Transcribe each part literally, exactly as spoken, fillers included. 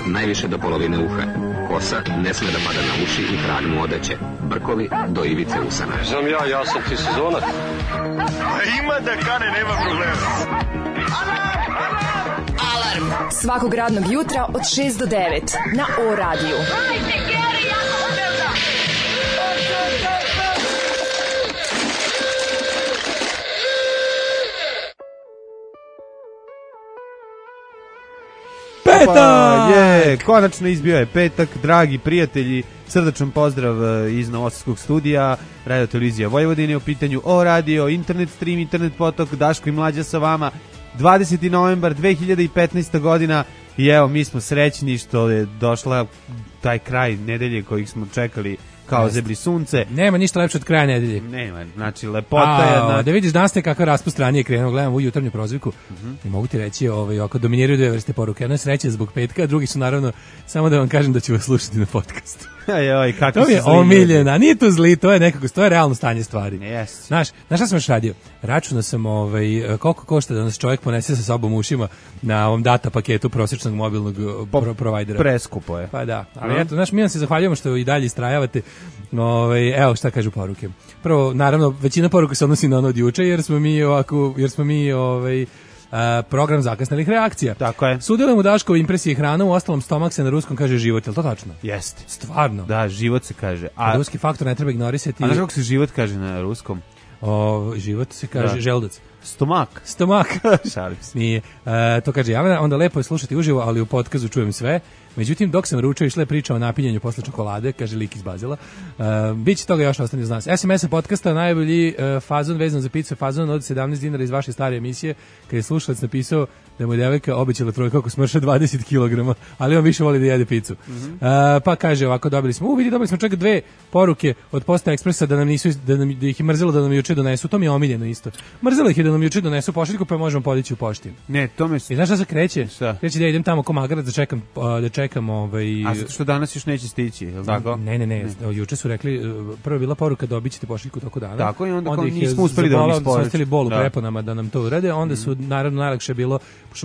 najviše do polovine uha. Kosa ne sme da pada na uši i krag mu odeće. Brkovi do ivice usana. Znam ja, ja sam ti sezonac. Ima da kane, nema problema. Alarm svakog radnog jutra od šest do devet na O radiju. Hajde, Geri, jako se velda! Petak! Je, konačno izbio je petak, dragi prijatelji, srdačan pozdrav iz Novosadskog studija, Radio Televizija Vojvodine u pitanju O radio, internet stream, internet potok, Daško i Mlađa sa vama, dvadeseti novembar dve hiljade petnaesta godina i evo mi smo srećni što je došla taj kraj nedelje kojih smo čekali kao zebri sunce. Nema ništa lepše od kraja nedelje. Nema, znači lepota je... A, da vidiš danas te kakva raspust ranije krenuo, gledam u jutarnju prozivku uh-huh. i mogu ti reći, ovaj, ako dominiraju dve vrste poruke, jedna je sreća zbog petka, a drugi su naravno, samo da vam kažem da ću vas slušati na podcastu. Ajoj, kako to je omiljena, nije to zli, to je nekako, to je realno stanje stvari. Yes. Znaš, znaš šta sam još radio? Računao sam ovaj, koliko košta da nas čovjek ponese sa sobom ušima na ovom data paketu prosječnog mobilnog pro, provajdera. Preskupo je. Pa da, ali no. Eto, znaš, mi vam se zahvaljujemo što i dalje istrajavate. Ovaj, evo šta kažu poruke. Prvo, naravno, većina poruka se odnosi na ono od juče, jer smo mi ovako, jer smo mi ovaj, a, program zakasnelih reakcija. Tako je. Sudjelujem u Daškovoj impresiji hranom, u ostalom stomak se na ruskom kaže život, je li to tačno? Jeste. Stvarno? Da, život se kaže. A ruski faktor ne treba ignorisati. A znaš kako se život kaže na ruskom? O, život se kaže da. Želudac. Stomak. Stomak. Šalim se. Nije. E, to kaže Jelena, onda lepo je slušati uživo, ali u podcastu čujem sve. Međutim, dok sam ručao, išla je priča o napinjanju posle čokolade, kaže lik iz Bazela. E, Biće toga još ostane uz nas. S M S podcasta najbolji e, fazon vezan za picu, fazon od sedamnaest dinara iz vaše stare emisije, kad je slušalac napisao da mu je devojka obećala trojka ako smrša dvadeset kilograma, ali on više voli da jede picu. Mm-hmm. E, pa kaže ovako, dobili smo, u vidi, dobili smo čak dve poruke od Posta Ekspresa da nam nisu, da, nam, da ih je mrzelo da nam juče donesu, to mi je omiljeno isto. Mrzelo ih je da nam juče donesu pošiljku, pa možemo podići u pošti. Ne, to mi... I znaš šta se kreće? Šta? Kreće da idem tamo ko magarac da čekam, da čekam ovaj... A zato što danas još neće stići, je li tako? Ne, ne, ne, ne. Juče su rekli, prvo je bila poruka dobit ćete pošiljku toko dana. Tako i onda, onda kao nismo uspeli da vam isporučimo. Onda su ostali bol u preponama da nam to urade, onda su naravno najlakše bilo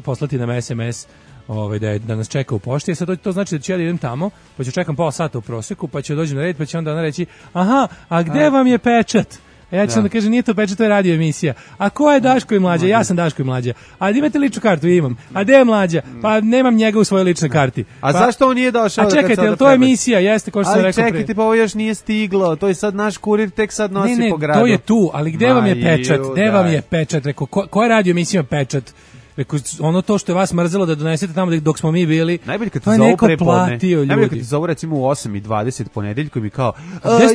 poslati nam S M S ovaj, da, je, da nas čeka u pošti. Sad to, to znači da ću ja da idem tamo, pa ću čekam pola sata u prosjeku, pa ću dođem na red, pa će onda ona reći, aha, a gde a, vam je pečat? A ja ću da. onda kažem, nije to pečat, to je radio emisija. A ko je Daško i Mlađa? Ja sam Daško i Mlađa. A imate ličnu kartu? Imam. A gde je Mlađa? Pa nemam njega u svojoj ličnoj karti. A pa, zašto on nije došao? A čekajte, jel to je emisija? Jeste, ko što sam rekao. Ali čekajte, pa ovo još nije stiglo. To je sad naš kurir, tek sad nosi ne, ne, po gradu. To je tu, ali gde Ma vam je pečat? Gde vam je pečat? Rekao, ko, ko je radio emisija pečat? Rekao, ono to što je vas mrzelo da donesete tamo dok smo mi bili, najbolje kad to je neko platio ljudi. Najbolje kad ti zovu recimo u osam i dvadeset ponedeljkom i kao,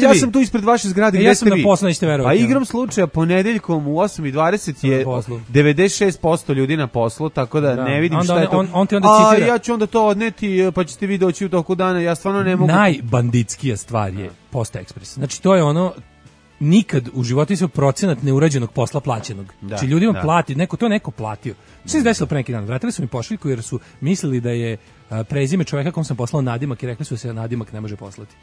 ja sam tu ispred vaše zgrade, e, gde ja ste vi? Ja sam na poslu, nećete verovati. A igram slučaja ponedeljkom u osam i dvadeset je devedeset šest posto ljudi na poslu, tako da, da. ne vidim onda šta je to. On, on ti onda a citira. Ja ću onda to odneti, pa ćete vi doći u toku dana, ja stvarno ne mogu. Najbanditskija stvar je Posta Ekspres. Znači to je ono, nikad u životu se procenat neurađenog posla plaćenog. Da, znači ljudima da. plati, neko to je neko platio. Što se desilo pre neki dan? Vratili su mi pošiljku jer su mislili da je a, prezime čovjeka kom sam poslao nadimak i rekli su se nadimak ne može poslati.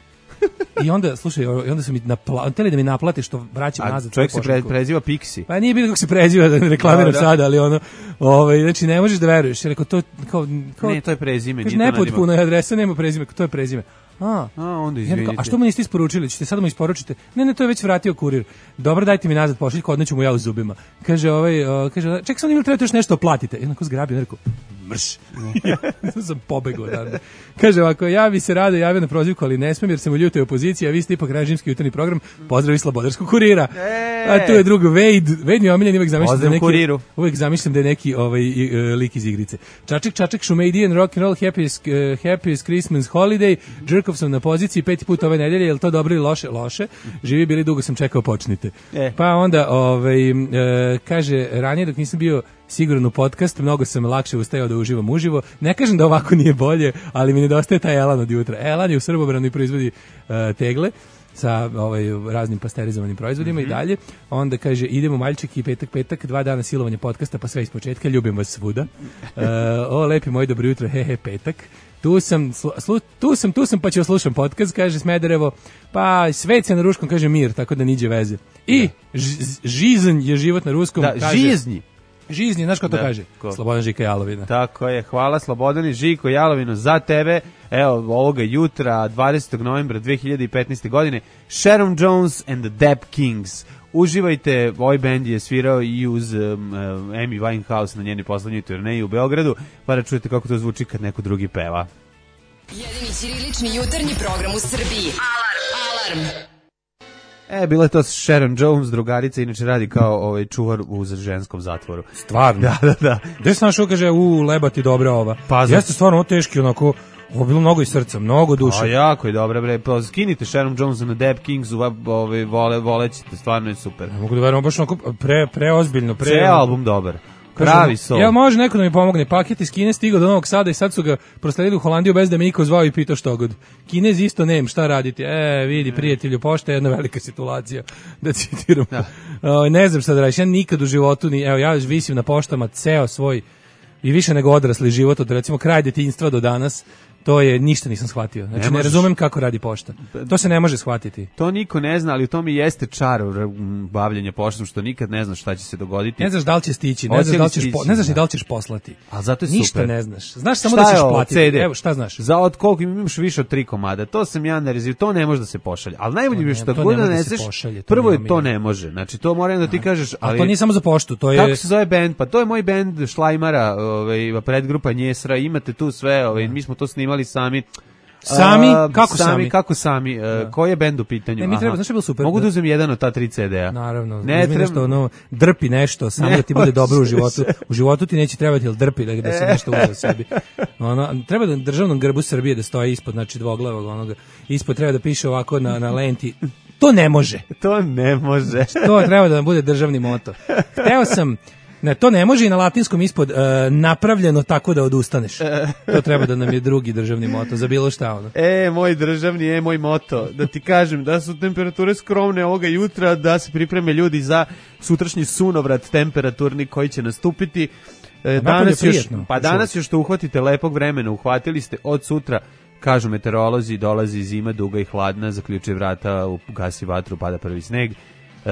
I onda, slušaj, onda su mi napla, hteli da mi naplate što vraćam nazad. Čovjek se pre, preziva Pixi. Pa nije bilo kako se preziva, da ne reklamiram da, da. sada, ali ono, ovaj, znači ne možeš da veruješ. Rekao, to, kao, kao, ne, to je prezime. Kaži, nepotpuno je adresa, nema prezime, to je prezime. A, a onda izvinite. A što mu niste isporučili? Ćete sad mu isporučite? Ne, ne, to je već vratio kurir. Dobro, dajte mi nazad pošiljku, odneću mu ja u zubima. Kaže, ovaj, uh, kaže, ček sam ili trebate još nešto platite. I onako zgrabio, rekao, mrš. Ja sam pobegao odavde. Kaže ovako, ja bi se rado javio na prozivku, ali ne smijem jer sam u ljutoj opoziciji, a vi ste ipak režimski jutarnji program. Pozdrav iz Slobodarskog kurira. E! A tu je drugo Wade. Wade mi je omiljen, uvek zamišljam da neki kuriru. Uvek zamišljam da je neki ovaj uh, lik iz igrice. Čaček, čaček, Šumejdijan, rock and roll, happiest, uh, happiest Christmas holiday. Jerkov sam na poziciji peti put ove nedelje, jel to dobro ili loše? Loše. Živi bili, dugo sam čekao, počnite. E. Pa onda ovaj uh, kaže ranije dok nisam bio siguran u podcast, mnogo sam lakše ustajao da uživam uživo. Ne kažem da ovako nije bolje, ali mi nedostaje taj elan od jutra. Elan je u Srbobranu i proizvodi uh, tegle sa ovaj, raznim pasterizovanim proizvodima mm-hmm. i dalje. Onda kaže, idemo Maljček i petak, petak, dva dana silovanja podcasta, pa sve iz početka, ljubim vas svuda. Uh, o, lepi moj, dobro jutro, he, he, petak. Tu sam, slu, tu sam, tu sam, pa ću oslušam podcast, kaže Smederevo, pa svet se na ruskom, kaže mir, tako da niđe veze. I ž, žizn je život na ruskom. Da, kaže, žizni. Žizni, znaš ko to Da, kaže? ko? Slobodan Žika Jalovina. Tako je, hvala Slobodani Žiko Jalovino za tebe. Evo, ovoga jutra, dvadesetog novembra dve hiljade petnaeste. godine, Sharon Jones and the Dap Kings. Uživajte, ovaj bend je svirao i uz um, Amy Winehouse na njenoj poslednjoj turneji u Beogradu, pa da čujete kako to zvuči kad neko drugi peva. Jedini ćirilični jutarnji program u Srbiji. Alarm! Alarm! E, bila je to Sharon Jones, drugarica, inače radi kao ovaj čuvar u ženskom zatvoru. Stvarno? Da, da, da. Gde sam našao, kaže, u lebati dobra ova. Pa, za- Jeste stvarno ovo teški, onako, ovo bilo mnogo iz srca, mnogo duše. A jako je dobra, bre. Pa skinite Sharon Jones na Dap Kings, ovaj vole volećete, stvarno je super. Ne mogu da verujem, baš onako pre, preozbiljno. Pre, Ceo album dobar. Pravi sol. Ja, može neko da mi pomogne. Paket iz Kine stigao do Novog Sada i sad su ga prosledili u Holandiju bez da me niko zvao i pitao što god. Kinez isto nem, šta raditi? E, vidi, prijatelju, pošta je jedna velika situacija. Da citiram. Da. O, ne znam šta da radiš. Ja nikad u životu, ni, evo, ja visim na poštama ceo svoj i više nego odrasli život od recimo kraj detinjstva do danas. To je, ništa nisam shvatio. Znači, ne, ne razumem kako radi pošta. To se ne može shvatiti. To niko ne zna, ali u tome jeste čar bavljenja poštom, što nikad ne znaš šta će se dogoditi. Ne znaš da li će stići, ne znaš da li ćeš, po, ne znaš ni da li ćeš poslati. A zato je ništa super. Ne znaš. Znaš samo šta da ćeš ovo, platiti. C D? Evo, šta znaš? Za od koliko imaš više od tri komada. To sam ja narizio, to ne može da se pošalje. Ali najbolje je što god naneseš, prvo je to ne može. Znači to moram da ti kažeš, ali a to nije samo za poštu, to je. Kako se zove bend? Pa to je moj bend Šlajmara, ovaj predgrupa Njesra. Imate tu sve, ovaj mi smo to snimali sami. Sami? A, Kako sami? sami? Kako sami? Uh, koji je bend u pitanju? Ne, mi treba, znaš je bilo super. Mogu da uzem jedan od ta tri C D-a? Naravno. Ne treba nešto, ono, drpi nešto, samo ne, da ti bude dobro u životu. U životu ti neće trebati, jel drpi da, da se nešto uze sebi. Ono, treba da državnom grbu Srbije da stoji ispod, znači dvoglavog onoga. Ispod treba da piše ovako na, na lenti. To ne može. To ne može. To treba da bude državni moto. Hteo sam... Ne, to ne može i na latinskom ispod uh, napravljeno tako da odustaneš. To treba da nam je drugi državni moto za bilo šta ono. E, moj državni, e, moj moto. Da ti kažem da su temperature skromne ovoga jutra, da se pripreme ljudi za sutrašnji sunovrat temperaturni koji će nastupiti. E, danas još, pa danas još što uhvatite lepog vremena, uhvatili ste od sutra, kažu meteorolozi, dolazi zima duga i hladna, zaključuje vrata, gasi vatru, pada prvi sneg. Uh,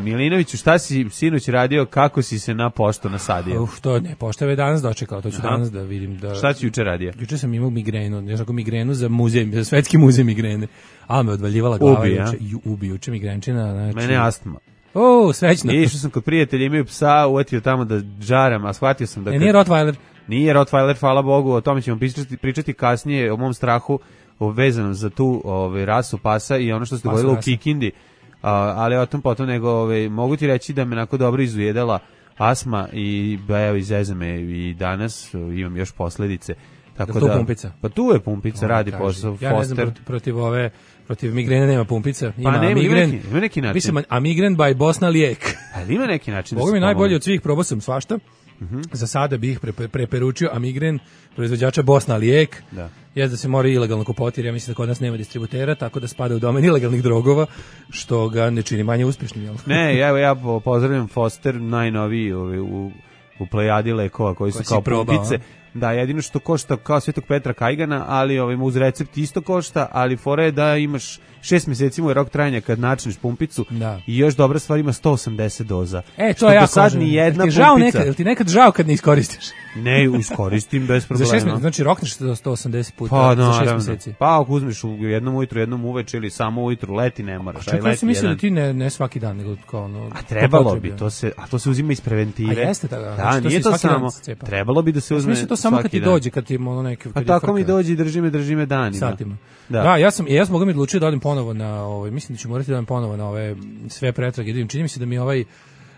Milinoviću, šta si sinoć radio, kako si se na poštu nasadio? Uf, to ne, pošta je danas dočekao, to ću Aha. danas da vidim. Da... Šta si juče radio? Juče sam imao migrenu, ja sam migrenu za muzej, za svetski muzej migrene, ali me odvaljivala glava. Ubi, juče, ju, ubi, juče migrenčina. Znači... Mene astma. O, srećno. Išao sam kod prijatelja, imaju psa, uvatio tamo da džaram, a shvatio sam da... E, nije Rottweiler? Nije Rottweiler, hvala Bogu, o tome ćemo pričati, pričati kasnije, o mom strahu vezanom za tu ove, rasu pasa i ono što se dogodilo u Kikindi. Uh, ali o tom potom nego ove, mogu ti reći da me onako dobro izujedala asma i evo izeze me i danas imam još posledice. Tako da, da pumpica? Pa tu je pumpica, o, radi posao. Ja ne znam, protiv, protiv ove protiv migrene nema pumpica. Ima pa nema, migren, ima, neki, ima neki način. Mislim, a migren by Bosna lijek. Ali ima neki način. Boga mi najbolji od svih, probao sam svašta. Mm-hmm. Za sada bih pre, pre, preporučio Amigren, proizvođača Bosna lijek. Da. Jeste da se mora ilegalno kupovati, jer ja mislim da kod nas nema distributera, tako da spada u domen ilegalnih drogova, što ga ne čini manje uspješnim. Jel? Ne, ja, ja pozdravljam Foster, najnoviji u, u, u plejadi lekova koji su kao pumpice. Da, jedino što košta kao Svetog Petra Kajgana, ali ovaj, uz recept isto košta, ali fora je da imaš šest mjeseci mu je rok trajanja kad načneš pumpicu da. I još dobra stvar ima sto osamdeset doza. E, to je jako sad ni jedna jel ti pumpica. Nekad, jel ti nekad žao kad ne iskoristiš? Ne, iskoristim bez problema. Za šest mjeseci, znači rokneš do sto osamdeset puta pa, za šest mjeseci. Pa ako uzmeš u jednom ujutru, jednom uveče ili samo ujutru, leti ne moraš. A čekaj, ja sam mislio da ti ne, ne svaki dan, nego kao ono... A trebalo bi, to se, a to se uzima iz preventive. A jeste tako? Da, znači, nije to, to samo, trebalo bi da se uzme svaki to samo kad ti dođe, kad ti ono neke... A tako mi dođe i drži me, drži me danima. Satima. Da. da, ja sam, ja sam mogu mi odlučio da odem ponovo na, ovaj, mislim da ću morati da odem ponovo na ove sve pretrage. Da čini mi se da mi ovaj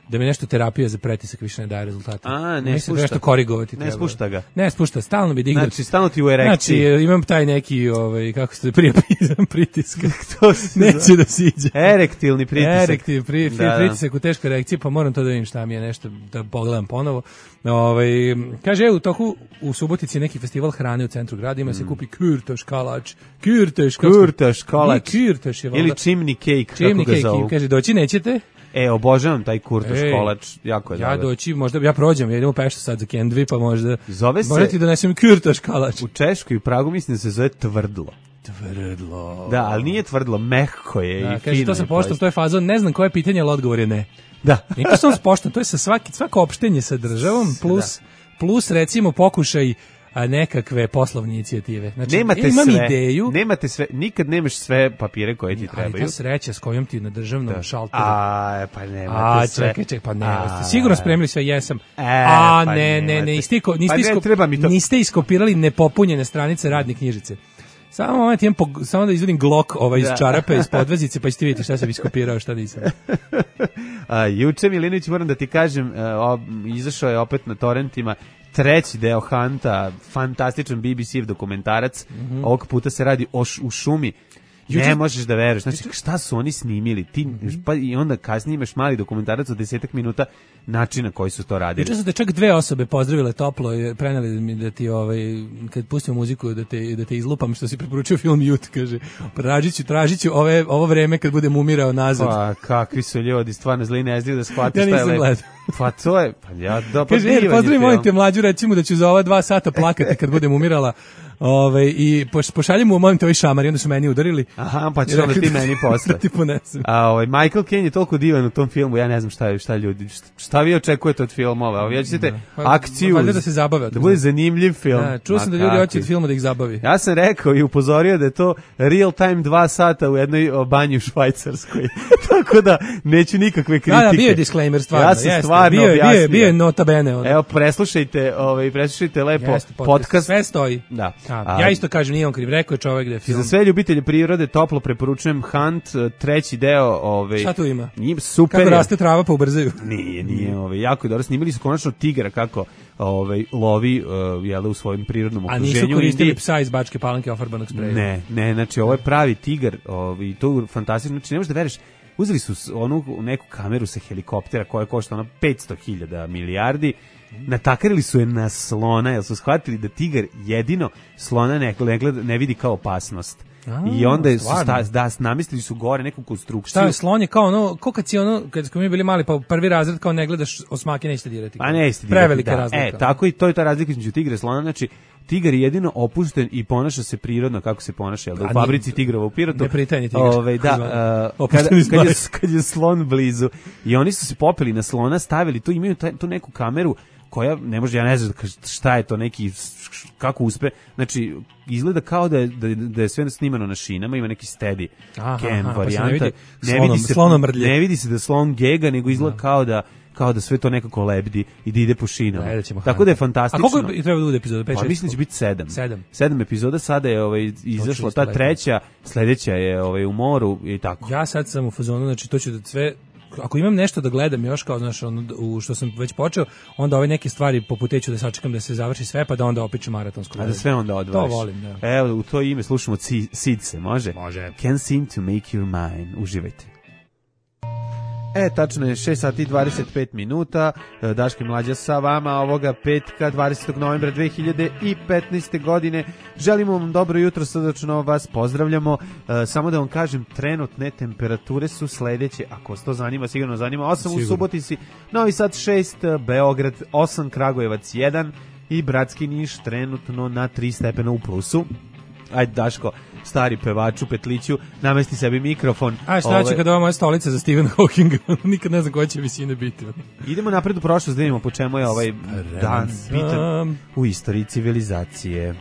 da mi nešto terapija za pretisak više ne daje rezultate. A, ne mislim da nešto korigovati ne treba. spušta ga. Ne spušta, stalno bi digao. Znači, stalno ti u erekciji. Znači, imam taj neki, ovaj, kako se prijepizam pritiska. To se neće da siđe. Erektilni pritisak. Erektilni pri, da, pritisak u teškoj erekciji, pa moram to da vidim šta mi je nešto, da pogledam ponovo. Ovaj, kaže, u toku u Subotici neki festival hrane u centru grada, ima mm. se kupi kürtoš kalač. Kürtoš, kürtoš kalač. Kürtoš je ili chimney cake, chimney kako ga zovu. Cake, kaže, doći nećete? E, obožavam taj kurtoš kolač, jako je ja dobar. Doći, možda ja prođem, ja idem u Peštu sad za Kendvi, pa možda zove se, možda ti donesem kurtoš kalač. U Češkoj i u Pragu mislim da se zove tvrdlo. Tvrdlo. Da, ali nije tvrdlo, mehko je Da, i kaže, fino. to sa je poštom, post- to je fazon, ne znam koje pitanje, ali odgovor je ne. Da. Nije to samo s poštom, to je sa svaki, svako opštenje sa državom, plus, plus recimo pokušaj a nekakve poslovne inicijative. Znači, Nemate imam sve, ideju, nemate sve, nikad nemaš sve papire koje ti ali trebaju. ta sreća s kojom ti na državnom Da. šalteru. A, pa nemate A, sve. čekaj, čekaj, pa ne, A, ste sigurno spremili sve, jesam. E, A, pa ne, ne, nemate. ne, niste, iko- niste, Pa ne isko- treba mi to. niste iskopirali nepopunjene stranice radne knjižice. Samo moment, imam pog- samo da izvodim glok ovaj iz Da. čarape, iz podvezice, pa ćete vidjeti šta sam iskopirao, šta nisam. A, juče, Milinović, moram da ti kažem, e, o, izašao je opet na torrentima treći deo Hunta, fantastičan B B C dokumentarac. Mhm. Ovog puta se radi o š- u šumi. Ne Juče- možeš da veruješ. Znači, šta su oni snimili? Ti, pa i onda kasnije imaš mali dokumentarac od desetak minuta načina koji su to radili. Juče su te čak dve osobe pozdravile toplo i preneli mi da ti ovaj kad pustimo muziku da te da te izlupam što si preporučio film Youth, kaže. Tražiću, tražiću ove ovo vreme kad budem umirao nazad. Pa, kakvi su ljudi, stvarno zli ne znaju da shvate Ja šta je nisam lepo. gledao. Pa to je, pa ja, da, pa Kaže, jer divan je pozdravi, film. molim te, mlađu, recimo da ću za ova dva sata plakati kad budem umirala. Ove, i poš, pošaljem mu, molim te, ovaj šamar, i onda su meni udarili. Aha, pa ćeš I onda rekli ti meni da posle. ti ponesem. A ovaj Michael Caine je toliko divan u tom filmu, ja ne znam šta je, šta ljudi, šta, šta vi očekujete od filmova? Ovo, ja ćete Pa, akciju, valjda da se zabave od da toga. bude zanimljiv film. Da, čuo sam Ma da ljudi kakvi. hoće od filma da ih zabavi. Ja sam rekao i upozorio da je to real time dva sata u jednoj o, banji u Švajcarskoj. Tako da neću nikakve kritike. Da, da, bio je disclaimer, stvarno. Ja sam jeste. stvarno bio, je- bio, je- objasnio. bio je nota bene. Ono. Evo, preslušajte, ovaj, preslušajte lepo Jeste, podcast. Sve stoji. Da. A, A, ja isto kažem, nije on kriv, rekao je čovjek da je film. Za sve ljubitelje prirode toplo preporučujem Hunt, treći deo. Ovaj, Šta tu ima? Njim super. Kako je. raste trava pa ubrzaju. Nije, nije, ovaj, jako je dobro. Snimili su konačno tigra kako ovaj, lovi uh, jele, u svojim prirodnom A okruženju. nisu koristili Indiji. psa iz Bačke Palanke ofarbanog spreja. Ne, ne, znači ovo je pravi tigar ovaj, to je fantastično. Znači ne možeš da veruješ, uzeli su s- onu neku kameru sa helikoptera koja košta ono petsto hiljada milijardi, natakarili su je na slona, jer su shvatili da tigar jedino slona ne, ne, gleda, ne vidi kao opasnost. A, I onda su stvarno? sta, da, namestili su gore neku konstrukciju. Šta je slon je kao ono, ko kad si ono, kad smo mi bili mali pa prvi razred kao ne gledaš osmake nećete dirati. Pa ne isti Prevelika da. razlika. E, tako i to je ta razlika između tigra i slona, znači tigar je jedino opušten i ponaša se prirodno kako se ponaša, jel da, u A fabrici nije- tigrova u Pirotu. nepritajni tigar. Ovaj, da, Zvano. uh, kada, Opušteni kad, je, zmaj. kad je slon blizu i oni su se popeli na slona, stavili tu, imaju taj, tu neku kameru koja, ne može, ja ne znam šta je to, neki, kako uspe, znači, izgleda kao da je, da, je- da je sve snimano na šinama, ima neki steady Aha, cam aha, pa se ne varijanta. vidi ne slonom- vidi se, slonom mrdlje. ne vidi se da slon gega, nego izgleda kao da kao da sve to nekako lebdi i da ide po šinama. Gledat ćemo Tako Hunta. da je fantastično. A koliko je treba da bude epizoda? pet, Pa šest? mislim da će biti sedam. Sedam. Sedam epizoda, sada je ovaj, izašla isto ta lepo. treća, sledeća je ovaj, u moru i tako. Ja sad sam u fazonu, znači to ću da sve ako imam nešto da gledam još kao znaš ono u što sam već počeo, onda ove neke stvari poput te ću da sačekam da se završi sve pa da onda opičem maratonsko. A da sve onda odvajaš. To volim, da. Evo, u to ime slušamo Ci- Sidse, može? Može. Can seem to make your mine. Uživajte. E, tačno je šest sati i dvadeset pet minuta. E, Daško i Mlađa sa vama ovoga petka dvadesetog novembra dve hiljade petnaeste. godine. Želimo vam dobro jutro, srdačno vas pozdravljamo. E, samo da vam kažem, trenutne temperature su sledeće, ako vas to zanima, sigurno zanima. osam u Sigurno. Subotici, Novi Sad šest, Beograd osam, Kragujevac jedan i Bratski Niš trenutno na tri stepena u plusu. Ajde, Daško, stari pevaču Petliću, namesti sebi mikrofon. A šta će Ove, kada ova moja stolica za Stephen Hawkinga? Nikad ne znam koja će visine biti. Idemo napred u prošlost da vidimo po čemu je ovaj dan bitan sam. u istoriji civilizacije.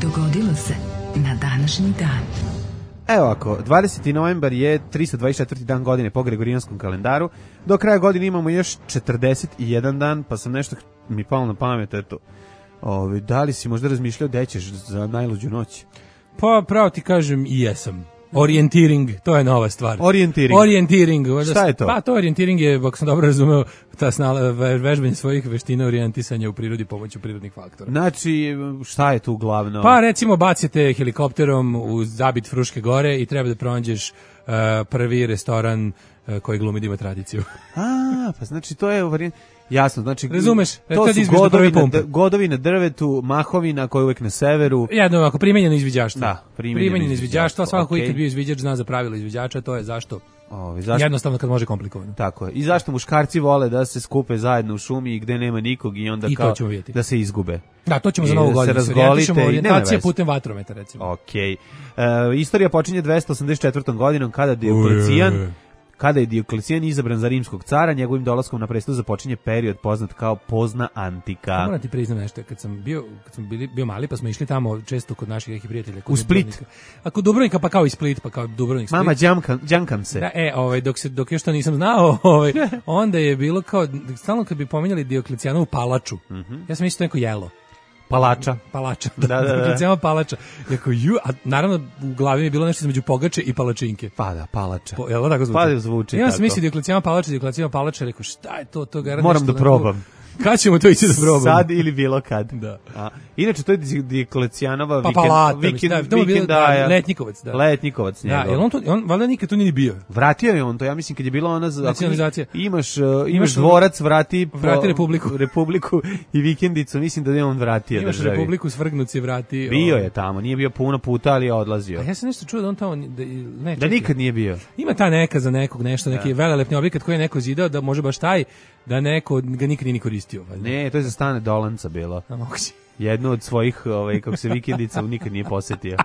Dogodilo se na današnji dan. Evo ako, dvadeseti novembar je tristo dvadeset četvrti dan godine po Gregorijanskom kalendaru. Do kraja godine imamo još četrdeset jedan dan, pa sam nešto mi palo na pamet, eto. Ove, da li si možda razmišljao da ćeš za najluđu noć? Pa pravo ti kažem i jesam. Orientiring, to je nova stvar. Orientiring. Orientiring. Šta je to? Pa to orientiring je, ako sam dobro razumeo, ta snala, ve- vežbanje svojih veština orijentisanja u prirodi pomoću prirodnih faktora. Znači, šta je tu glavno? Pa recimo bacite helikopterom u zabit Fruške gore i treba da pronađeš uh, prvi restoran uh, koji glumi da ima tradiciju. A, pa znači to je varijant. Jasno, znači Razumeš? to Kad su izbiš do prve godovi na, pumpe. d- godovi na drvetu, mahovina koja je uvek na severu. Jedno ovako, primenjeno izviđaštvo. Da, primenjeno primenjeno izviđaštvo, izviđaštvo, a svako okej. koji kad bio izviđač zna za pravila izviđača, to je zašto Ovi, zašto? Jednostavno kad može komplikovano. Tako je. I zašto muškarci vole da se skupe zajedno u šumi gde nema nikog i onda I kao da se izgube. Da, to ćemo I za Novu da godinu. Razgolite, orijentacija putem vatrometa, recimo. Okej. Okay. E, istorija počinje dvesta osamdeset četvrtom godinom kada Dioklecijan Kada je Dioklecijan izabran za rimskog cara, njegovim dolaskom na presto započinje period poznat kao pozna antika. Moram ti priznam nešto, kad sam bio, kad sam bili, bio mali, pa smo išli tamo često kod naših nekih prijatelja. U Split. A kod Dubrovnika, pa kao i Split, pa kao Dubrovnik, Split. Mama, džankam, džankam se. Da, e, ovaj, dok, se, dok još to nisam znao, ovaj, onda je bilo kao, stalno kad bi pominjali Dioklecijanovu palaču, mm-hmm. ja sam mislio neko jelo. Palača. Palača. Da, da, da. Dioklecijana palača. Jako, ju, a naravno u glavi mi je bilo nešto između pogače i palačinke. Pa da, palača. Po, jel tako zvuči? Pa da zvuči ja tako. Ja sam mislio Dioklecijana palača, Dioklecijana palača, rekao šta je to, to gara moram da probam. Kad ćemo to ići da probamo? Sad ili bilo kad. Da. A, inače, to je Dioklecijanova pa, vikend, palata, vikend, da, vikend, bilo, da, letnikovac. Da. Letnikovac njegov. Da, jer on, to, on valjda nikad tu nije bio. Vratio je on to, ja mislim kad je bila ona... Nacionalizacija. Imaš, uh, imaš, imaš dvorac, vrati... Vrati Republiku. Republiku i vikendicu, mislim da je on vratio imaš državi. Republiku, svrgnuci vrati. Bio je tamo, nije bio puno puta, ali je odlazio. A ja sam nešto čuo da on tamo... Da, ne, da nikad nije bio. Ima ta neka za nekog nešto, neki velelepni objekat koji je neko zidao, da može baš taj, da neko ga nikad nije ni koristio. Valjda. Ne, to je za Stane Dolanca bilo. A moguće. Jednu od svojih, ovaj, kako se vikendica nikad nije posetio.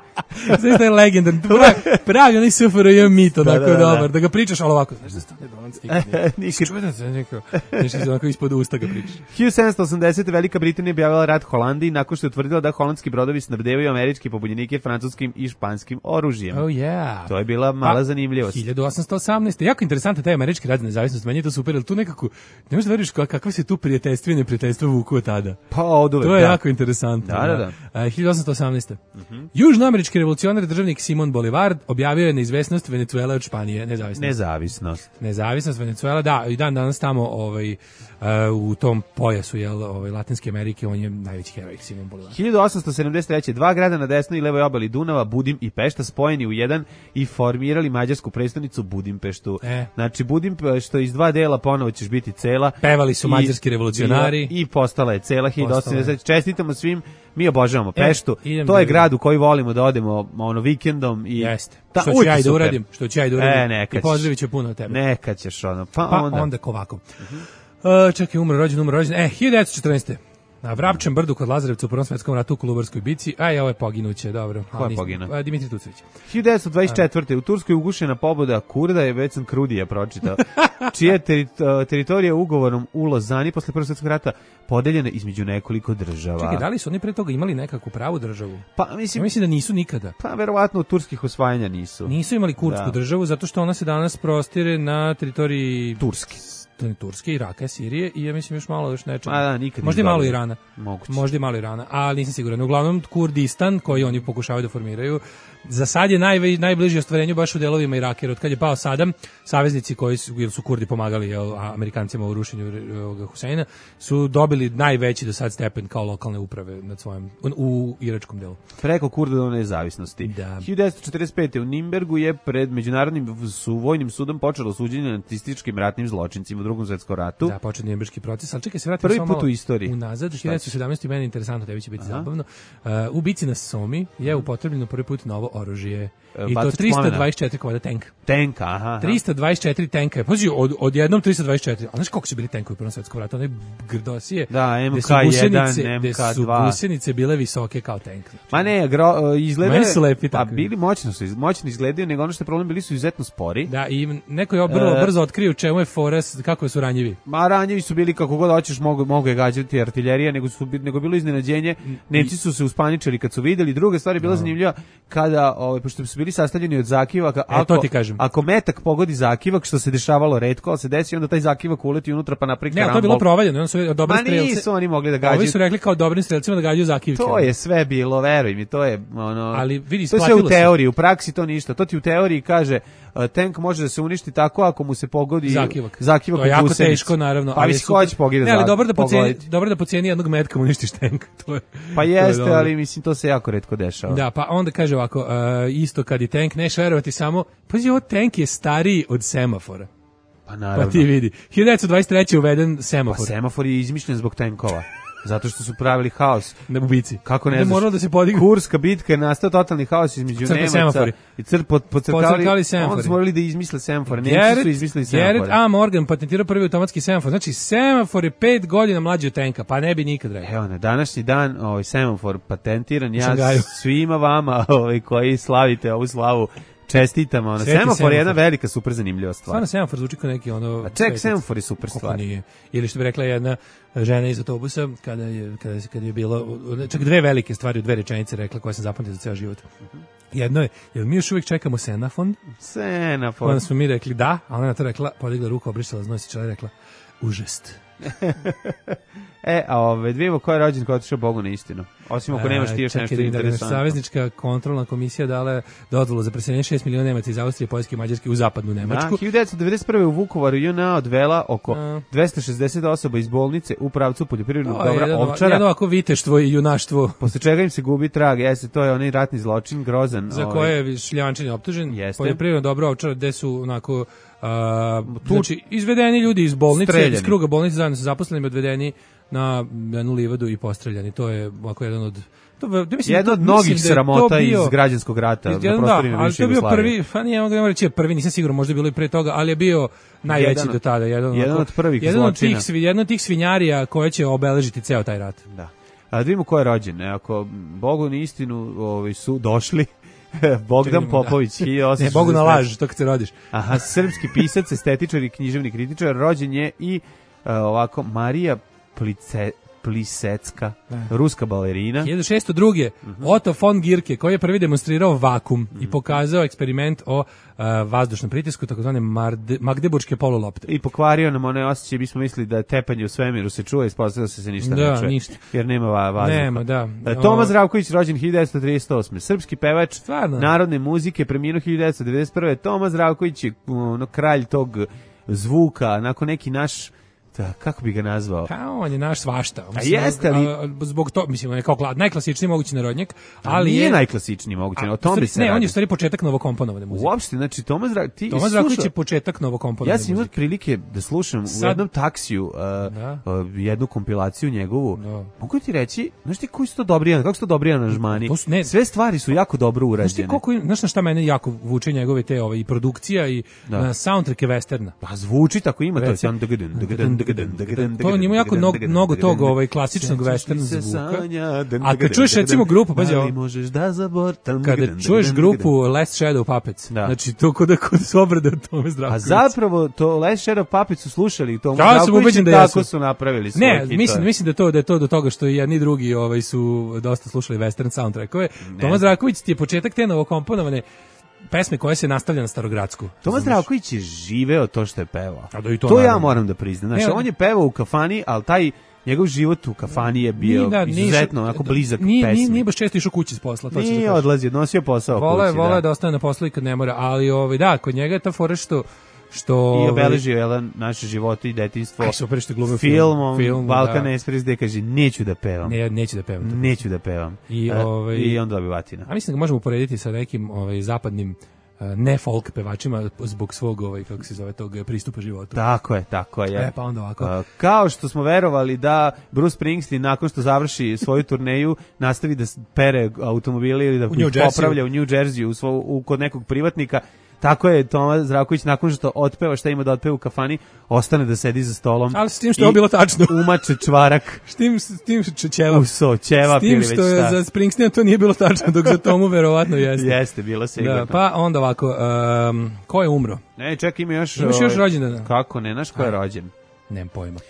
Znaš da je legendarno, pravi, pravi onaj S F R J mit, onako da, da, da, dobar, da. da ga pričaš, ali ovako, znaš da Stane Dolanca nikad nije. Čudan se, neko, nešto se onako ispod usta ga pričaš. hiljadu sedamsto osamdesete. Velika Britanija objavila rat Holandiji nakon što je utvrdila da holandski brodovi snabdevaju američke pobunjenike francuskim i španskim oružjem. Oh yeah. To je bila mala pa, zanimljivost. hiljadu osamsto osamnaeste. Jako interesantan taj američki rat za nezavisnost, meni je to super, ali tu nekako, ne možeš da veriš kakve se tu prijateljstvo i neprijateljstvo vuku od tada. Pa oduvek, to je da. jako interesantno. Da, da, da. Uh, hiljadu osamsto osamnaeste. Uh-huh. Južnoamerički revolucionar državnik Simon Bolivar objavio je neizvesnost Venecuele od Španije, nezavisnost. Nezavisnost. Nezavisnost Venecuela, da, i dan danas tamo ovaj, uh, u tom pojasu jel, ovaj, Latinske Amerike, on je najveći heroj Simon Bolivar. hiljadu osamsto sedamdeset treće. Dva grada na desnoj i levoj obali Dunava, Budim i Pešta, spojeni u jedan i formirali mađarsku prestonicu Budimpeštu. E. Znači Budimpešta iz dva dela ponovo ćeš biti cela. Pevali su mađarski revolucionari. I, i postala je cela hiljadu osamsto sedamdeset treće. Čestitamo svim. Mi obožavamo e, Peštu. To je grad u koji volimo da odemo ono vikendom i jeste. Ta, što ću ja i da uradim, što ću ja i da uradim. E, neka I pozdravit ću puno od tebe. Neka ćeš ono. Pa, pa onda onda ovako. Uh-huh. Uh, čekaj, umro rođen, umro rođen. E, hiljadu devetsto četrnaeste. Na Vrapčem brdu kod Lazarevca u Prvom svetskom ratu u Kolubarskoj bici. Aj, ovo je poginuće, dobro. Ko je poginuo? Dimitri Tucović. hiljadu devetsto dvadeset četvrte. U Turskoj ugušena pobuda Kurda, je već sam Krudija pročitao, čija teri, teritorija ugovorom u Lozani posle Prvog svjetskog rata podeljena između nekoliko država. Čekaj, da li su oni pre toga imali nekakvu pravu državu? Pa mislim, ja mislim da nisu nikada. Pa verovatno od turskih osvajanja nisu. Nisu imali kurdsku da. državu zato što ona se danas prostire na teritoriji Turske. Turske, Iraka, Sirije i ja mislim još malo još nečega. A da, nikad možda i malo Irana. Moguće. Možda i malo Irana, ali nisam siguran. Uglavnom Kurdistan koji oni pokušavaju da formiraju. Za sad je naj, najbliži ostvarenju baš u delovima Iraka, jer od kad je pao Sadam, saveznici koji su, jer su Kurdi pomagali jel, Amerikancima u rušenju Huseina, su dobili najveći do sad stepen kao lokalne uprave nad svojim, u iračkom delu. Preko Kurda nezavisnosti. Da. hiljadu devetsto četrdeset pete. u Nimbergu je pred Međunarodnim su vojnim sudom počelo suđenje nacističkim ratnim zločincima u Drugom svjetskom ratu. Da, počeo Nimberški proces, ali čekaj se vratimo samo malo u istoriji. Unazad, hiljadu devetsto sedamnaeste. meni interesantno, tebi će biti Aha. zabavno. Uh, u bici na Somi je upotrebljeno prvi put novo oružje. I to trista dvadeset četiri komada tank. Tank, aha. trista dvadeset četiri tenka. Pazi, od, od jednom trista dvadeset četiri. A znaš koliko su bili tenkovi u Prvom svjetskom ratu? One grdosije. Da, M K jedan, M K dva. Gde su gusenice bile visoke kao tank. Znači. Ma ne, gro, izgledaju... Meni su lepi tako. A bili moćno su, moćno izgledaju, nego ono što je problem, bili su izuzetno spori. Da, i neko je brzo, brzo otkrio čemu je fores, kako su ranjivi. Ma ranjivi su bili kako god hoćeš, mogu, mogu je gađati artiljerija, nego, su, nego bilo iznenađenje. Nemci su se uspaničili kad su videli. Druga stvar je bila no. zanimljiva kada, ovaj, pošto su bili sastavljeni od zakivaka, ako, e, to ti kažem. Ako metak pogodi zakivak, što se dešavalo retko, ali se desi, onda taj zakivak uleti unutra pa napravi karambol. Ne, to je bilo provaljeno, oni su dobri strelci. Ma nisu oni mogli da gađaju. Ovi su rekli kao dobrim strelcima da gađaju zakivke. To je sve bilo, veruj mi, to je ono. Ali vidi, to je sve u teoriji, u praksi to ništa. To ti u teoriji kaže uh, tank može da se uništi tako ako mu se pogodi zakivak. Zakivak to je jako teško, naravno. Pa ali si hoće pogledati. Ne, ali dobro da pocijeni, dobro da pocijeni jednog metka mu uništiš tank. To je. Pa jeste, je ali mislim to se jako retko dešava. Da, pa onda kaže ovako, uh, isto kad i tank neš verovati samo, pazi, ovo tank je stariji od semafora. Pa naravno. Pa ti vidi. hiljadu devetsto dvadeset treće uveden semafor. Pa semafor je izmišljen zbog tenkova. Zato što su pravili haos. Na ubici. Kako ne znaš? Moralo da se podigne. Kurska bitka je nastao totalni haos između Crkli Nemaca semafori. i cr pod, podcrkali semafori. Onda su morali da izmisle semafore. Nemci su izmislili semafore. Gerrit A. Morgan patentirao prvi automatski semafor. Znači, semafor je pet godina mlađi od tenka, pa ne bi nikad rekao. Evo, na današnji dan ovaj semafor patentiran. Ja svima vama ovaj, koji slavite ovu slavu čestitam, ono, semafor, semafor je jedna velika super zanimljiva stvar. Stvarno semafor zvuči kao neki ono... A ček, semafor je super stvar. Nije. Ili što bi rekla jedna žena iz autobusa, kada je, kada, kada je bilo, čak dve velike stvari u dve rečenice rekla koje sam zapamtila za ceo život. Uh-huh. Jedno je, jel mi još uvijek čekamo senafon? Senafon. Onda smo mi rekli da, a ona na to rekla, podigla ruku, obrisala znos i čela rekla, užest. E, a ove, dvijemo ko je rođen, ko je otišao Bogu na istinu. Osim ako nemaš ti još nešto interesantno. Saveznička kontrolna komisija dala dozvolu za preseljenje šest miliona Nemaca iz Austrije, Poljske i Mađarske u zapadnu Nemačku. Da, hiljadu devetsto devedeset prve u Vukovaru J N A odvela oko a. dvesta šezdeset osoba iz bolnice u pravcu poljoprivrednog dobra jedno, Ovčara. Jedno ovako viteštvo i junaštvo. Posle čega im se gubi trag, jeste, to je onaj ratni zločin, grozan. Za koje je Šljančin optužen. Jeste. Poljoprivredno dobro Ovčara, gde su onako... Uh, znači, izvedeni ljudi iz bolnice, streljani. Iz kruga bolnice zajedno sa zaposlenima odvedeni na jednu livadu i postreljani. To je ovako jedan od... To, da mislim, jedno od to, mnogih sramota bio, iz građanskog rata. Iz, jedan, da, ali to je bio prvi, pa nije mogu reći prvi, nisam sigurno, možda je bilo i pre toga, ali je bio najveći jedan, do tada. Jedan, jedan onako, od prvih jedan zločina. Od tih, jedan od tih svinjarija koje će obeležiti ceo taj rat. Da. A da vidimo ko je rođen. Ako Bogu na istinu ovaj, su došli, Bogdan Čekaj, Popović, da. hiljadu osamsto šezdeset Ne, Bogu na laž, to kad se rodiš. Aha, srpski pisac, estetičar i književni kritičar, rođen je i uh, ovako Marija Plice, Plisecka, da. ruska balerina. hiljadu šeststo druge. Uh-huh. Otto von Guericke, koji je prvi demonstrirao vakum uh-huh. i pokazao eksperiment o uh, vazdušnom pritisku, takozvane magdeburške polulopte. I pokvario nam one osjećaje, mi smo mislili da tepanje u svemiru se čuje, ispostavilo se se ništa da, ne čuje. Ništa. Jer nema vazduha. Nema, da. Toma Zdravković, rođen hiljadu devetsto trideset osme. Srpski pevač Stvarno? narodne muzike, preminuo hiljadu devetsto devedeset prve. Toma Zdravković je ono, kralj tog zvuka, nakon neki naš Da, kako bi ga nazvao? Pa on je naš svašta. Mislim, a jeste li? A, zbog to, mislim, on je kao najklasičniji mogući narodnjak, ali nije je... najklasičniji mogući, o tome se Ne, radi. on je u stvari početak novokomponovane muzike. Uopšte, znači, Toma Zdravković... Ti Toma Zdravković je početak novokomponovane muzike. muzike. Ja sam imao prilike da slušam Sad... u jednom taksiju uh, uh, jednu kompilaciju njegovu. Da. Mogu ti reći, znaš ti koji su to dobri, kako su to dobri aranžmani? To su, ne, sve stvari su jako dobro urađene. Znaš ti koliko, znaš na šta mene jako vuče njegove te ove, i produkcija i da. na soundtracke westerna? Pa zvuči tako, ima to. To on ima jako mnogo, mnogo tog ovaj, klasičnog western zvuka. A kad čuješ recimo grupu, pazi ovo, kada čuješ grupu Last Shadow Puppets, da. znači to kod da kod su obrade od Tome Zdravkovića. A zapravo to Last Shadow Puppets su slušali Tomu ja Zdravkovića da tako su napravili svoj Ne, hitove. mislim, mislim da, to, da je to do toga što i jedni drugi ovaj, su dosta slušali western soundtrackove. Toma Zdravković ti je početak te novokomponovane pesme koje se nastavlja na Starogradsku. Toma Zdravković je živeo to što je pevao. A da i to, to ja moram da priznam. Znači, on je pevao u kafani, ali taj njegov život u kafani je bio da, izuzetno onako blizak nije, pesmi. Nije, nije baš često išao kući s posla. To nije da odlazio, nosio posao vole, kući. Vole da. da ostane na poslu i kad ne mora, ali ovaj, da, kod njega je ta fora što što i obeležio je naše živote i detinjstvo. Aj, super što glumio filmom, film, Balkan da. Express, gde kaže neću da pevam. Ne, neću da pevam. Neću da pevam. I, ovaj, I onda bi batina. A mislim da ga možemo uporediti sa nekim ovaj, zapadnim ne folk pevačima zbog svog ovaj kako se zove tog pristupa životu. Tako je, tako je. E, pa onda ovako. Uh, kao što smo verovali da Bruce Springsteen nakon što završi svoju turneju nastavi da pere automobile ili da ih popravlja u New Jersey u, svo, u kod nekog privatnika. Tako je Toma Zdravković nakon što otpeva šta ima da otpeva u kafani, ostane da sedi za stolom. Ali s tim što je bilo tačno. Umače čvarak. S tim, s tim što ćevap. Uso, ćevap ili već šta. S tim što je za Springsteena to nije bilo tačno, dok za Tomu verovatno jeste. Jeste, bilo sigurno. Da, pa onda ovako, um, ko je umro? Ne, čekaj, ima još... Imaš još rođendana? Kako ne, znaš ko je rođen? Nemam pojma.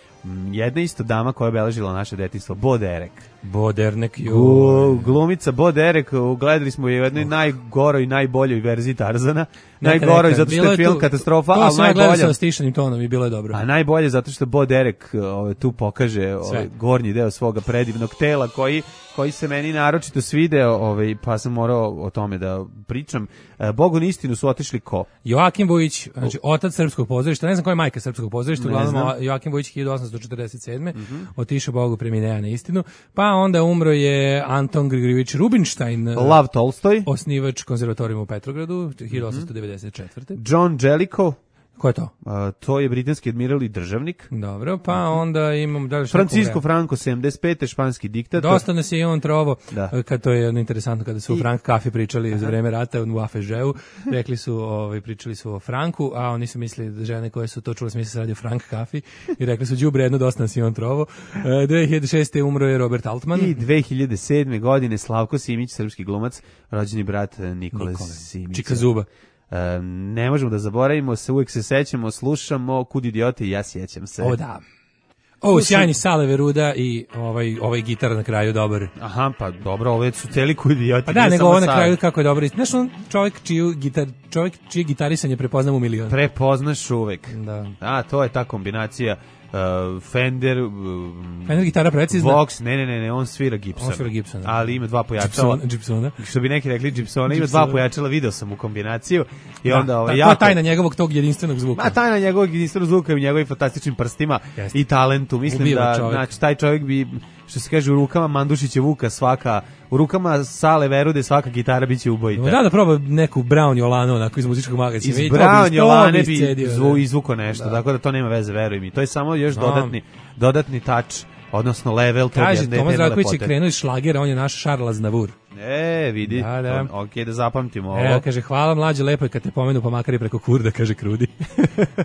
Jedna isto dama koja je obeležila naše detinjstvo, Bo Derek. Bo Derek, joj. Glumica Bo Derek, gledali smo je u jednoj oh. najgoroj i najboljoj verziji Tarzana. Najgoroj zato što je film tu, katastrofa, ali najbolje. To sam gledao sa stišanim tonom i bilo je dobro. A najbolje zato što Bo Derek ove, tu pokaže ove, gornji deo svoga predivnog tela koji koji se meni naročito svideo, ovaj, pa sam morao o tome da pričam. E, Bogu na istinu su otišli ko? Joakim Vujić, znači otac srpskog pozorišta, ne znam koja je majka srpskog pozorišta, uglavnom Joakim Vujić hiljadu osamsto četrdeset sedme Mm-hmm. otišao Bogu preminuo na istinu, pa onda umro je Anton Grigorjević Rubinštajn, Lav Tolstoj, osnivač konzervatorijuma u Petrogradu, hiljadu osamsto devedeset četvrte John Jellicoe, Ko je to? A, to je britanski admiral i državnik. Dobro, pa onda imam... Da li Francisco Franco, sedamdeset pete, španski diktator. Dosta nas je i on trovo, da. Kad to je jedno interesantno, kada su o I... Frank Kafi pričali Aha. za vreme rata u Afežeu, rekli su, ovaj, pričali su o Franku, a oni su mislili da žene koje su to čule smisli se radi o Frank Kafi i rekli su đubre jedno, dosta nas je on trovo. dve hiljade šeste. umro je Robert Altman. I dve hiljade sedme. godine Slavko Simić, srpski glumac, rođeni brat Nikole, Nikole. Simića. Čika zuba. E, ne možemo da zaboravimo se, uvijek se sećamo, slušamo Kud idiote i ja sjećam se. O da. O, sjajni Sale Veruda i ovaj ovaj gitar na kraju dobar. Aha, pa dobro, ove su celi Kud idioti. Pa da, nego ovo na kraju kako je dobro. Znaš, on čovjek čiju gitar, čovjek čije gitarisanje prepoznam u milion. Prepoznaš uvek. Da. A, to je ta kombinacija. Uh, Fender uh, Fender gitara precizna. Vox, ne, ne, ne, ne, on svira Gibson. On svira Gibson. Ali ima dva pojačala. Gibsona. Što bi neki rekli Gibsona, ima dva pojačala, video sam u kombinaciju. I da, onda ovaj jako... To je tajna njegovog tog jedinstvenog zvuka. Ma tajna njegovog jedinstvenog zvuka i njegovim fantastičnim prstima Jeste. I talentu. Mislim Ubiva da čovjek. Znači taj čovjek bi, što se kaže, u rukama Mandušića Vuka svaka, u rukama Sale Verude svaka gitara biće ubojita. No, da, da proba neku Brown Jolano onako iz muzičkog magazina. Iz Brown Jolane bi zvu, izvuko nešto, da. Tako da to nema veze, veruj mi. To je samo još no. dodatni, dodatni touch, odnosno level. Kaže, Tomas Zdravković je krenuo iz šlagera, on je naš Charles Aznavour. E, vidi, da, da. ok, da zapamtimo ovo. E, kaže, hvala mlađe, lepo je kad te pomenu, pa makar i preko kurda, kaže Krudi.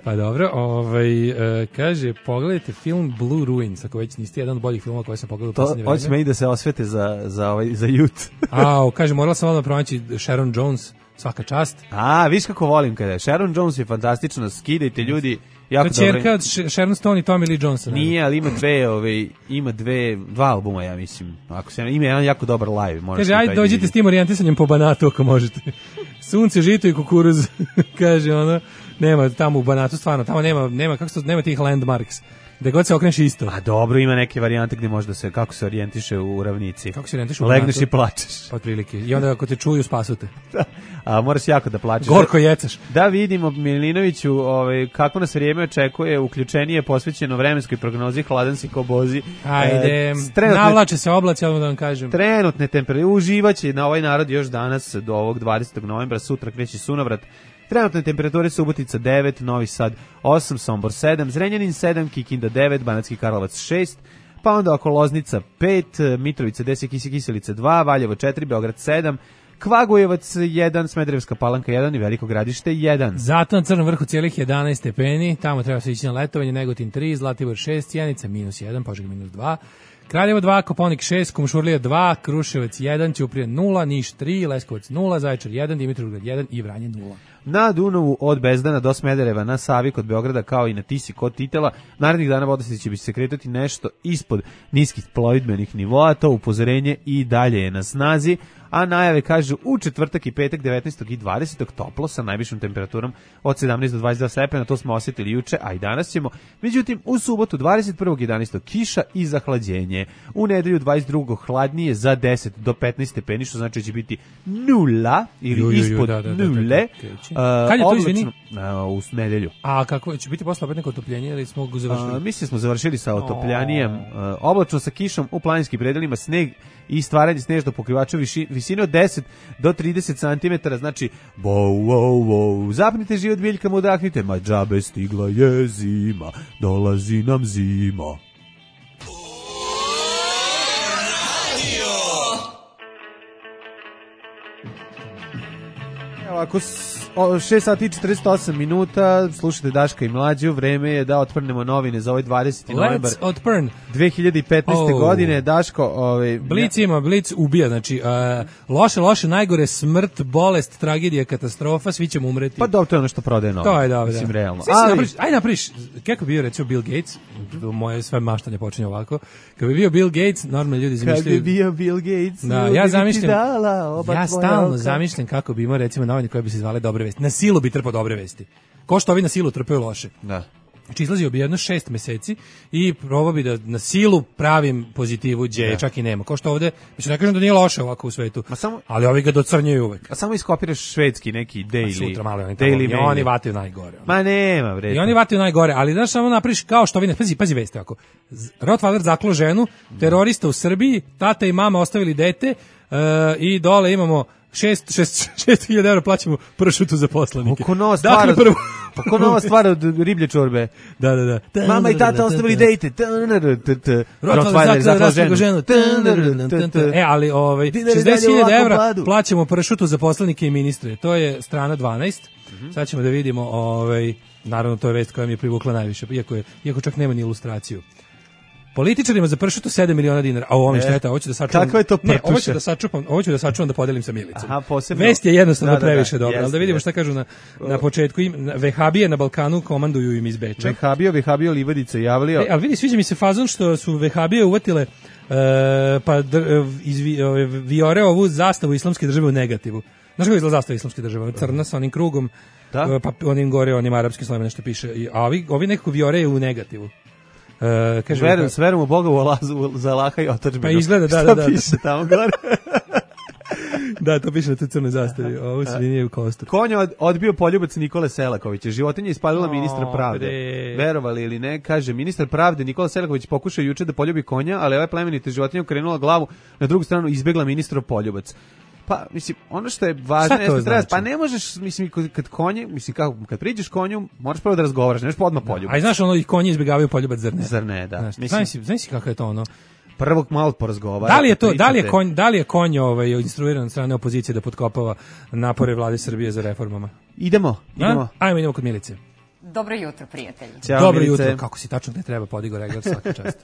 Pa dobro, ovaj, e, kaže, pogledajte film Blue Ruins, ako već niste jedan od boljih filmova koje sam pogledao u posljednje vreme. Hoće me i da se osvete za, za, ovaj, za jut. A, kaže, morala sam odmah pronaći Sharon Jones, svaka čast. A, viš kako volim kada je. Sharon Jones je fantastično, skidajte ljudi. Jako to je čerka od Sharon Stone i Tommy Lee Johnson. Nije, ali ima dve, ove, ima dve, dva albuma, ja mislim. Ako se ima jedan jako dobar live. Kaže, ajde dođite s tim orijentisanjem po Banatu ako možete. Sunce, žito i kukuruz. Kaže ono, nema tamo u Banatu stvarno, tamo nema, nema, kako se, nema tih landmarks. Da god se okreneš isto. A dobro, ima neke varijante gdje može da se, kako se orijentiše u ravnici. Kako se orijentiše u Legneš Banatu? I plačeš. Otprilike. I onda ako te čuju, spasute. Da. A moraš jako da plačeš. Gorko jecaš. Da vidimo Milinoviću, ovaj, kako nas vrijeme očekuje, uključenije posvećeno vremenskoj prognozi, hladan si ko bozi. Ajde, e, trenutne, navlače se oblaci, odmah da vam kažem. Trenutne temperature, uživaće na ovaj narod još danas do ovog dvadesetog novembra, sutra kreće sunovrat. Trenutne temperature Subotica devet, Novi Sad osam, Sombor sedam, Zrenjanin sedam, Kikinda devet, Banatski Karlovac šest, pa onda oko Loznica pet, Mitrovica deset, Kiselica dva, Valjevo četiri, Beograd sedam, Kvagojevac jedan, Smederevska Palanka jedan i Veliko Gradište jedan. Zato na Crnom vrhu cijelih jedanaest stepeni, tamo treba se ići na letovanje, Negotin tri, Zlatibor šest, Cijenica minus jedan, Požega minus dva, Kraljevo dva, Koponik šest, Kumšurlija dva, Kruševac jedan, Ćuprija nula, Niš tri, Leskovac nula, Zaječar jedan, Dimitrovgrad jedan i Vranje nula. Na Dunavu od Bezdana do Smedereva, na Savi kod Beograda kao i na Tisi kod Titela, narednih dana vodostaj će bi se kretati nešto ispod niskih plovidbenih nivoa, to upozorenje i dalje je na snazi, a najave kažu u četvrtak i petak devetnaestog i dvadesetog toplo sa najvišom temperaturom od sedamnaest do dvadeset dva stepena, to smo osjetili juče, a i danas ćemo. Međutim, u subotu dvadeset prvog jedanaestog kiša i zahlađenje. U nedelju dvadeset drugog hladnije za deset do petnaest stepeni, što znači da će biti nula ili ju, ju, ju, ispod da, da, nule. Da, da, da, uh, kad je to, izvini? Uh, u nedelju. A kako će biti posle opet neko otopljenje ili smo ga završili? Uh, mislim smo završili sa otopljanjem. Uh, oblačno sa kišom u planinskim predelima, sneg i stvaranje snežnog pokrivača viši, visine od deset do trideset centimetara, znači wow, wow, wow, zapnite život biljkama, udahnite, ma džabe stigla je zima, dolazi nam zima. Ovako, šest sati i četrdeset osam minuta, slušajte Daška i Mlađu, vreme je da otprnemo novine za ovaj dvadeseti novembar dve hiljade petnaeste. Oh. godine. Daško, ovaj, Blic ima, Blic ubija, znači uh, loše, loše, najgore, smrt, bolest, tragedija, katastrofa, svi ćemo umreti. Pa dobro, to je ono što prodaje novine. To je dobro, mislim, da. realno. Ali, napriš, ajde napriš, kako bi bio recimo Bill Gates, moje sve maštanje počinje ovako, kad bi bio Bill Gates, normalni ljudi zamišljaju. Kad bi bio Bill Gates, da, ja zamišljam, dala, ja stalno zamišljam kako bi imao recimo novine koje bi se zvale Dobre vesti. Na silu bi trpao dobre vesti. Ko što ovi na silu trpaju loše. Da. Znači izlazio bi jedno šest meseci i probao bi da na silu pravim pozitivu gdje čak i nema. Ko što ovde, mislim, ne kažem da nije loše ovako u svetu, ma samo, ali ovi ga docrnjaju uvek. A samo iskopiraš švedski neki daily. Sutra malo oni, daily tamo, i oni vataju najgore. Oni. Ma nema, bre. I oni vataju najgore, ali znaš samo napriš kao što ovi ne, pazi, pazi vesti ako. Rottweiler zaklo ženu, terorista u Srbiji, tata i mama ostavili dete uh, i dole imamo šest hiljada evra plaćamo pršutu za poslanike. Oko nova stvar, dakle, prvo... oko nova stvar od riblje čorbe. Da, da, da. Mama i tata ostavili dejte. Rottweiler zaklao ženu. E, ali ovaj, šezdeset hiljada evra plaćamo pršutu za poslanike i ministre. To je strana dvanaest. Sad ćemo da vidimo, ovaj, naravno to je vest koja mi je privukla najviše, iako, je, iako čak nema ni ilustraciju. Političarima za pršutu sedam miliona dinara. A ovo mi šteta, ovo ću da sačuvam. Kakva je to prtuša? Ne, ovo ću da sačuvam, ovo ću da sačuvam da podelim sa Milicom. Aha, posebno. Vest je jednostavno da, da, previše da, dobra, jest, ali da vidimo jest. šta kažu na, na početku. Im, vehabije na Balkanu komanduju im iz Beča. Vehabio, Vehabio Livadica javlio. E, ali vidi, sviđa mi se fazon što su vehabije uvatile uh, pa dr, iz Viore ovu zastavu islamske države u negativu. Znaš kako izgleda zastava islamske države? Crna sa onim krugom, da? pa onim gore, onim arapskim slovima nešto piše. A ovi, ovi nekako Viore je u negativu. Uh, kaže, Verujem, s verujem u Boga u Alazu, za Allaha i otadžbinu. Pa izgleda, da, Šta da, da. piše tamo gore? Da, to piše na toj crnoj zastavi. Ovo se nije u kostur. Konja od, odbio poljubac Nikole Selakovića. Životinja ispalila O, ministra pravde. bre. Verovali ili ne, kaže, ministar pravde Nikola Selaković pokušao juče da poljubi konja, ali ova plemenita životinja okrenula glavu na drugu stranu i izbegla ministrov poljubac. Pa, mislim, ono što je važno, Šta to jeste, treba, znači? pa ne možeš, mislim, kad konje, mislim, kako, kad priđeš konju, moraš prvo da razgovaraš, ne možeš pa odmah poljubac. A i znaš, ono, i konji izbjegavaju poljubac, zar ne? Zar ne, da. Znaš, Mislim, znaš, si, znaš si kako je to ono? Prvo malo porazgovarati. Da li je to, da li je pričate. konj, da li je konj ovaj instruiran od strane opozicije da potkopava napore vlade Srbije za reformama? Idemo, idemo. A? Ajmo, idemo kod Milice. Dobro jutro, prijatelji. Ćao, Dobro Milice. jutro, kako si tačno ne treba podigo regler svaka čast.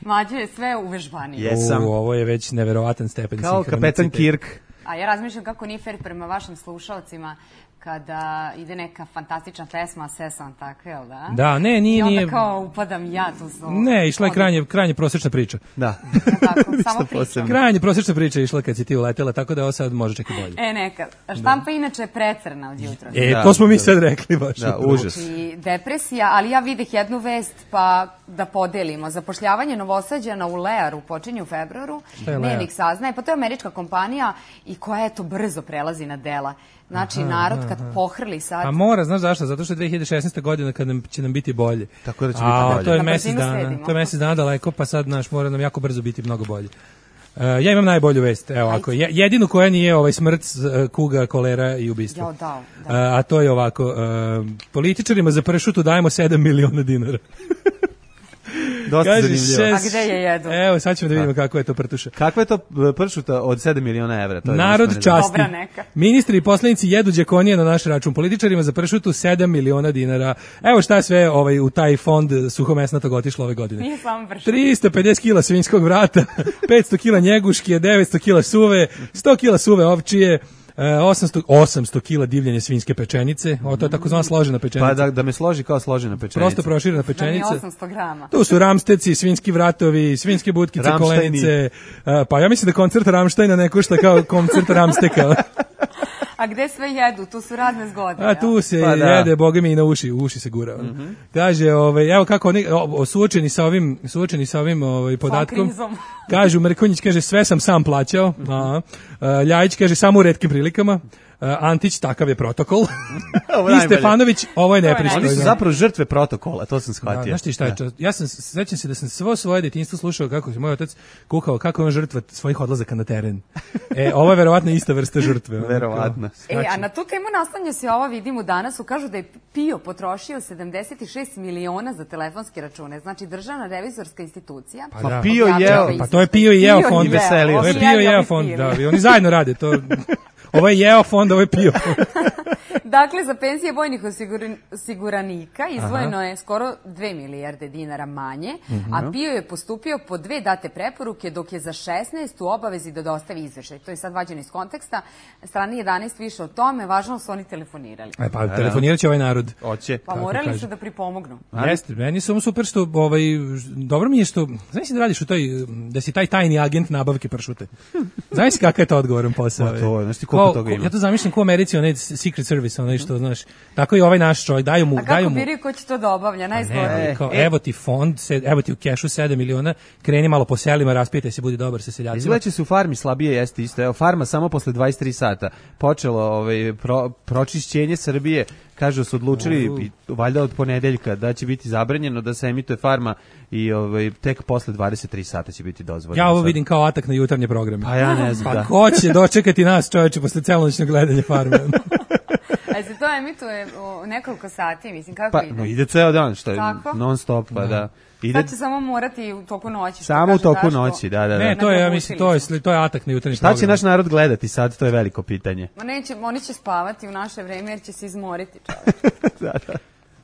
Mlađe je sve uvežbanije. Jesam. U, ovo je već neverovatan stepen Kao kapetan sinhroniciteta. Kirk. A ja razmišljam kako nije fair prema vašim slušalcima kada ide neka fantastična pesma, a sve sam tako, jel da? Da, ne, nije, I onda nije. kao upadam ja tu su... Ne, išla je krajnje, krajnje prosječna priča. Da. Tako, samo pričam. Krajnje prosječna priča je išla kad si ti uletela, tako da ovo sad može čak i bolje. E, neka. Štampa inače je precrna od jutra. E, Da, to smo mi da. sad rekli baš. Da, užas. Znači, depresija, ali ja videh jednu vest pa da podelimo. Zapošljavanje Novosađana u Learu počinje u februaru. Šta je Lear? Dnevnik saznaje, pa to je američka kompanija i koja eto brzo prelazi na dela. Znači, narod kad pohrli sad... Pa mora, znaš zašto? Zato što je dve hiljade šesnaesta godina kad nam, će nam biti bolje. Tako da će A, biti bolje. to je Na mesec brzinu dana. sledimo. To je mesec dana daleko, pa sad naš mora nam jako brzo biti mnogo bolje. Uh, ja imam najbolju vest, evo ovako, je- jedinu koja nije ovaj smrt, uh, kuga, kolera i ubistvo. Jao, da, Uh, da. a to je ovako, uh, političarima za pršutu dajemo sedam miliona dinara. Dosta Kaže, zanimljivo. šest- A gde je jedu? Evo, sad ćemo da vidimo kako je to prtuša. Kakva je to e, pršuta od sedam miliona evra? To je Narod nešto ne znam. časti. Dobra neka. Ministri i poslanici jedu đakonije na naš račun. Političarima za pršutu sedam miliona dinara. Evo šta sve ovaj, u taj fond suhomesnatog otišlo ove godine. Nije samo vršno. trista pedeset kila svinjskog vrata, petsto kila njeguške, devetsto kila suve, sto kila suve ovčije, e, osamsto, osamsto kila divljanje svinjske pečenice. O, to je takozvana složena pečenica. Pa da, da me složi kao složena pečenica. Prosto proširena Da mi je pečenica. osamsto grama. Tu su ramsteci, svinjski vratovi, svinjske butkice, Ramštajni. kolenice. e, Pa ja mislim da koncert Ramštajna ne košta kao koncert Ramsteka. A gde sve jedu? Tu su razne zgode. A tu se Pa da. jede, boga mi i na uši, u uši se gura. Mm Kaže, ovaj, evo kako oni, o, o, suočeni sa ovim, suočeni sa ovim ovaj, podatkom, krizom. kažu, Mrkonjić kaže, sve sam sam plaćao, a, a, Ljajić kaže, samo u retkim prilikama, a, Antić, takav je protokol, Ovo i najbolje. Stefanović, ovo je je nepristojno. Oni su zapravo žrtve protokola, to sam Da, shvatio. znaš ti šta je, čas- ja sam, sećam se da sam svo svoje detinjstvo slušao kako se moj otac kukao, kako je on žrtva svojih odlazaka na teren. E, ovo je verovatno ista vrsta žrtve. ono, Verovatno. kao, E, a na tu temu naslanja se ovo vidimo danas, kažu da je Pio potrošio sedamdeset šest miliona za telefonske račune. Znači, državna revizorska institucija. Pa da. Pio objavila jeo. ovaj Pa to je Pio i jeo Pio fond. I veselio To je se. Pio i jeo fond, da, i oni zajedno rade to. Ovo je jeo fond, ovo je Pio fond. Dakle, za penzije vojnih osiguran- osiguranika izdvojeno je skoro dve milijarde dinara manje, a Pio je postupio po dve date preporuke, dok je za šesnaest u obavezi da dostavi izveštaj. To je sad vađeno iz konteksta. Strani jedanaest više o tome, važno su oni telefonirali. E, pa telefonirat će ovaj narod. Hoće. Pa Kako morali kaže? su da pripomognu. Jeste, meni je samo super što, ovaj, dobro mi je što, znaš si da radiš u toj, da si taj tajni agent nabavke pršute. Znaš si kakav je to odgovoran posao? Pa to je, znaš ti koliko Kao- toga ima? Ja to zamišljam ko u Americi, onaj Secret Service service, onaj što, znaš, tako i ovaj naš čovjek, daju mu... A kako daju mu, biraju ko će to da obavlja, najskorije? ne, kao, evo ti fond, sed, evo ti u kešu sedam miliona, kreni malo po selima, raspitaj se, budi dobar sa seljacima. Izgledaće se u farmi slabije jeste isto. Evo, farma samo posle dvadeset tri sata počelo ovaj, pro, pročišćenje Srbije. Kažu su odlučili, uh. valjda od ponedeljka, da će biti zabranjeno da se emituje farma i ovaj, tek posle dvadeset tri sata će biti dozvoljeno. Ja ovo vidim kao atak na jutarnje programe. Pa ja ne znam, pa da. ko će dočekati nas, čoveče, posle celonoćnog gledanja farme? A se to emituje u nekoliko sati, mislim, kako pa, ide? No, ide ceo dan, što je Tako? non stop, pa da. da. Ide... Sad će samo morati u toku noći. Samo u toku Daško. noći, da, da, da. Ne, to je, ja mislim, to je, to je atak na jutarnji program. Šta će naš narod gledati sad, to je veliko pitanje. Ma neće, oni će spavati u naše vreme jer će se izmoriti, čovječ. da, da.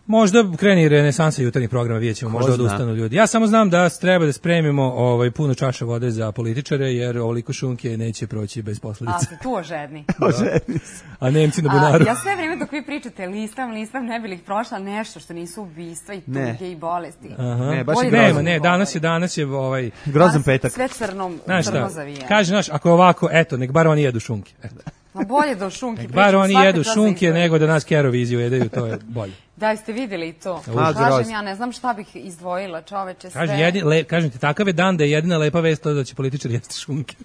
Možda kreni renesansa jutarnjih programa, vidjet ćemo, možda odustanu ljudi. Ja samo znam da treba da spremimo ovaj, puno čaša vode za političare, jer ovoliko šunke neće proći bez posledica. A, ste tu ožedni. Ožedni. A Nemci na bunaru. A, ja sve vrijeme dok vi pričate listam, listam, ne bi li ih prošla nešto što nisu ubistva i tuge i bolesti. Aha. Ne, baš je Nema, ne, danas je, danas je ovaj... grozan petak. Sve crnom, znaš crno šta, zavijeno. kaže, znaš, ako je ovako, eto, nek bar oni jedu šunke. Eto. Ma bolje da u šunki pričam. Bar oni jedu šunke nego da nas Keroviziju jedaju, to je bolje. Da, ste vidjeli i to. A, kažem, ja ne znam šta bih izdvojila, čoveče, sve. Kaže, jedin, le, kažem ti, takav je dan da je jedina lepa vest to da će političari jesti šunke.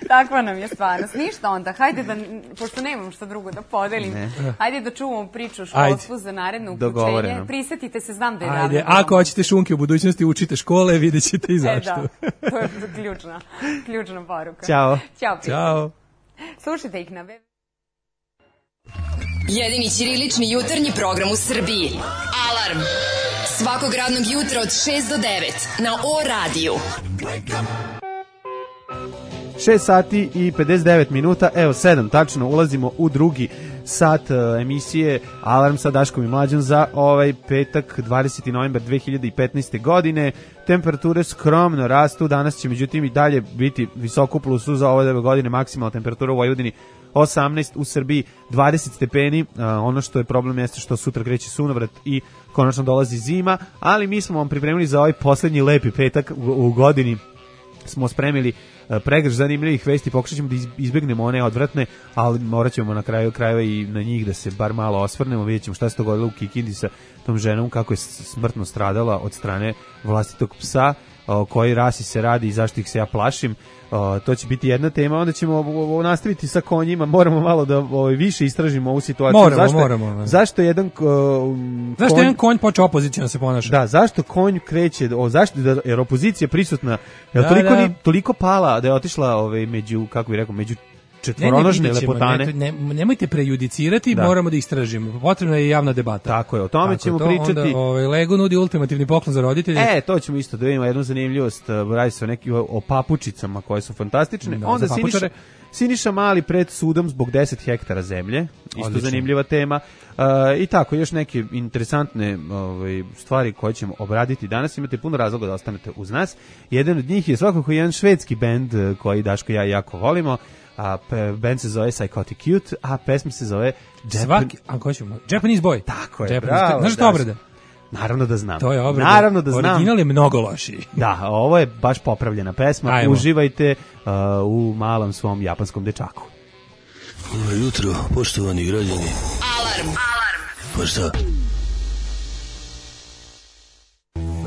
Takva nam je stvarnost. Ništa onda, hajde da, pošto nemam što drugo da podelim, ne. hajde da čuvamo priču o školstvu za naredno upućenje. Prisetite se, znam da je davno. Ajde, ako hoćete šunke u budućnosti, učite škole, vidjet ćete i zašto. E, da, to je ključna, ključna poruka. Ćao. Ćao. Ćao. Slušajte ih na web. Jedini ćirilični jutarnji program u Srbiji. Alarm. Svakog radnog jutra od šest do devet na O radiju. šest sati i pedeset devet minuta, evo sedam tačno, ulazimo u drugi sat uh, emisije Alarm sa Daškom i Mlađom za ovaj petak dvadeseti novembar dve hiljade petnaeste. godine. Temperature skromno rastu, danas će međutim i dalje biti visoko u plusu za ove godine, maksimalna temperatura u Vojvodini osamnaest, u Srbiji dvadeset stepeni, uh, ono što je problem jeste što sutra kreće sunovrat i konačno dolazi zima, ali mi smo vam pripremili za ovaj poslednji lepi petak u, u godini, smo spremili pregrš zanimljivih vesti, pokušat ćemo da izbjegnemo one odvratne, ali morat ćemo na kraju krajeva i na njih da se bar malo osvrnemo, vidjet ćemo šta se dogodilo u Kikindi sa tom ženom, kako je smrtno stradala od strane vlastitog psa, o koji rasi se radi i zašto ih se ja plašim. O, to će biti jedna tema, onda ćemo o, o, nastaviti sa konjima, moramo malo da o, više istražimo ovu situaciju. Moramo, zašto, moramo. Zašto jedan o, zašto konj, jedan konj počeo opozicijno se ponaša? Da, zašto konj kreće, o, zašto, jer opozicija prisutna, je da, toliko, da. Ni, toliko pala da je otišla ove, među, kako bih rekao, među četvoronožne ne, ne, lepotane. Ne, ne, nemojte prejudicirati, da. Moramo da istražimo. Potrebna je javna debata. Tako je, o tome Tako ćemo to, pričati. Onda, ovaj, Lego nudi ultimativni poklon za roditelje. E, to ćemo isto da vidimo jednu zanimljivost, radi se o, neki, o papučicama koje su fantastične. Da, onda Siniša, Siniša Mali pred sudom zbog deset hektara zemlje, isto odlično. Zanimljiva tema. Uh, I tako, još neke interesantne ovaj, stvari koje ćemo obraditi danas. Imate puno razloga da ostanete uz nas. Jedan od njih je svakako jedan švedski bend koji Daško i ja jako volimo. A band se zove Psychotic Cute, a pesma se zove Japan... Svaki, a ko ćemo? Japanese Boy. Tako je, Japanese bravo. Znaš što obrada? Naravno da znam. To je obrada. Naravno da znam. Original je mnogo lošiji. Da, ovo je baš popravljena pesma. Ajmo. Uživajte uh, u malom svom japanskom dečaku. Dobro jutro, poštovani građani. Alarm. Alarm. Pa šta?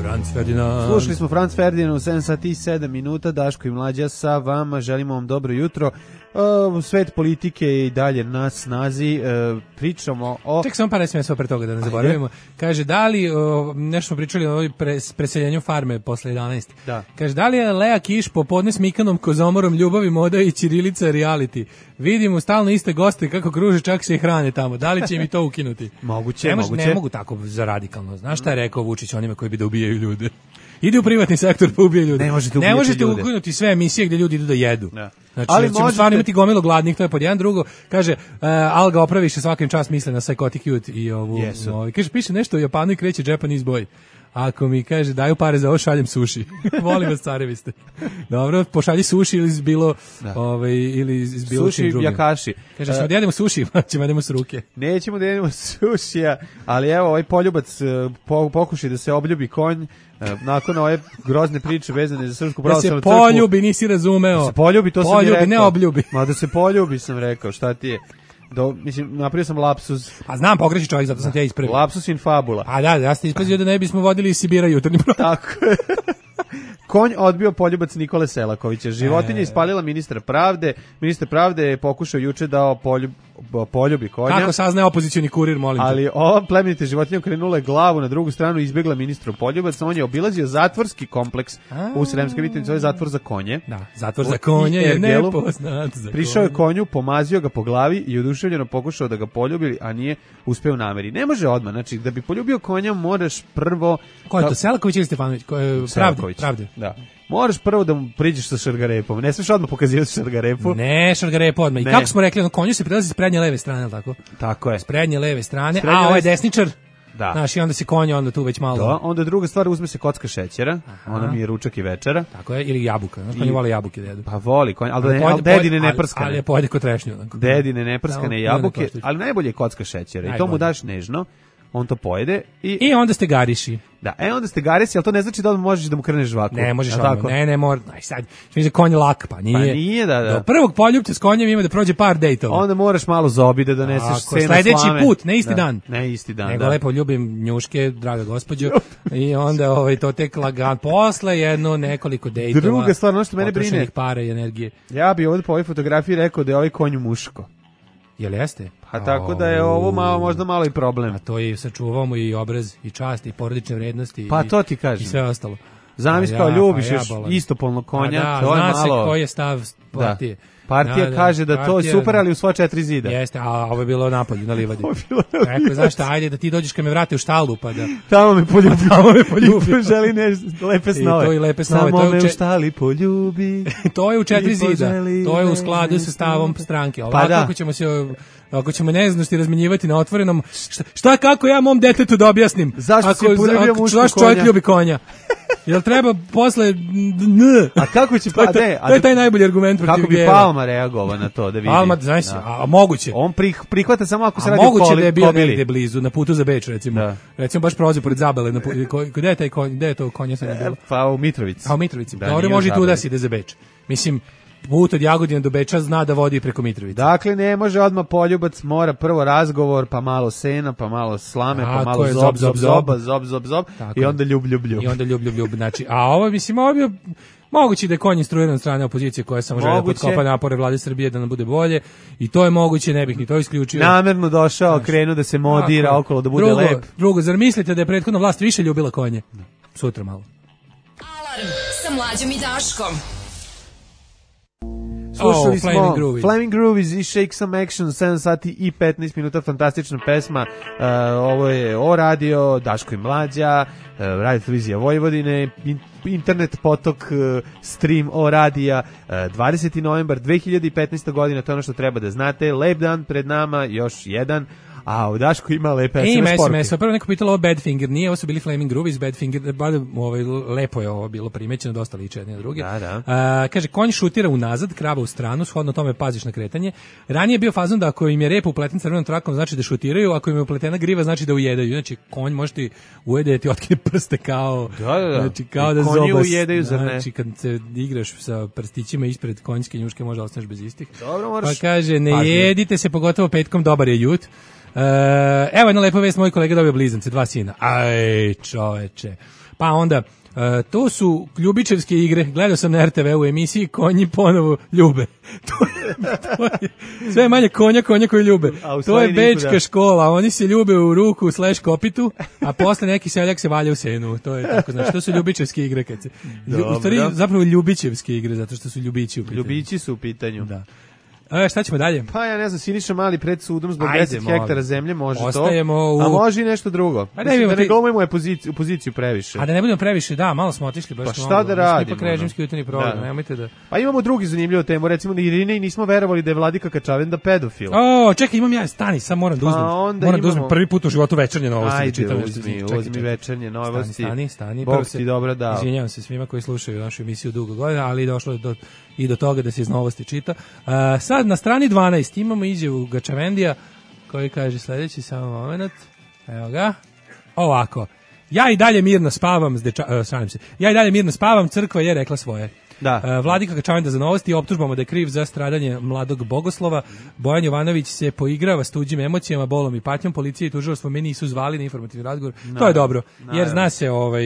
Franz Ferdinand. Slušali smo Franz Ferdinand u sedam sati i sedam minuta, Daško i Mlađa sa vama, želimo vam dobro jutro. Uh, svet politike je i dalje na snazi, uh, pričamo o... Ček samo par esmesa pre toga da ne zaboravimo. Kaže, da li, uh, nešto smo pričali o ovoj pres, preseljenju farme posle jedanaest. Da. Kaže, da li je Lea Kiš popodne s Mikanom Kozomorom, ljubavi, moda i ćirilica reality? Vidimo stalno iste goste kako kruže, čak se i hrane tamo. Da li će mi to ukinuti? Moguće, ne, mož, moguće. Ne mogu tako za radikalno. Znaš šta je rekao Vučić onima koji bi da ubijaju ljude? Idi u privatni sektor pa ubije ljude. Ne možete, ne možete ukinuti sve emisije gdje ljudi idu da jedu. Da. Znači, ali ćemo možete... stvarno imati gomilu gladnih, to je pod jedan. Drugo, kaže, uh, Alga opraviše svakim čas misle na Psychotic Cute i ovu, yes. ovu, kaže, piše nešto o Japanu i kreće Japanese Boy. Ako mi kaže, daju pare za ovo, šaljem suši. Volim vas, carevi ste. Dobro, pošalji suši ili bilo, ovaj, ili iz bilo suši jakaši. Kaže, ćemo uh, da jedemo suši, pa ćemo da jedemo s ruke. Nećemo da jedemo sušija, ali evo, ovaj poljubac po, pokuši da se obljubi konj, nakon ove grozne priče vezane za Srpsku pravoslavnu crkvu. Da se poljubi, nisi razumeo. Da se poljubi, to poljubi, sam mi rekao. ne obljubi. Ma da se poljubi, sam rekao, šta ti je. Do, mislim, napravio sam lapsus. A znam, pogreši čovjek, zato sam te ispravio. Lapsus in fabula. A da, ja ste ispazio da ne bismo vodili iz Sibira jutarnji program. Tako je. Konj odbio poljubac Nikole Selakovića. Životinja E. ispalila ministra pravde. Ministar pravde je pokušao juče da poljub, poljubi konja. Kako saznaje opozicioni kurir, molim te. Ali ova plemenita životinja okrenula je glavu na drugu stranu i izbjegla ministru poljubac. On je obilazio zatvorski kompleks A. u Sremskoj Mitrovici, zove zatvor za konje. Da, zatvor za konje je Ergelu. nepoznat. Za Prišao je konje. konju, pomazio ga po glavi i oduševljeno pokušao da ga poljubi, a nije uspeo u nameri. Ne može odmah, znači da bi poljubio konja moraš prvo... Ko je to, Selaković ili Stefanović? Ko je, pravde, Selaković. pravde. Da. Moraš prvo da mu priđeš sa šargarepom. Ne smiješ odmah pokazivati šargarepu. Ne, šargarepo odmah. I Ne. kako smo rekli, ono, konju se prelazi s prednje leve strane, ali tako? Tako je. S prednje leve strane, S prednje a ovo je leve- desničar. Da. Znaš, i onda se konja onda tu već malo... Da, onda druga stvar, uzme se kocka šećera, ona mi je ručak i večera. Tako je, ili jabuka. Znaš, I- konji vole jabuke da jedu. Pa voli konj, ali, da ne, pojede- ali dedine pojede- ne ali- prskane. Ali je pojede ko trešnju. onako. Dedine neprskane Samo- jabuke, ne, ne, ali najbolje je kocka šećera. I to mu Najbolje. daš nežno, on to pojede i... I onda ste gariši. Da, e onda ste garesi, ali to ne znači da odmah možeš da mu kreneš žvaku. Ne možeš Jel odmah. tako? Ne, ne, mora. Aj sad, što mi za konj lak, pa nije. Pa nije, da, da. Do prvog poljupca s konjem ima da prođe par dejtova. Onda moraš malo zobi da doneseš Ako, sena sledeći slame. put, ne isti Da, dan. Ne isti dan, Nego da. lepo ljubim njuške, draga gospođo. I onda ovaj, to tek lagan. Posle jedno nekoliko dejtova. Druga stvar, ono što mene brine- potrošenih para i energije. Ja bi ovdje po ovoj fotografiji rekao da je ovaj konj muško. Jel jeste? Pa tako da je ovo malo, možda malo i problem. A to je sačuvao mu i obraz, i čast, i porodične vrednosti. Pa i, to ti kažem. I sve ostalo. Zamisli A kao ja, ljubiš pa ja još bolan. istopolnog konja, A da, to je zna malo... se koji je stav partije. Partija Da, da, kaže da to je partija- super, ali u sva četiri zida. Jeste, a ovo je bilo napolju, na livadi. Ovo je bilo na Rekao, livadi. znaš šta, ajde da ti dođeš kad me vrate u štalu, pa da... Tamo me poljubi. Tamo me poljubi. I želi ne, lepe snove. to i lepe snove, Samo to je me uče- u štali poljubi. To je u četiri I zida. poželi To je u me skladu sa stavom stranke. Ovako Pa da. ako ćemo se ako ćemo neznanosti razmenjivati na otvorenom, šta, šta kako ja mom detetu da objasnim? Zašto si ako, poljubio ako- muškog zašto čovjek konja? ljubi konja? Jel treba posle n? A kako će To je pa taj- ne, a to je taj najbolji argument protiv kako bi gejeva. Palma reagovao na to da vidi. Palma, znaš, Da. a, a moguće. On prih, prihvata samo ako se A radi o moguće koli, da je bio kobili. negde blizu, na putu za Beč, recimo. Da. Recimo baš prolazio pored Zabele, na putu, ko, gde je taj konj, gde je to konja sad je bilo? Pa u Mitrovici. A u Mitrovici. Da, Dobro, nije može i tu Zabele. da se ide za Beč. Mislim, put od Jagodina do Beča zna da vodi preko Mitrovice. Dakle, ne može odmah poljubac, mora prvo razgovor, pa malo sena, pa malo slame, pa Tako malo je, zob, zob, zob, zob, zob, zob, zob, zob, Tako i je. onda ljub, ljub, ljub. I onda ljub, ljub, ljub. Znači, a ovo, mislim, ovo je bio moguće da je konj instruiran od strane opozicije koja samo žele da Moguće. potkopa napore vlade Srbije da nam bude bolje. I to je moguće, ne bih ni to isključio. Namerno došao, krenuo da se modira Tako je. okolo, da bude drugo, lep. Drugo, zar mislite da je prethodna vlast više ljubila konje? Sutra malo. Alarm sa Mlađom i Daškom. Slušali Oh, smo Flaming Groovies. Flaming Groovies i Shake Some Action, sedam sati i petnaest minuta, fantastična pesma. Uh, ovo je O radio, Daško i Mlađa, uh, radio televizija Vojvodine, in, internet potok, uh, stream O radija, uh, dvadeseti novembar dve hiljade petnaeste. godina, to je ono što treba da znate. Lep dan pred nama, još jedan. A u Dašku ima lepe E, S M S ima S M poruke. S, prvo neko pitalo ovo Badfinger, nije, ovo su bili Flaming Groovies, Badfinger, bada, ovaj, lepo je ovo bilo primećeno, dosta liče jedne na druge. Da, da. A, kaže, konj šutira unazad, krava u stranu, shodno tome paziš na kretanje. Ranije je bio fazon da ako im je rep upleten crvenom trakom, znači da šutiraju, ako im je upletena griva, znači da ujedaju. Znači, konj može ti ujede, ti otkine prste kao, Da, da, da. znači, kao I da konji zobas. ujedaju, zar ne? Znači, kad se igraš sa prstićima ispred konjske njuške, možda ostaneš bez istih. Dobro, moraš Pa kaže, ne pažljivo. jedite se, pogotovo petkom, dobar je jut. Uh, evo jedna lepa vest, moj kolega dobio blizance, dva sina. Aj, čoveče. Pa onda, uh, to su ljubičevske igre. Gledao sam na R T V u emisiji Konji ponovo ljube. to je, to je sve manje konja, konja koji ljube. A u To stvari je nikuda. bečka škola. Oni se ljube u ruku slash kopitu, a posle neki seljak se valja u senu. To je tako, znači, to su ljubičevske igre. Kad se, u stvari, Dobro. zapravo ljubičevske igre, zato što su ljubići u pitanju. Ljubići su u pitanju. Da. E, šta ćemo dalje? Pa ja ne znam, Siniša Mali pred sudom zbog Ajde, deset molim. hektara zemlje, može Ostajemo to. u- A može i nešto drugo. A ne Mislim vidimo da ne ti- glumimo je poziciju, poziciju previše. A da ne budemo previše, da, malo smo otišli baš. Pa šta mnogo. da Mi smo radimo, ipak režimski ono? jutarnji program, Da. nemojte da... Pa imamo drugi zanimljivu temu, recimo da Irine i nismo verovali da je Vladika Kačavenda pedofil. O, čekaj, imam ja, stani, sad moram da uzmem. Pa onda moram da imamo- uzmem prvi put u životu večernje novosti. da Ajde, čitam nešto iz uzmi, njih. Čekaj, uzmi čekaj. večernje novosti. Stani, stani, stani. Bog Prvo ti se- dobro dao. Izvinjavam se svima koji slušaju našu emisiju dugo godina, ali došlo je do, i do toga da se iz novosti čita. Uh, sad, na strani dvanaest imamo izjavu Gačavendija koji kaže sledeći, samo moment. Evo ga. Ovako. Ja i dalje mirno spavam, s deča, uh, sramim se. Ja i dalje mirno spavam, crkva je rekla svoje. Da. Uh, Vladika Kačavenda za novosti optužbama da je kriv za stradanje mladog Bogoslova. Bojan Jovanović se poigrava s tuđim emocijama, bolom i patnjom. Policija i tužilaštvo me nisu zvali na informativni razgovor. No, to je dobro, no, jer zna se, ovaj,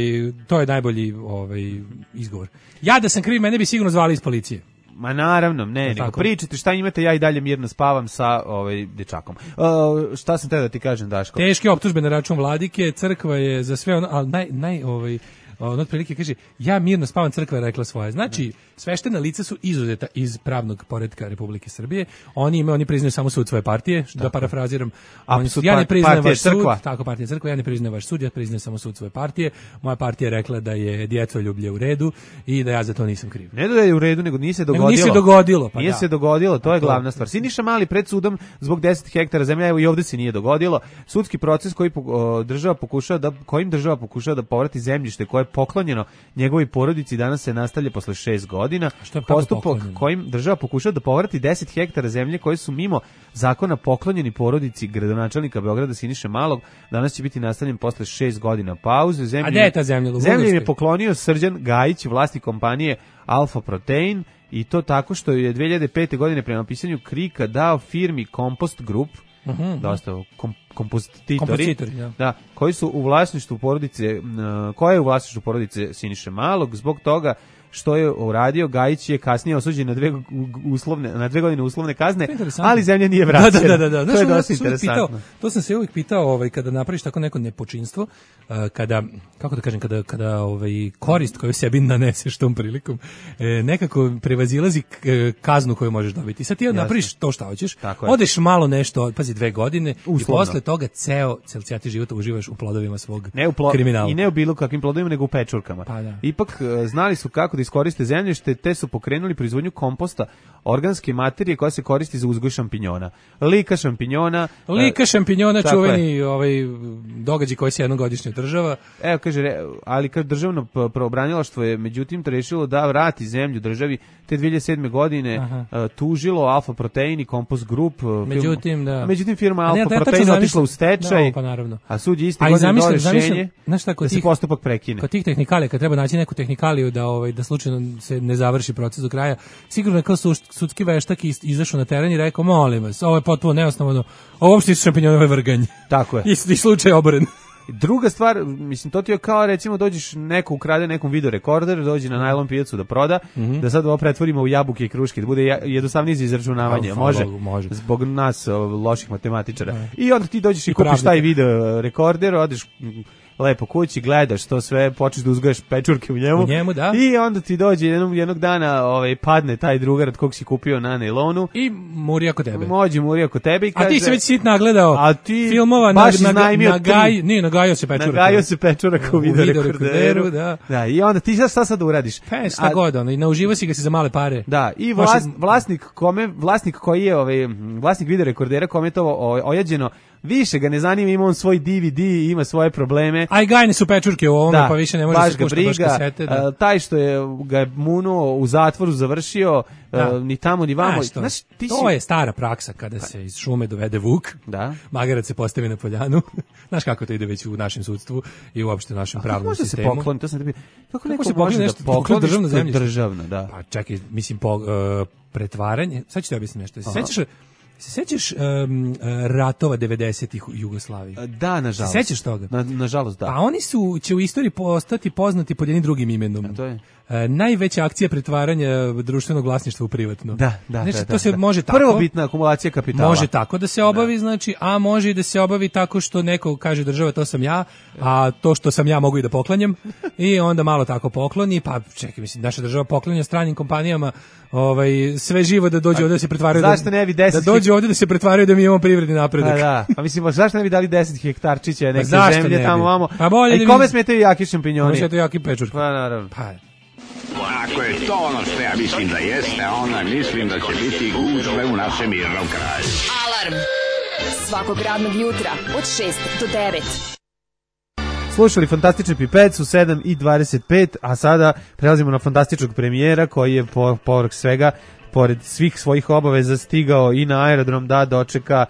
to je najbolji ovaj, izgovor. Ja da sam kriv, mene bi sigurno zvali iz policije. Ma naravno, ne, nego pričate šta imate, ja i dalje mirno spavam sa ovaj dečakom. Uh, šta sam te da ti kažem, Daško? Teške optužbe na račun Vladike, crkva je za sve ono, ali naj, naj ovaj, on otprilike kaže, ja mirno spavam, crkva je rekla svoje. Znači, sveštena lica su izuzeta iz pravnog poretka Republike Srbije. Oni imaju, oni priznaju samo sud svoje partije, tako. Da parafraziram. Oni su, ja ne priznajem vaš sud, tako partija crkva, ja ne priznajem vaš sud, ja priznajem samo sud svoje partije. Moja partija je rekla da je djetoljublje u redu i da ja za to nisam kriv. Ne da je u redu, nego nije se dogodilo. Nego nije se dogodilo, pa nije da. se dogodilo, to je glavna stvar. Siniša Mali pred sudom zbog deset hektara zemlje, evo i ovde se nije dogodilo. Sudski proces koji o, država pokušava da kojim država pokušava da povrati zemljište koje je poklonjeno njegovoj porodici, danas se nastavlja posle šest godina. Postupak kojim država pokušava da povrati deset hektara zemlje koje su mimo zakona poklonjeni porodici gradonačelnika Beograda Siniše Malog, danas će biti nastavljen posle šest godina pauze. Zemlju, A gde je ta zemlja? Zemlju je poklonio Srđan Gajić, vlasnik kompanije Alfa Protein, i to tako što je dve hiljade pete godine prema pisanju Krika dao firmi Kompost Group, uh-huh. dosta kom, kompostitori, kompostitori ja. da, koji su u vlasništvu porodice, koja je u vlasništvu porodice Siniše Malog. Zbog toga što je uradio, Gajić je kasnije osuđen na dve uslovne na dve godine uslovne kazne, ali zemlja nije vraćena. Da, da, da, da. To je Znaš, dosta interesantno. Pitao, to sam se uvijek pitao, ovaj, kada napraviš tako neko nepočinstvo, uh, kada, kako da kažem, kada, kada ovaj, korist koju sebi naneseš tom prilikom, eh, nekako prevazilazi kaznu koju možeš dobiti. Sad ti ja napraviš to šta hoćeš, odeš malo nešto, pazi, dve godine, uslovno. I posle toga ceo, cel cijati život uživaš u plodovima svog ne u plo kriminala. I ne u bilo kakvim plodovima, nego u pečurkama. Pa da. Ipak znali su kako da iskoriste zemljište, te su pokrenuli proizvodnju komposta, organske materije koja se koristi za uzgoj šampinjona. Lika šampinjona. Lika šampinjona, čuveni ovaj događaj koji se jednogodišnje održava. Evo kaže, ali kad državno pravobranilaštvo je međutim rešilo da vrati zemlju državi, te dve hiljade sedme godine Aha. tužilo Alfa Protein i Kompost Group. Međutim, film, da. Međutim firma Alfa ne, Protein otišla u stečaj. No, pa naravno. A sud je isti godine dao rešenje znaš šta, da se tih, postupak prekine. Kod tih tehnikalija, kad treba naći neku tehnikaliju da ovaj da slučajno se ne završi proces do kraja, sigurno kao sudski veštak izašao na teren i rekao, molim vas, ovo je potpuno neosnovano, ovo uopšte su šampinjonove vrganje. Tako je. I, i slučaj oboren. Druga stvar, mislim, to ti je kao, recimo, dođeš neko ukrade nekom video rekorder, dođe na najlon pijacu da proda, mm-hmm. da sad ovo pretvorimo u jabuke i kruške, da bude jednostavnije za izračunavanje. Može, može, zbog nas loših matematičara. Ne. I onda ti dođeš i, i kupiš taj video rekorder, odeš lepo kući, gledaš to sve, počneš da uzgajaš pečurke u njemu, u njemu da. I onda ti dođe jednog, jednog dana ovaj, padne taj drugar od kog si kupio na nailonu. I muri oko tebe. Mođe muri oko tebe i kaže... A ti se već sit nagledao a ti filmova na, na, na, gaj, nije, nagajao se pečurak. Nagajao se pečurak u video, video rekorderu. Da. Da, i onda ti šta sad uradiš? Pa, šta god, ono, i nauživo si ga si za male pare. Da, i vlas, vlasnik, kome, vlasnik koji je, ovaj, vlasnik video rekordera kome je to ojađeno, više ga ne zanima, ima on svoj D V D, ima svoje probleme. Aj gajne su pečurke u ovome, da, pa više ne može se pušta baš kasete. Da. Uh, taj što je ga je munuo u zatvoru završio, da. uh, ni tamo ni vamo. Znaš, Znaš, ti to si... je stara praksa kada se iz šume dovede vuk, da. Magarac se postavi na poljanu. Znaš kako to ide već u našem sudstvu i uopšte u našem pravnom sistemu. Kako se pokloni? To sam tebi... Kako neko se može da pokloni državno zemljište? Državno, da. Pa čekaj, mislim, po, uh, pretvaranje, sad ću ti objasniti nešto. Se sećaš Se sećaš um, ratova devedesetih u Jugoslaviji? Da, nažalost. Se sećaš toga? Na, nažalost, da. Pa oni su, će u istoriji postati poznati pod jednim drugim imenom. A to je? E, najveća akcija pretvaranja društvenog vlasništva u privatno. Da, da, znači, da. To se da. može tako. Prvobitna akumulacija kapitala. Može tako da se obavi, da. Znači, a može i da se obavi tako što neko kaže država to sam ja, a to što sam ja mogu i da poklanjam i onda malo tako pokloni, pa čekaj, mislim, naša država poklanja stranim kompanijama ovaj, sve živo da dođe ovdje da se pretvaraju zašto ne bi deset da dođe ovdje da se pretvaraju da mi imamo privredni napredak. Pa da, pa mislim, zašto ne bi dali deset hektarčića neke zemlje tamo vamo? Pa bolje i kome smetaju jaki šampinjoni? Kome smetaju jaki pečurki? Pa naravno. Pa ako je to ono što ja mislim da jeste, onda mislim da će biti gužve u našem mirnom kraju. Alarm svakog radnog jutra od šest do devet. Slušali fantastični Pipec u sedam i dvadeset pet, a sada prelazimo na fantastičnog premijera koji je po, povrh svega, pored svih svojih obaveza stigao i na aerodrom da dočeka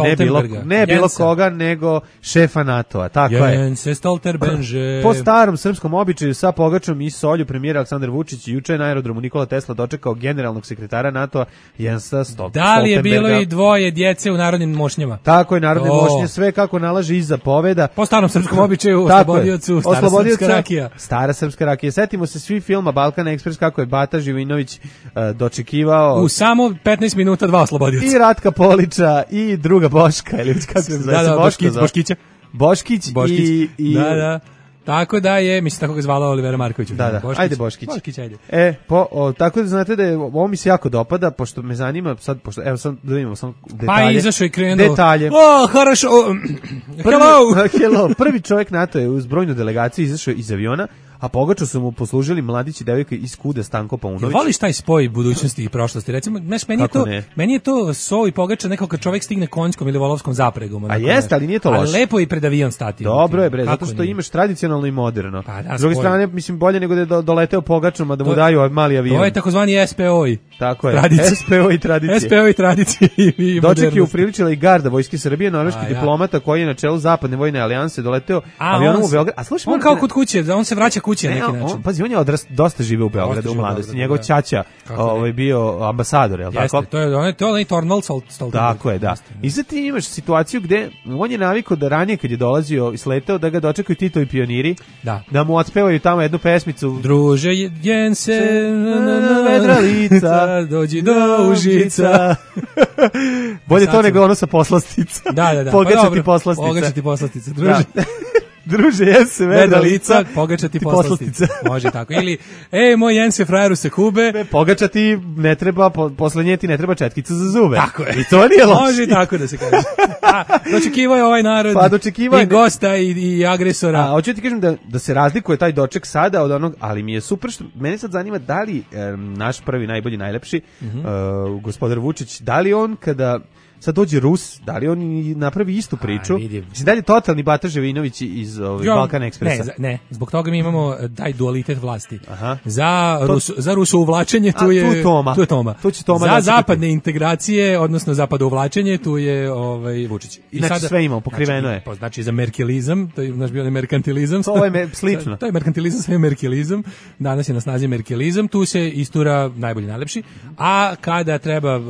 ne bilo, ne bilo koga, nego šefa NATO-a. Tako je. Jense Stolterbenže. Po starom srpskom običaju sa pogačom i solju premijer Aleksandar Vučić juče na aerodromu Nikola Tesla dočekao generalnog sekretara NATO-a Jensa Stoltenberga. Da li je bilo i dvoje djece u narodnim mošnjama? Tako je, narodne oh. mošnje, sve kako nalaže iza poveda. Po starom srpskom običaju, oslobodiocu, stara srpska rakija. Stara srpska rakija. Setimo se svi filma Balkan Ekspres kako je Bata Živinović uh, dočekivao. U samo petnaest minuta dva oslobodioca. I Ratka Polića i druga Boška, ili kako se zove? Da, da, Boškić, Boškića. Boškić, Boškić i, i... Da, da. Tako da je, mislim, tako ga zvala Olivera Marković. Da, da, Boškić. ajde Boškić. Boškić, ajde. E, po, o, tako da znate da je, ovo mi se jako dopada, pošto me zanima, sad, pošto, evo sad da vidimo sam detalje. Pa izašao i krenuo. Detalje. O, harašo, hello! Hello, prvi čovjek NATO je uz brojnu delegaciju izašao iz aviona, a pogaču su mu poslužili mladić i devojka iz Kude Stanko Paunović. Voliš taj spoj budućnosti i prošlosti? Recimo, znaš, meni je to, meni je to so i pogača nekako kad čovjek stigne konjskom ili volovskom zapregom. A jeste, ali nije to loše. Ali lepo je i pred avion stati. Dobro je, bre, zato što imaš tradicionalno i moderno. Pa da, s druge strane, mislim, bolje nego da je do, doleteo pogačom, a da mu to, daju mali avion. To je takozvani S P O I. Tako je, tradicije. S P O I tradicije. S P O I tradicije i Doček je upriličila i garda Vojske Srbije, norveški diplomata koji je na čelu Zapadne vojne alijanse doleteo avionom u Beograd. A slušaj, on kao kod kuće, on se vraća kući na neki način. Pazi, on je odrast, dosta žive u Beogradu u mladosti. Njegov ćaća ovaj bio ambasador, je l' tako? Jeste, to je onaj to onaj Tornal Stoltenberg. Tako je, da. I sad ti imaš situaciju gde on je navikao da ranije kad je dolazio i sleteo da ga dočekaju Titovi pioniri, da, da mu otpevaju tamo jednu pesmicu. Druže Jense, vedra lica, dođi do Užica. Bolje to nego ono sa poslastica. Da, da, da. Pogačati poslastica. Pogačati poslastica, druže. Druže, Jense, vedra lica, pogačati poslastica. Može tako. Ili, ej, moj Jense, frajeru se kube. Ne, pogačati ne treba, po, posle nje ti ne treba četkica za zube. Tako je. I to nije loše. Može tako da se kaže. A, dočekivao je ovaj narod pa, dočekivao i gosta i, i agresora. A, hoću ti kažem da, da se razlikuje taj doček sada od onog, ali mi je super što, mene sad zanima da li eh, naš prvi, najbolji, najlepši, mm-hmm. uh, gospodar Vučić, da li on kada sad dođe Rus, da li on napravi istu priču? Mislim, da li je totalni Bata Živinović iz ovaj, Balkan Ekspresa? Ne, ne, zbog toga mi imamo taj dualitet vlasti. Aha. Za, to, Rus, za rusouvlačenje tu je, tu Toma. Tu je Toma. Tu će Toma za zapadne integracije, odnosno zapadouvlačenje, tu je ovaj, Vučić. I znači sada, sve imamo, pokriveno znači, je. Znači za merkelizam, to je naš bio merkantilizam. To je me, slično. To je merkantilizam, sve je merkelizam. Danas je na snazi merkelizam, tu se istura najbolji, najlepši. A kada treba uh,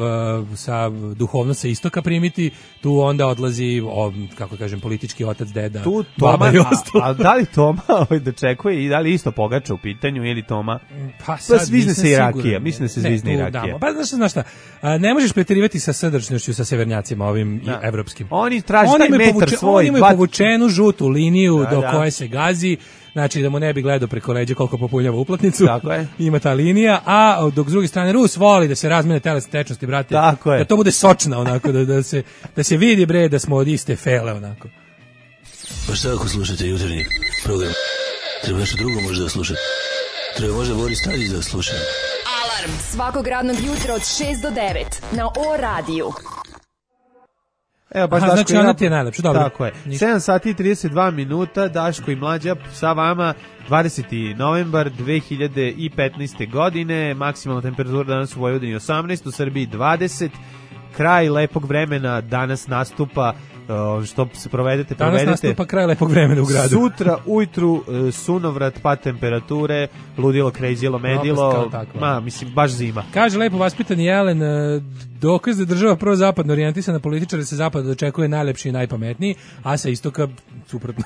sa duhovno se istoka primiti, tu onda odlazi, o, kako kažem, politički otac, deda, tu Toma, baba i ostalo. A, a da li Toma ovaj dočekuje i da li isto pogača u pitanju ili Toma? Pa sad pa svizne se i rakija, mislim da se zvizne i rakija. Pa znaš, znaš šta, a, ne možeš preterivati sa srdačnošću sa severnjacima ovim da. i evropskim. Oni traže taj metar povuče, svoj. Oni imaju povučenu žutu liniju da, do da. koje se gazi. Znači da mu ne bi gledao preko leđa koliko popunjava uplatnicu. Tako je. Ima ta linija, a dok s druge strane Rus voli da se razmene telesne tečnosti, brate. Tako je. Da to bude sočna onako, da, da, se, da se vidi, bre, da smo od iste fele onako. Pa šta ako slušate jutarnji program? Treba nešto drugo možda da slušate. Treba možda Boris Tadić da sluša. Alarm svakog radnog jutra od šest do devet na O radiju. Evo, baš Aha, Daško znači ona ti je najlepša, dobro. Tako je. sedam sati i trideset dva minuta, Daško i Mlađa sa vama, dvadeseti novembar dve hiljade petnaeste. godine, maksimalna temperatura danas u Vojvodini osamnaest, u Srbiji dvadeset, kraj lepog vremena danas nastupa, što se provedete, danas provedete. Danas nastupa kraj lepog vremena u gradu. Sutra ujutru sunovrat, pa temperature, ludilo, krejzilo, medilo, ma, mislim, baš zima. Kaže lepo vaspitani Jelen, dokaz da država prvo zapadno orijentisana političara se zapada dočekuje najlepši i najpametniji, a sa istoka suprotno.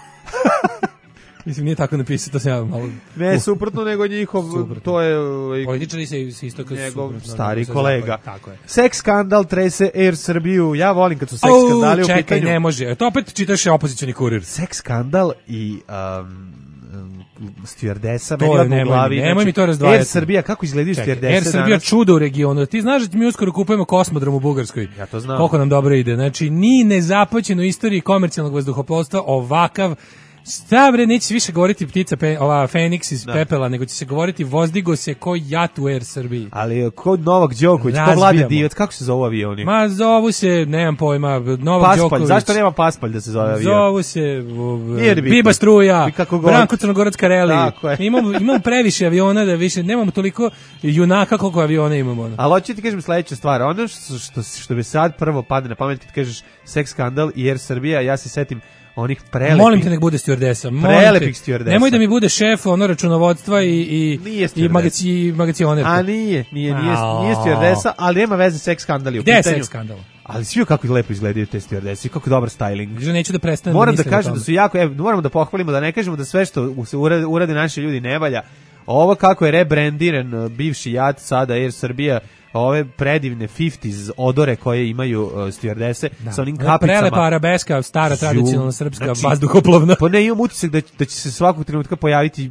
Mislim, nije tako napisao, to se ja malo... Ne, suprotno, nego njihov, suprotno. To je... Političari se istoka njegov suprotno. Stari kolega. Tako je. Seks skandal trese Air Srbiju. Ja volim kad su seks oh, skandali u čekaj, pitanju. Čekaj, ne može. To opet čitaš opozicioni kurir. Seks skandal i... Um, stewardesa, meni odmah u glavi. Nemoj mi to razdvajati. Air Srbija, kako izgledaju stewardese Air Srbija danas? Čudo u regionu. Ti znaš da mi uskoro kupujemo kosmodrom u Bugarskoj. Ja to znam. Koliko nam dobro ide. Znači, ni nezapoćeno u istoriji komercijalnog vazduhoplovstva ovakav Šta bre, neće se više govoriti ptica, pe, ova Feniks iz Da. pepela, nego će se govoriti vozdigo se ko jat u Air Srbiji. Ali kod Novak Đoković, ko Razbijamo. Vlade Divac, kako se zovu avioni? Ma zovu se, nemam pojma, Novak Paspalj, Đoković. zašto nema Paspalj da se zove avion? Zovu se uh, Nije ni bitno. Biba Struja, I kako god. Branko Crnogorac Kareli. Tako je. Imamo, imamo previše aviona da više, nemamo toliko junaka koliko aviona imamo. ono. Ali hoću ti kažem sledeća stvar, ono što, što, što bi sad prvo padne na pamet kad kažeš seks skandal i Air Srbija, ja se setim onih prelepih... Molim te nek bude stewardesa. molim Prelepih te. stewardesa. Nemoj da mi bude šef ono računovodstva i, i, Nije i stewardesa. magaci, magacionerka. A nije, nije, nije, Ao. nije stewardesa, ali nema veze seks skandali u Gde je pitanju. seks skandal? Ali svi kako lepo izgledaju te stewardese i kako dobar styling. Že neću da prestanem Moram da mislim o kažem tome. da su jako, evo, moramo da pohvalimo da ne kažemo da sve što se urade, urade naši ljudi ne valja. Ovo kako je rebrandiran uh, bivši jat sada Air Srbija, ove predivne pedesetih odore koje imaju uh, stewardese Da. sa onim Ona kapicama. Prelepa arabeska, stara Ju, tradicionalna srpska znači, vazduhoplovna. Pa ne, imam utisak da, da će se svakog trenutka pojaviti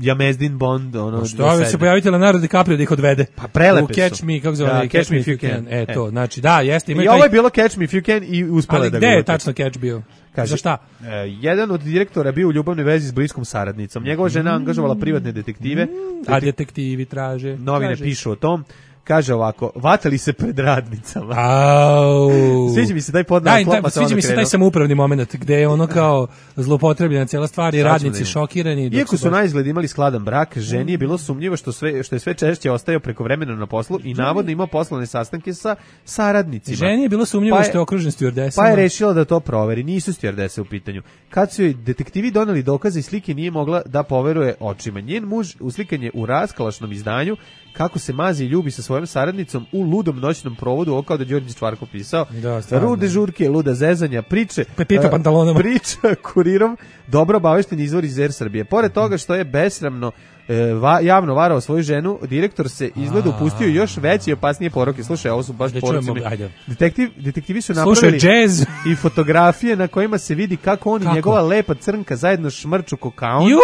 Jamezdin Bond. Ono, Što do ove sebe. se pojaviti Leonardo DiCaprio da ih odvede. Pa prelepe U Catch su. Me, kako zove? Da, onaj, Catch Me If You Can. E, E. to, znači, da, jeste. I Imaju ovo taj- je bilo Catch Me If You Can i uspela Ali da gde ga je uhvati. tačno Catch bio? Kaže, Za šta? e, jedan od direktora bio u ljubavnoj vezi s bliskom saradnicom. Njegova žena angažovala privatne detektive. A detektivi traže. Novine traže. pišu o tom. Kaže ovako, vatali se pred radnicama. Au. Sviđa mi se taj podnav Da, sklop, da, pa se sviđa onda mi se taj krenuo. samoupravni moment gde je ono kao zlopotrebljena cijela stvar i Sad ćemo da radnici vidimo. šokirani. dok Iako se su baš- na izgled imali skladan brak, ženi je bilo sumnjivo što, sve, što je sve češće ostajao preko vremena na poslu i navodno imao poslovne sastanke sa saradnicima. Ženi je bilo sumnjivo Pa je- što je okružen stewardesama. Pa je rešila da to proveri, nisu stewardese u pitanju. Kad su joj detektivi doneli dokaze i slike, nije mogla da poveruje očima. Njen muž uslikan je u raskalašnom izdanju kako se mazi i ljubi sa svojom saradnicom u ludom noćnom provodu, ovo kao da Đorđe Čvarko pisao. Da, stvarno. Rude žurke, luda zezanja, priče, Pepito e, pantalonama. priča kurirom, dobro obavešten izvor iz Air Srbije. Pored toga što je besramno e, va, javno varao svoju ženu, direktor se izgleda upustio u još veće i opasnije poroke. Slušaj, ovo su baš Da poroci. čujemo, ajde. Detektiv, detektivi su Slušaj, napravili jazz. i fotografije na kojima se vidi kako on i Kako? njegova lepa crnka zajedno šmrču kokaon. Ju!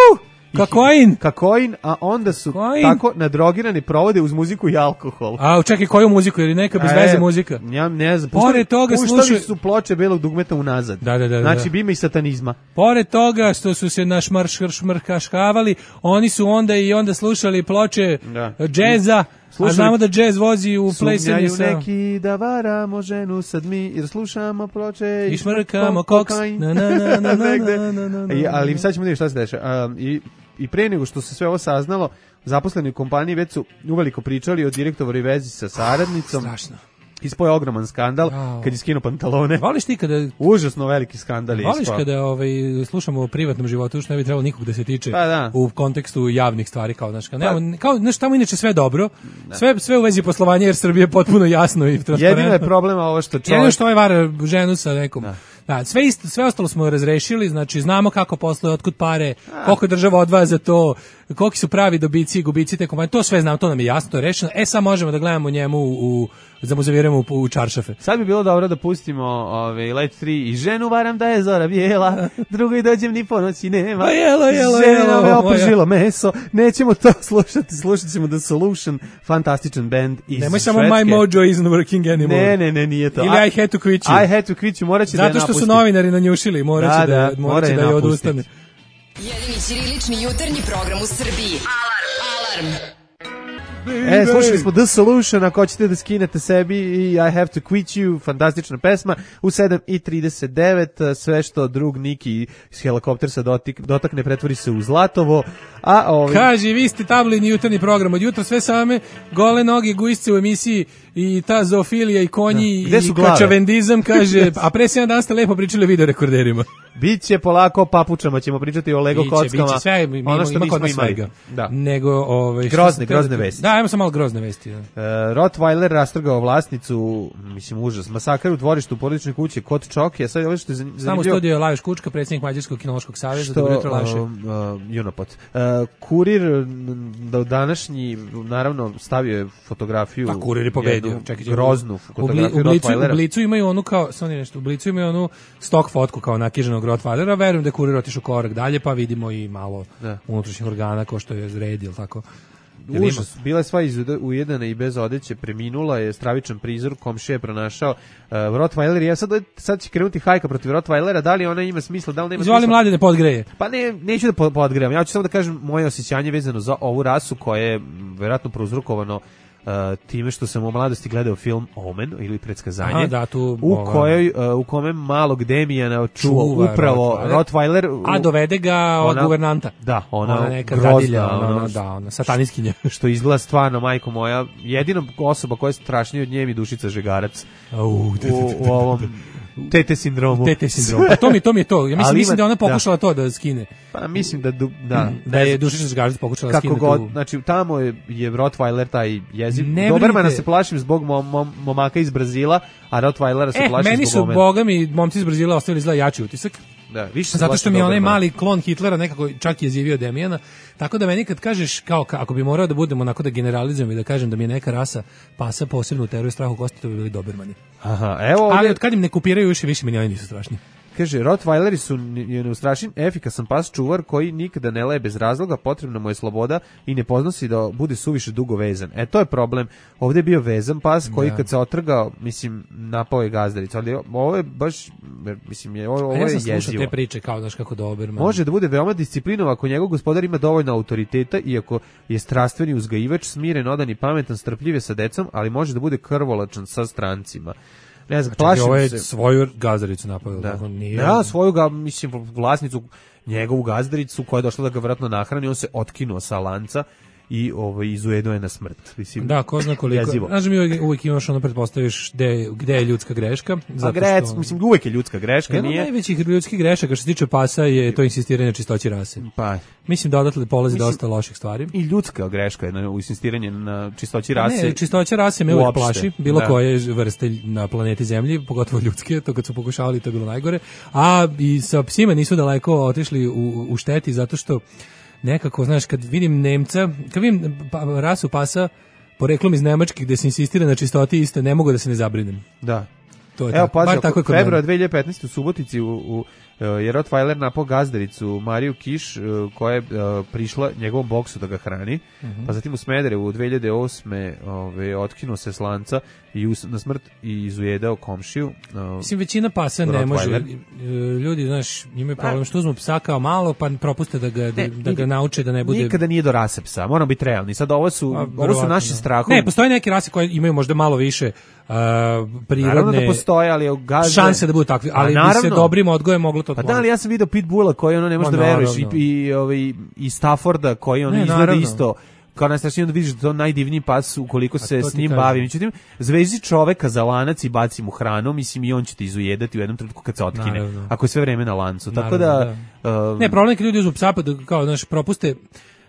I- Kakoin! Kakoin, a onda su Kakoin. tako nadrogirani provode uz muziku i alkohol. A, čekaj, koju muziku? Ili neka bez E, veze muzika? Ja ne znam. Pored puštali- toga puštali slušaj- su ploče belog dugmeta unazad. Da, da, da, da. Znači, bima i satanizma. Pored toga što su se naš marš šmrkaškavali, oni su onda i onda slušali ploče Da. džeza, a Slušali- znamo da džez vozi u plesanje Sumnjaju sa... neki da varamo ženu sad mi, jer slušamo ploče I šmrkamo koks. Na, na, na, na, na, Negde. na, na, na, na. I, ali sad ćemo vidjeti šta se dešava. A, i, I pre nego što se sve ovo saznalo, zaposleni u kompaniji već su uveliko pričali o direktorovoj vezi sa saradnicom. Strašno. Ispao je ogroman skandal Jao. kad je skinuo pantalone. Voliš ti kada... Užasno veliki skandal je Voliš ispao. kada ovaj, slušamo o privatnom životu, što ne bi trebalo nikog da se tiče Pa da. u kontekstu javnih stvari, kao, znaš, kao, nema, kao, znaš, tamo inače sve dobro, sve, sve u vezi poslovanja, jer Srbije je potpuno jasno i transparentno. Jedino je problem ovo što Jedino čovjek... što ovaj vara ženu sa nekom. Da, sve, isto, sve ostalo smo razrešili, znači znamo kako posluje, otkud pare, koliko država odvaja za to, koliki su pravi dobici i gubici te kompanije, to sve znamo, to nam je jasno, to je rešeno. E sad možemo da gledamo njemu u, da mu zaviramo u, u čaršafe. Sad bi bilo dobro da pustimo ove, Let tri i ženu varam da je zora bijela, drugoj dođem ni po noći nema. Pa jelo, jelo, Žena jelo, me moja. opržilo meso, nećemo to slušati, slušat ćemo The Solution, fantastičan band iz Nemoj samo Švedske. My Mojo isn't working anymore. Ne, ne, ne, nije to. Ili A- I had to quit you. I had to quit you, morat će da je Zato što su napustim. novinari nanjušili, morat će Da, da, da, morat mora će je da je napustiti. odustane. Jedini ćirilični jutarnji program u Srbiji. Alarm! Alarm! E, slušali smo The Solution, ako hoćete da skinete sebi i I have to quit you, fantastična pesma, u sedam i trideset devet, sve što drug Niki iz helikoptersa dotik, dotakne pretvori se u zlatovo, a ovi... Kaže, vi ste tabloidni jutarnji program, od jutra sve same, gole noge, guisce u emisiji i ta zoofilija i konji Da. Gde su i glave? kačavendizam, kaže, a pre sedam dana ste lepo pričali o videorekorderima. Biće polako o papučama, ćemo pričati o Lego Biće, kockama. biće sve, mi, ono ima, što ima nismo kod nas imali. svega. Da. Nego, ovaj, što Grozne, sam teo grozne da- vesti. Da, ajmo samo malo grozne vesti. Da. E, Rottweiler rastrgao vlasnicu, mislim užas, masakar u dvorištu porodične kuće kod Čokija. Sad ovo što je zanim- Samo u zanimljivo. studiju je Lajoš Kučka, predsjednik Mađarskog kinološkog saveza, Što, dobro jutro Lajoše. um, uh, Junopot. Uh, kurir m, do današnji, naravno, stavio je fotografiju. Pa kurir je pobedio. jednu Čekaj, groznu u, bli, fotografiju u, blicu, u Rottweilera. Blicu imaju onu kao, samo nešto, u Blicu imaju onu stok fotku kao nakiženog Rottweilera, verujem da je kurir otišao korak dalje, pa vidimo i malo Da. unutrašnjih organa ko što je red, ili tako. Užas, bila je sva ujedana i bez odeće, preminula je, stravičan prizor, komšija je pronašao uh, Rottweiler, ja sad, sad će krenuti hajka protiv Rottweilera, da li ona ima smisla, da li nema Izvoli smisla? mlade da podgreje. Pa ne, neću da podgrevam, ja ću samo da kažem moje osjećanje vezano za ovu rasu koja je verovatno prouzrokovano Uh, time što sam u mladosti gledao film Omen ili Predskazanje. Aha, da, tu, u ova, kojoj uh, u kome malog Demijana čuva upravo Rottweiler, Rottweiler, a dovede ga od ona, guvernanta. Da, ona, ona neka grozna, dadilja, ona, ona, da, ona sataniskinja. Što izgleda stvarno, majko moja, jedina osoba koja je strašnija od nje mi Dušica Žegarac. Uh, u, u ovom Tete sindromu. Tete sindromu. Pa to mi to mi je to. Ja mislim, mislim ima, da ona pokušala da. to da skine. Pa mislim da du, da da je Dušica Žegarac pokušala kako skinuti. God, znači tamo je, je Rottweiler taj jezik. Ne Dobermana se plašim zbog mom, mom, momaka iz Brazila, a Rottweilera se e, plašim meni zbog su boga mi momci iz Brazila ostavili zla jači utisak. Da, više zato što mi je onaj Doberman. mali klon Hitlera nekako čak je zjevio Demijana. Tako da meni kad kažeš kao ako bi morao da budemo onako da generalizujem i da kažem da mi je neka rasa pasa posebno u teroru i strahu kosti, to bi bili Dobermani. Aha, evo ovdje... Ali od kad im ne kupiraju više, više mi ni oni nisu strašni. Kaže, Rottweileri su neustrašen, efikasan pas čuvar koji nikada ne leje bez razloga, potrebna mu je sloboda i ne podnosi da bude suviše dugo vezan. E, to je problem. Ovdje je bio vezan pas koji da. Kad se otrgao, mislim, napao je gazdaricu. Ali ovo je baš, mislim, je, ovo, ovo je jezivo. Ja sam slušao te priče kao, znaš, kako Doberman. Može da bude veoma disciplinov ako njegov gospodar ima dovoljno autoriteta, iako je strastveni uzgajivač, smiren, odan i pametan, strpljiv sa decom, ali može da bude krvolačan sa strancima. Ne znam, plašim ovo je se. Svoju gazdaricu napao. Da. Nije... Ja, svoju ga, mislim, vlasnicu, njegovu gazdaricu koja je došla da ga vratno nahrani, on se otkinuo sa lanca i ovaj, izujedao je na smrt. Mislim, da, ko zna koliko. Znaš mi uvijek, uvijek imaš ono, pretpostaviš gde, gde je ljudska greška. A grec, što... mislim, uvijek je ljudska greška. Jedan nije... od najvećih ljudskih grešaka što se tiče pasa je to insistiranje na čistoći rase. Pa. Mislim da odatle polazi mislim, dosta loših stvari. I ljudska greška je na, u insistiranje na čistoći rase. Ne, čistoća rase me uvijek plaši, bilo da. Koje vrste na planeti Zemlji, pogotovo ljudske, to kad su pokušavali to je bilo najgore. A i sa psima nisu daleko otišli u, u šteti zato što nekako, znaš, kad vidim Nemca, kad vidim pa, rasu pasa poreklom iz Nemačke gde se insistira na čistoti isto, ne mogu da se ne zabrinem. Da. To je evo, tako. Bar tako je kod februara dve hiljade petnaeste u Subotici u, u, je Rottweiler napao gazdaricu Mariju Kiš koja je uh, prišla njegovom boksu da ga hrani, uh-huh. Pa zatim u Smederevu u dve hiljade osme ove, otkinuo se s lanca i us, na smrt i izujedao komšiju. Uh, Mislim, većina pasa ne može. Ljudi, znaš, imaju problem što uzmu psa kao malo, pa propuste da ga, ne, da, da ga nauče da ne bude... Nikada nije do rase psa, moramo biti realni. Sad ovo su, A, ovo su naši strahovi. Ne, postoje neke rase koje imaju možda malo više uh, prirodne... Naravno da postoje, ali gazde... šanse da budu takvi, ali bi se dobrim odgojem moglo to... Pa da, ali ja sam video Pitbulla koji ono ne može da veruješ i, i, i, i Stafforda koji ono ne, izgleda naravno. Isto kao najstrašnije da vidiš da to najdivniji pas ukoliko se s njim bavi. Međutim, zvezi čoveka za lanac i baci mu hranu, mislim i on će te izujedati u jednom trenutku kad se otkine. Naravno. Ako je sve vreme na lancu. Naravno, Tako da... da. Um, ne, problem je kad ljudi uzmu psa pa da, kao, znaš, propuste...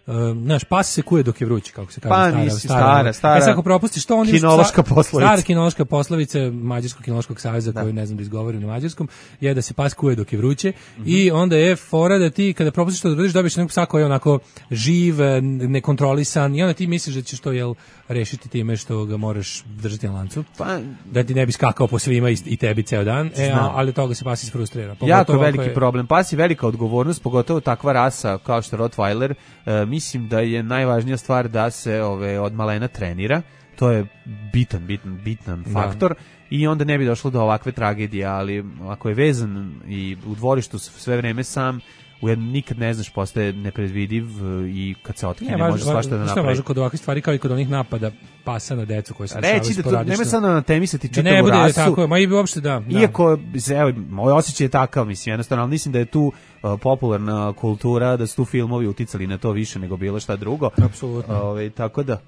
Uh, naš pas se kuje dok je vruć, kako se kaže, pa, stara, mislim, stara, stara, stara, e sad ako propustiš to, oni kinološka poslovica. Stara kinološka poslovica Mađarskog kinološkog saveza, koju ne znam da izgovorim na mađarskom, je da se pas kuje dok je vruće, mm-hmm. I onda je fora da ti kada propustiš to da uradiš, dobiješ nekog psa koji je onako živ, nekontrolisan, i onda ti misliš da ćeš to jel rešiti time što ga moraš držati na lancu, pa, da ti ne bi skakao po svima i, i tebi ceo dan, e, ali toga se pas isfrustrira. Jako veliki je... problem, pas je velika odgovornost, pogotovo takva rasa kao što Rottweiler. Uh, mislim da je najvažnija stvar da se ove, od malena trenira, to je bitan, bitan, bitan faktor, da. I onda ne bi došlo do ovakve tragedije, ali ako je vezan i u dvorištu sve vreme sam, ujedno nikad ne znaš, postaje nepredvidiv i kad se otkine ne, može svašta da napravi. Što je važno kod ovakvih stvari kao i kod onih napada pasa na decu koji se reći da to nema sad na temisati čitavu ne bude rasu. Tako, ma i uopšte da, da. Iako, evo, moj osjećaj je takav, mislim, jednostavno, ali mislim da je tu uh, popularna kultura, da su tu filmovi uticali na to više nego bilo šta drugo. Apsolutno. Ove, tako da.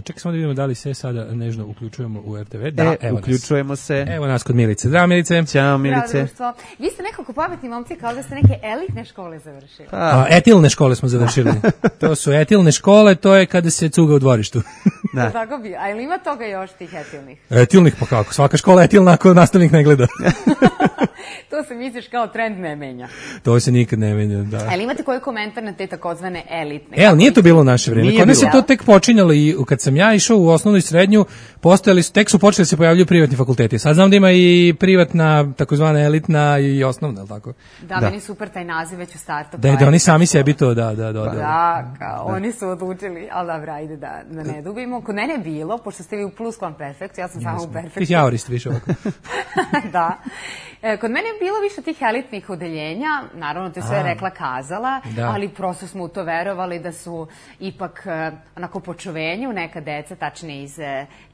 Čekaj samo da vidimo da li se sada nežno uključujemo u R T V. Da, e, evo uključujemo nas. se. Evo nas kod Milice. Zdravo Milice. Ćao Milice. Zdravo, vi ste nekako pametni momci, kao da ste neke elitne škole završili. A, etilne škole smo završili. To su etilne škole, to je kada se cuga u dvorištu. Da. Tako bi. A ili ima toga još tih etilnih? Etilnih, pa kako? Svaka škola je etilna ako nastavnik ne gleda. To se misliš kao trend ne menja. To se nikad ne menja, da. Ali imate koji komentar na te takozvane elitne? E, ali nije to bilo u naše vreme. Kod nas je to tek počinjalo i kad sam ja išao u osnovnu i srednju, postojali su, tek su počeli da se pojavljuju privatni fakulteti. Sad znam da ima i privatna, takozvana elitna i osnovna, ali tako? Da, da, meni super taj naziv već u startu. Da, da oni sami sebi to, da, da, da. Da, kao, oni su odlučili, ali dobro, ajde da, da ne dubimo. Kod mene je bilo, pošto ste vi u pluskvamperfektu, ja sam samo u perfektu. Ti jaurist više ovako. Da. E, kod mene je bilo više tih elitnih odeljenja, naravno to je sve rekla kazala, da. Ali prosto smo u to verovali da su ipak onako po čuvenju neka deca, tačnije iz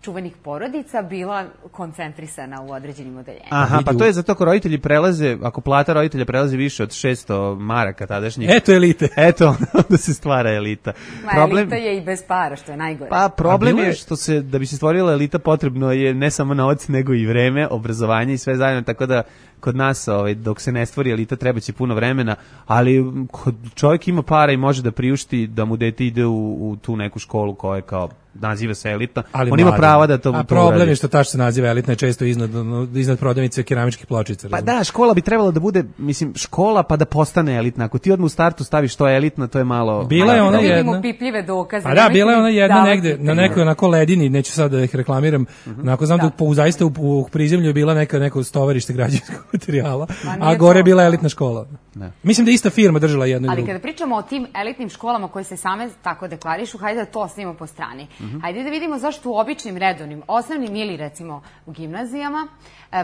čuvenih porodica, bila koncentrisana u određenim odeljenjima. Aha, pa to je zato ako roditelji prelaze, ako plata roditelja prelazi više od šesto maraka tadašnjih. Eto elite. Eto, onda se stvara elita. Ma, problem... elita je i bez para, što je najgore. Pa problem je što se, da bi se stvorila elita potrebno je ne samo novac, nego i vreme, obrazovanje i sve zajedno, tako da kod nas, ovaj, dok se ne stvori elita, treba će puno vremena, ali kod čovjek ima para i može da priušti da mu dete ide u, u tu neku školu koja je kao naziva se elitna, ali on ima prava da to uradi. A problem je što ta što se naziva elitna je često iznad, iznad prodavnice keramičkih pločica. Pa da, škola bi trebala da bude, mislim, škola pa da postane elitna. Ako ti odmah u startu staviš to je elitna, to je malo... Bila je ona jedna... Da vidimo pipljive dokaze. A da, bila je ona jedna negde, na nekoj onako ledini, neću sad da ih reklamiram, uh-huh. onako znam da, da po, zaista u, u prizemlju je bila neka, neko stovarište građevinskog materijala, a gore je bila elitna škola. Ne. Mislim da je ista firma držala jednu i drugu. Ali kada pričamo o tim elitnim školama koje se same tako deklarišu, hajde da to ostavimo po strani. Uh-huh. Hajde da vidimo zašto u običnim redovnim, osnovnim ili recimo u gimnazijama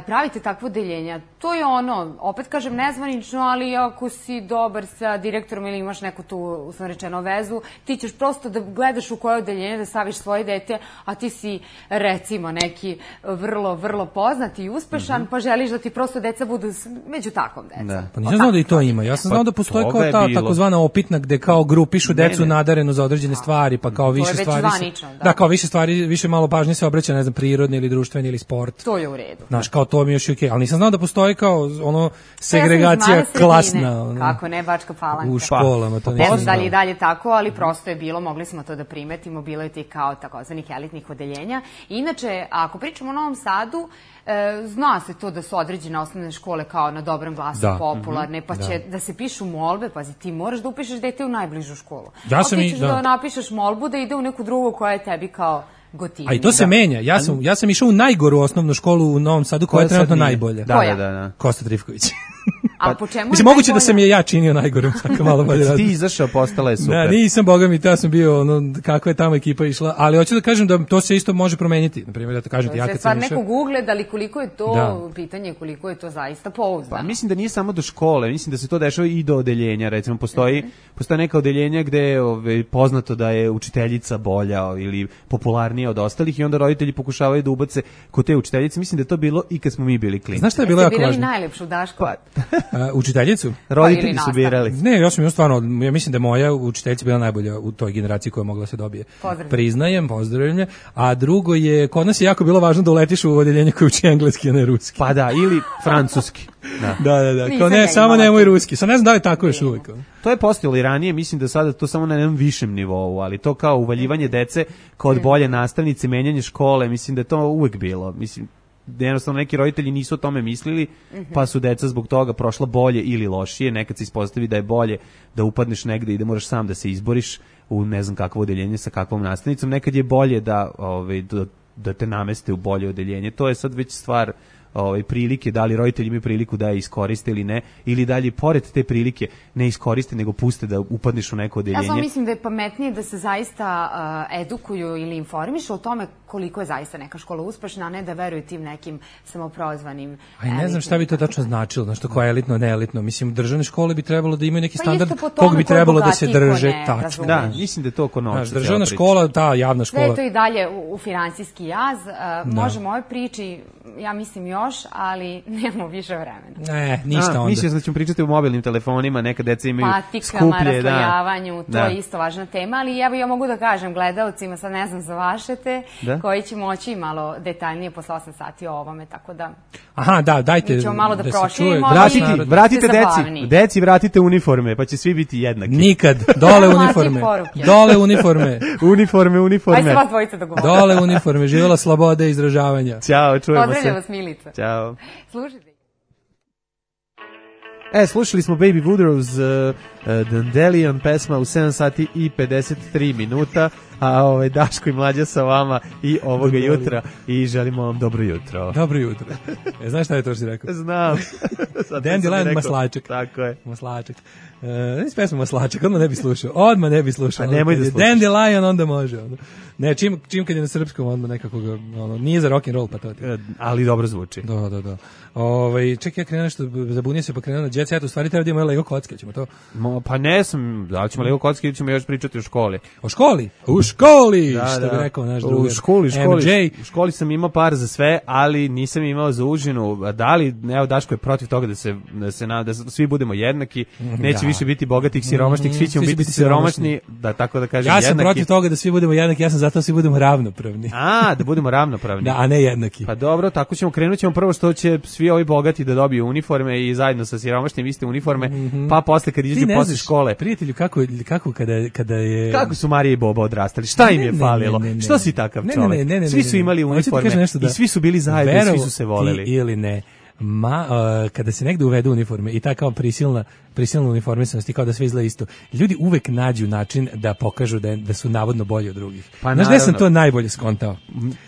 pravite takvo deljenja. To je ono, opet kažem nezvanično, ali ako si dobar sa direktorom ili imaš neku tu, uslovno rečeno, vezu, ti ćeš prosto da gledaš u koje odeljenje da staviš svoje dete, a ti si recimo neki vrlo, vrlo poznat i uspešan, mm-hmm. pa želiš da ti prosto deca budu među takvom decom. Da. Pa nisam znao da i to ima. Ja sam znao da postoji kao ta takozvana opitna gde kao grupišu decu nadarenu za određene stvari, pa kao više stvari. Zvanično, da. Da, kao više stvari, više malo pažnje se obraća, ne znam, prirodni ili društveni ili sport. To je u redu. Znaš, kao to mi još je okej, okay. Ali nisam znao da postoji kao ono segregacija ja klasna. Ono, kako ne, Bačka Palanka. U školama, to ne znam dalje i dalje tako, ali prosto je bilo, mogli smo to da primetimo, bilo je ti kao takozvanih elitnih odeljenja. Inače, ako pričamo o Novom Sadu, E, zna se to da su određene osnovne škole kao na dobrom glasu da. popularne, pa će da. da se pišu molbe, pazi, ti moraš da upišeš dete u najbližu školu. Ja sam a ti ćeš i, da. da napišeš molbu da ide u neku drugu koja je tebi kao gotivnija. A i to se da. menja. Ja sam, ja sam išao u najgoru osnovnu školu u Novom Sadu, koja, koja je trenutno najbolja. Da, da, da, da. Kosta Trifković. A po čemu mislim, moguće da sam je ja činio najgorim, svaka malo bolje radi. Ti izašao, postala je super. Da, nisam, boga mi, ja sam bio, ono, kakva je tamo ekipa išla, ali hoću da kažem da to se isto može promeniti. Na primjer, da to kažem ti, ja kad sam išao... stvar nekog ugleda, ali koliko je to, da. pitanje koliko je to zaista pouzdano. Pa mislim da nije samo do škole, mislim da se to dešava i do odeljenja, recimo, postoji, mm-hmm. postoje neka odeljenja gde je ove, poznato da je učiteljica bolja ili popularnija od ostalih i onda roditelji pokušavaju da ubace kod te učiteljice. Mislim da je to bilo i kad smo mi bili klinci. Znaš šta je bilo jako važno? Jeste birali najlepšu Daško? Pa, uh, učiteljicu? Roditelji su birali. Ne, ja sam jo stvarno, ja mislim da moja učiteljica bila najbolja u toj generaciji koja mogla se dobije. Pozdravljam. Priznajem, pozdravljam. A drugo je, kod nas je jako bilo važno da uletiš u odeljenje koje uči engleski, a ne ruski. Pa da, ili francuski. Da, da, da. da. Kao ne, samo nemoj ruski. Sad ne znam da li tako još uvijek. To je postojalo i ranije, mislim da sada to samo na jednom višem nivou, ali to kao uvaljivanje dece kod bolje nastavnice, menjanje škole, mislim da je to uvijek bilo. Mislim, jednostavno neki roditelji nisu o tome mislili, pa su deca zbog toga prošla bolje ili lošije. Nekad se ispostavi da je bolje da upadneš negde i da moraš sam da se izboriš u ne znam kakvo odeljenje sa kakvom nastavnicom. Nekad je bolje da, ovaj, da, da te nameste u bolje odeljenje. To je sad već stvar ovaj, prilike, da li roditelji imaju priliku da je iskoriste ili ne, ili da li pored te prilike ne iskoriste, nego puste da upadneš u neko odeljenje. Ja samo mislim da je pametnije da se zaista uh, edukuju ili informišu o tome koliko je zaista neka škola uspešna, a ne da veruju tim nekim samoprozvanim. Aj, ne znam šta bi to tačno značilo, znači koja je elitno, neelitno. Mislim, državne škole bi trebalo da imaju neki pa standard kog bi trebalo da se drže. Tačno. Da, mislim da je to oko novca. Državna škola, ta javna škola. Sve je to i dalje u, u finansijski jaz. Uh, možemo ovoj priči, ja mislim još, ali nemamo više vremena. Ne, ništa a, onda. Mislim da ćemo pričati o mobilnim telefonima, neka deca imaju patikama, skuplje. raslojavanju, da. to je isto važna tema, ali ja, ja mogu da kažem gledalcima, sad ne znam za vašete, da? koji će moći malo detaljnije posle osam sati o ovome, tako da... Aha, da, dajte mi ćemo malo da, da proširimo. Vratite, vratite deci, deci vratite uniforme, pa će svi biti jednaki. Nikad, dole uniforme. Dole uniforme. uniforme, uniforme. Ajde se vas dvojica dogovoriti. Dole uniforme, živjela sloboda izražavanja. Ćao, čujemo se. Pozdravljam vas, Milica. Ćao. Slušajte. E, slušali smo Baby Woodrow's uh, uh, Dandelion pesma u sedam sati i pedeset tri minuta, a ovaj Daško i Mlađa sa vama i ovoga jutra i želimo vam dobro jutro. Dobro jutro. E, znaš šta je to što si rekao? Znam. Dandelion maslačak. Tako je. Maslačak. Uh, ne pesma maslačak, odmah ne bi slušao. Odmah ne bi slušao. Pa nemoj da slušaš. Dandelion onda može. Ono. Ne, čim, čim kad je na srpskom, odmah nekako ga, ono, nije za rock and roll, pa to ti. Ali dobro zvuči. Da, da, da. Ovaj čekaj, ja krenuo nešto, zabunio se pa krenuo na Jet Set, u stvari treba da imamo Lego kocke, ćemo to. Mo, pa ne sam, da li ćemo Lego kocke ili ćemo još pričati o školi. O školi? U školi, da, što da. bi rekao naš drugar. U školi, školi. M J. U školi sam imao par za sve, ali nisam imao za užinu. A da li, evo Daško je protiv toga da se da se da svi budemo jednaki, neće da. više biti bogatih, siromašnih, svi ćemo svi biti, biti siromašni, da tako da kažem ja jednaki. Ja sam protiv toga da svi budemo jednaki, ja sam zato da svi budemo ravnopravni. A, da budemo ravnopravni. Da, a ne jednaki. Pa dobro, tako ćemo krenuti ćemo prvo što će svi ovi bogati da dobiju uniforme i zajedno sa siromašnim iste uniforme, mm-hmm. pa posle kad izađu posle škole. Prijatelju, kako kako kada kada je kako su Marija i Boba odrastali? Šta im je ne, falilo? Ne, ne, ne, što si takav ne, čovjek? Ne, ne, ne, svi su imali uniforme da, i svi su bili zajedno, verovo, svi su se voleli. Ili ne. Ma, uh, kada se negde uvedu uniforme i ta kao prisilna prisilna uniformisanost i kao da sve izgleda isto, ljudi uvek nađu način da pokažu da, da su navodno bolji od drugih. Pa, znaš gde sam to najbolje skontao?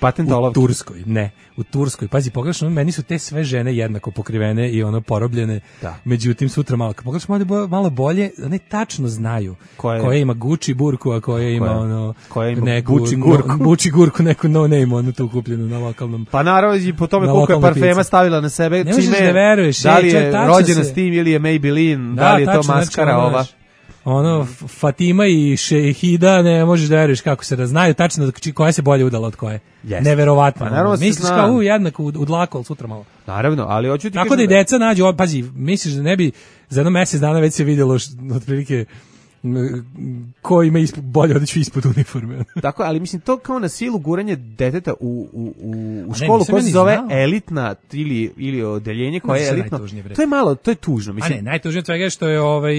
Patent u olovke. Turskoj, ne. U Turskoj, pazi, pogrešno, meni su te sve žene jednako pokrivene i ono porobljene, da. Međutim sutra malo, kad pogrešno malo, malo bolje, one tačno znaju koja, koja ima Gucci burku, a koja ima koja, ono, koja ima neku, Gucci gurku. No, Gucci gurku, neku no name, ono tu kupljenu na lokalnom. Pa naravno i po tome koliko je parfema pici. Stavila na sebe, ne čime, da veruješ, da li je je rođena se... s tim ili je Maybelline, da, da li je tačno, to maskara znači, ova. Ono, Fatima i Šehida, ne možeš da veruješ kako se raznaju, tačno koja se bolje udala od koje. Yes. Neverovatno. Pa, naravno, misliš kao u jednako u, u dlaku, ali sutra malo. Naravno, ali hoću ti tako kažem da i deca nađu, pazi, misliš da ne bi za jedno mjesec dana već se vidjelo otprilike ko ima ispod, bolje odeću ispod uniforme. Tako, ali mislim to kao na silu guranje deteta u, u, u, u školu koja se zove znao. elitna ili, ili odeljenje koje je elitno. To je malo, to je tužno. Mislim. A ne, najtužnije od svega je što je ovaj,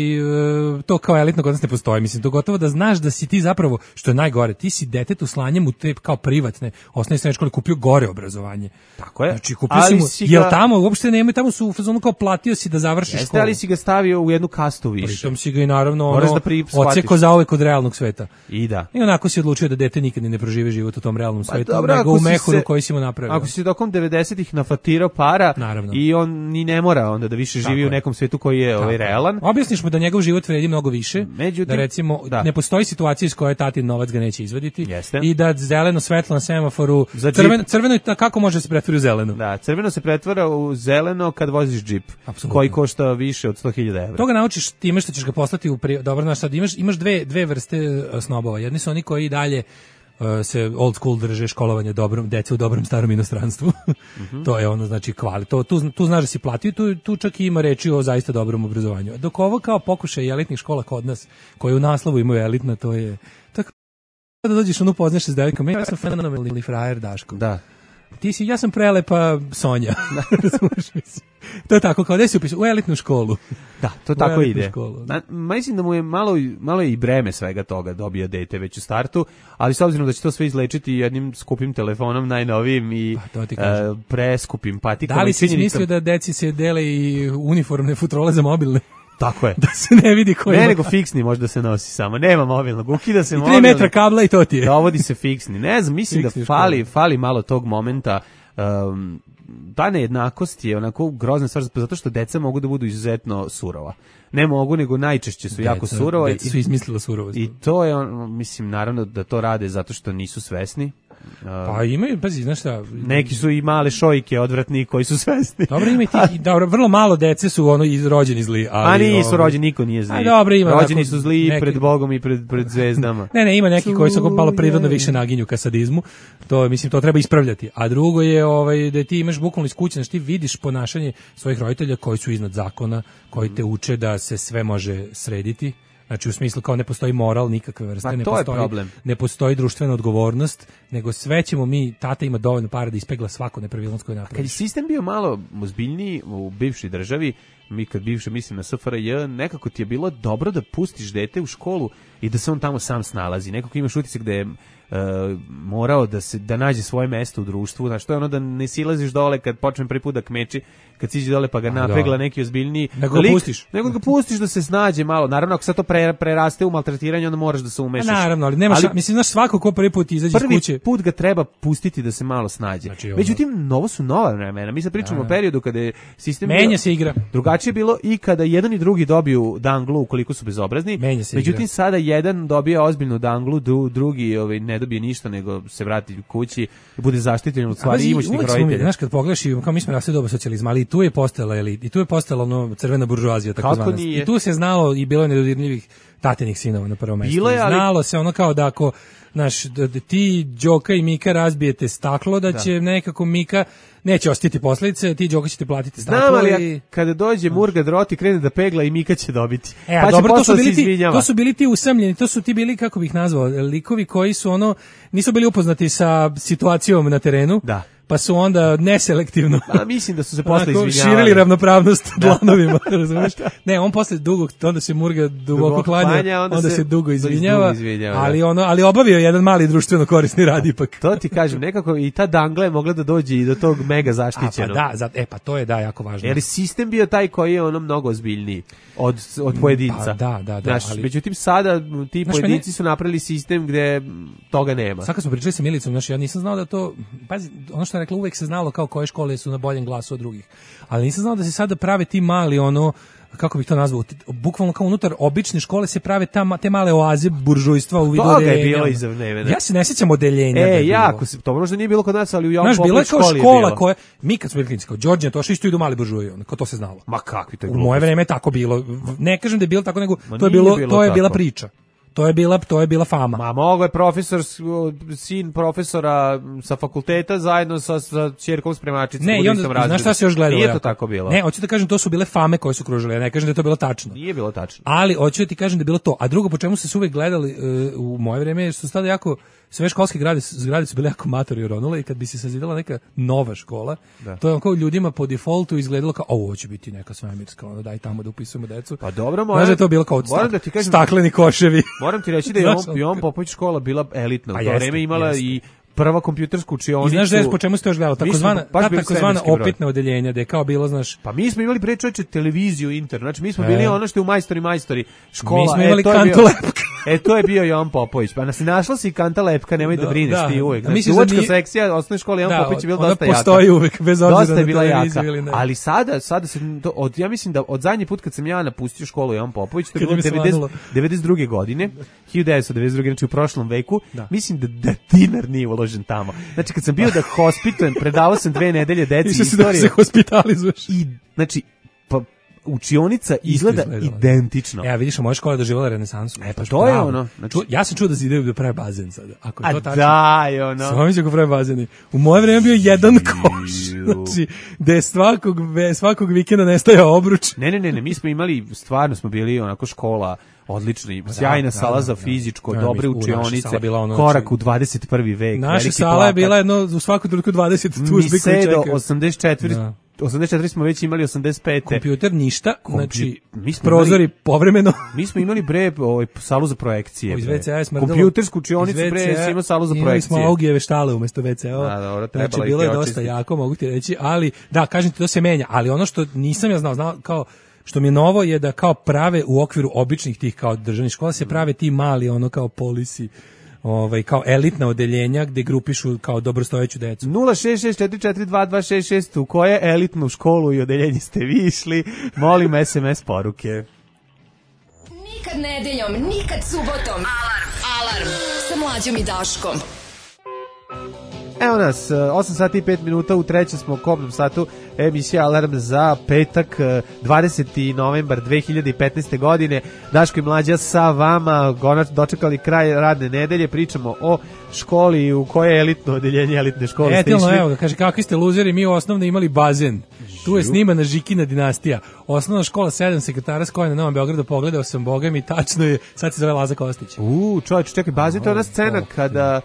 to kao elitno kod nas ne postoji. Mislim, to gotovo da znaš da si ti zapravo, što je najgore, ti si detetu slanjem u te kao privatne osnovne srednje škole kupio gore obrazovanje. Tako je. Znači, kupio ali si mu, ga... jel tamo, uopšte nema, tamo su u fazonu kao platio si da završiš Jeste, školu. Ali si ga stavio u jednu kastu više. Pritom si ga i naravno ono, odseko za uvek od realnog sveta. I da. I onako si odlučio da dete nikad ne proživi život u tom realnom svetu, pa, dobro, nego u mehuru koji si mu napravio. Ako si tokom devedesetih nafatirao para naravno. I on ni ne mora onda da više živi tako u nekom svetu koji je ovaj realan. Objasniš mu da njegov život vredi mnogo više, međutim, da recimo da. Ne postoji situacija iz koje tatin novac ga neće izvaditi. Jeste. I da zeleno svetlo na semaforu, crveno, crveno kako može se pretvori u zeleno? Da, crveno se pretvara u zeleno kad voziš džip, Absolutno. koji košta više od sto hiljada evra. To ga naučiš time što ćeš ga poslati u pri... dobro, znaš, sad imaš imaš dve dve vrste snobova. Jedni su oni koji dalje uh, se old school drže školovanje dobrom, dece u dobrom starom inostranstvu. Mm-hmm. To je ono, znači, kvali. To, tu, tu znaš da si platio, tu, tu čak i ima reči o zaista dobrom obrazovanju. Dok ovo kao pokušaj elitnih škola kod nas, koje u naslovu imaju elitna, to je... Tako da dođeš ono poznaš se s devojkom, ja sam fenomenalni frajer Daško. Da. Ti si, ja sam prelepa Sonja. To je tako, kao da si upisao u elitnu školu. Da, to tako ide. Na, mislim da mu je malo, malo i breme svega toga dobija dete već u startu, ali s obzirom da će to sve izlečiti jednim skupim telefonom najnovijim i pa, uh, preskupim patikama. Da li si mislio da deci se dele i uniformne futrole za mobilne? Tako je. Da se ne vidi koji. Ne, nego fiksni možda se nosi samo. Nema mobilnog. Ukida se mobilni. I tri metra kabla i to ti je. Dovodi se fiksni. Ne znam, mislim fiksni da fali, fali malo tog momenta. Um, ta nejednakost je onako grozna stvar, zato što deca mogu da budu izuzetno surova. Ne mogu, nego najčešće su deca, jako surova. Deca su izmislila surovost. I to je, on, mislim, naravno da to rade zato što nisu svesni. Uh, pa imaju, pazi, znaš šta... Neki su i male šojke odvratni koji su svesni. Dobro, ima i ti, dobro, vrlo malo dece su ono rođeni zli. Ali, a nisu ovaj, rođeni, niko nije zli. A dobro, ima rođeni su zli neki, pred Bogom i pred, pred zvezdama. Ne, ne, ima neki koji su malo prirodno više naginju ka sadizmu. To, mislim, to treba ispravljati. A drugo je ovaj, da ti imaš bukvalno iz kuće, znači ti vidiš ponašanje svojih roditelja koji su iznad zakona, koji te uče da se sve može srediti. Znači u smislu kao ne postoji moral nikakve vrste, pa, ne, postoji, ne postoji društvena odgovornost, nego sve ćemo mi, tata ima dovoljno para da ispegla svaku nepravilnost koju napraviš. Kad je sistem bio malo ozbiljniji u bivšoj državi, mi kad bivše mislim na S F R J, nekako ti je bilo dobro da pustiš dete u školu i da se on tamo sam snalazi. Nekako imaš utisak da je uh, morao da se da nađe svoje mesto u društvu, znači to je ono da ne silaziš dole kad počne prvi put da kmeči, kad siđe dole pa ga napegla neki ozbiljniji nego ga pustiš, nego ga pustiš da se snađe malo. Naravno ako sad to pre, preraste u maltretiranje, onda moraš da se umešaš. A naravno, ali nemaš, ali, mislim znaš svako ko prvi put izađe iz kuće. Prvi put ga treba pustiti da se malo snađe. Znači, međutim, novo su nova vremena. Mi sad pričamo o periodu kada je sistem menja bio, se igra. Drugačije bilo i kada jedan i drugi dobiju danglu ukoliko su bezobrazni. Međutim, igra. Sada jedan dobija ozbiljnu danglu, drugi ovaj, ne dobije ništa, nego se vrati kući i bude zaštićen od stvari imućnih roditelja. Znaš, kad pogledaš, kao mi smo rasli doba socijalizma, ali i tu je postala elit, i tu je postala ono crvena buržoazija, tako zvana. I tu se znalo i bilo je nedodirljivih tatinih sinova na prvom mjestu. Ali... Znalo se ono kao da ako naš, da, da ti Đoka i Mika razbijete staklo, da, da. će nekako Mika neće ostiti posljedice, ti Đoka ćete platiti staklo. Znam, ali i... kada dođe Murga Droti krene da pegla i Mika će dobiti. E, pa dobro, to su, bili ti, to su bili ti usamljeni, to su ti bili, kako bih nazvao, likovi koji su ono, nisu bili upoznati sa situacijom na terenu. Da. Pa su onda neselektivno. Pa mislim da su se posle izvinjavali. Širili ravnopravnost dlanovima, razumeš? Ne, on posle dugo, onda se Murga duboko klanja, klanja, onda, onda se, se dugo izvinjava, izvinjava ali ono, ali obavio jedan mali društveno korisni rad ipak. To ti kažem, nekako i ta dangla je mogla da dođe i do tog mega zaštićenog. A, pa da, za, e pa to je da jako važno. Jer sistem bio taj koji je ono mnogo ozbiljniji od od pojedinca. Pa, da, da, da. Znaš, ali međutim sada ti znaš, pojedinci mene... su napravili sistem gde toga nema. Sad kad smo pričali sa Milicom, znači ja nisam znao da to, pazi, ono što je rekla, uvek se znalo kao koje škole su na boljem glasu od drugih. Ali nisam znao da se sada prave ti mali ono, kako bih to nazvao, bukvalno kao unutar obične škole se prave ta, te male oaze buržujstva u vidu odeljenja. Je bilo iza vremena. Ja se ne sjećam odeljenja. E, da jako se, to možda nije bilo kod nas, ali u Jovan Popović školi je bilo. Znaš, bilo je kao škola koja, mi kad smo bili klinici, kao Đorđe, to što isto idu mali buržuji, kao to se znalo. Ma kakvi to je u moje vreme je tako bilo. Ne kažem da je bilo tako, nego Ma to je bilo, bilo to je bila priča. To je bila, to je bila fama. Ma mogo je profesor, sin profesora sa fakulteta zajedno sa, sa ćerkom spremačicom. Ne, i onda, znaš šta se još gledalo? Nije to tako bilo. Ne, hoću da kažem, to su bile fame koje su kružile, ja ne kažem da je to bilo tačno. Nije bilo tačno. Ali hoću da ti kažem da je bilo to. A drugo, po čemu su se uvek gledali uh, u moje vreme, su tada jako, sve školske zgrade, zgrade su bile jako matori oronule i kad bi se sazidala neka nova škola, da. To je kao ljudima po defaultu izgledalo kao, ovo će biti neka svemirska, ono, daj tamo da upisujemo decu. Pa dobro, moram, znaš da je to bilo kao stak, da ti kažem, stakleni koševi. Moram ti reći da je Jovan Popović škola bila elitna. U to vreme imala jeste. I prva kompjutersku učionicu. I znaš da je po čemu se to još gledalo? Takozvana, ta takozvana opitna odeljenja, da je kao bilo, znaš... Pa mi smo imali pre čoveče televiziju, internet, znači mi smo bili e. ono što je u majstori majstori škola. Mi smo imali e, Kanta Lepka. E, to je bio Jovan Popović. Pa nas je našla si Kanta Lepka, nemoj da, da brineš da. Ti uvek. Znači, uvočka nije... sekcija osnovne škole Jovan da, Popović je bila dosta jaka. Postoji uvek, bez obzira dosta je bila na jaka. Ili ne. Ali sada, sada se, od, ja mislim da od zadnji put kad sam ja napustio školu Jovan Popović, to je bilo devedeset druge godine, hiljadu devetsto devedeset druge, znači u prošlom veku, mislim da, da dinar nije uložen tamo. Znači kad sam bio da hospitujem, predavao sam dve nedelje deci istorije. Da se hospitalizuješ. I znači pa učionica izgleda izgleda identično. E, vidiš, moja škola je doživjela renesansu. E, pa to je ono. Znači, ja sam čuo da se ide da prave bazen sada. Ako je to tačno. Da, je ono. Samo mi će ko prave bazeni. U moje vreme bio jedan koš. Znači, da je svakog, svakog vikenda nestajao obruč. Ne, ne, ne, ne, mi smo imali, stvarno smo bili onako škola odlični, sjajna da, sala da, za fizičko, da, dobre da, učionice, ono, korak u dvadeset prvi vek. Naša sala plakat. Je bila jedno, u svaku trenutku dvadeset tužbi koji čekaju. Do osamdeset četiri Da. osamdeset četiri smo već imali osamdeset pete Kompjuter ništa, Kompju... znači mi smo prozori imali, povremeno. Mi smo imali bre ovaj salu za projekcije. Iz ve ce a smrdelo. Kompjutersku učionicu bre, smo imali salu za projekcije. Imali smo Augijeve štale umesto ve ce a. Da, dobro, znači bilo je dosta jako, mogu ti reći, ali da, kažem ti, to se menja, ali ono što nisam ja znao, znao kao što mi je novo je da kao prave u okviru običnih tih kao državnih škola se prave ti mali ono kao polisi, ovaj kao elitna odeljenja gde grupišu kao dobrostojeću decu. nula šest šest četiri četiri dva dva šest šest u koje elitnu školu i odeljenje ste vi išli? Molim es em es poruke. Nikad nedeljom, nikad subotom. Alarm, alarm sa Mlađom i Daškom. Evo nas, osam sati i pet minuta, u trećem smo kobnom satu emisija Alarm za petak, dvadeseti novembar dve hiljade petnaeste. godine. Daško i Mlađa sa vama, konačno dočekali kraj radne nedelje, pričamo o školi u koje je elitno odeljenje elitne škole ste išli. Evo ga, kaže, kakvi ste luzeri, mi u osnovno imali bazen. Tu je snimana Žikina dinastija. Osnovna škola sedam sekretara s koje na Novom Beogradu, pogledao sam, boga mi, tačno je, sad se zove Laza Kostić. U, čovječ, čekaj, bazen, to je ona scena kada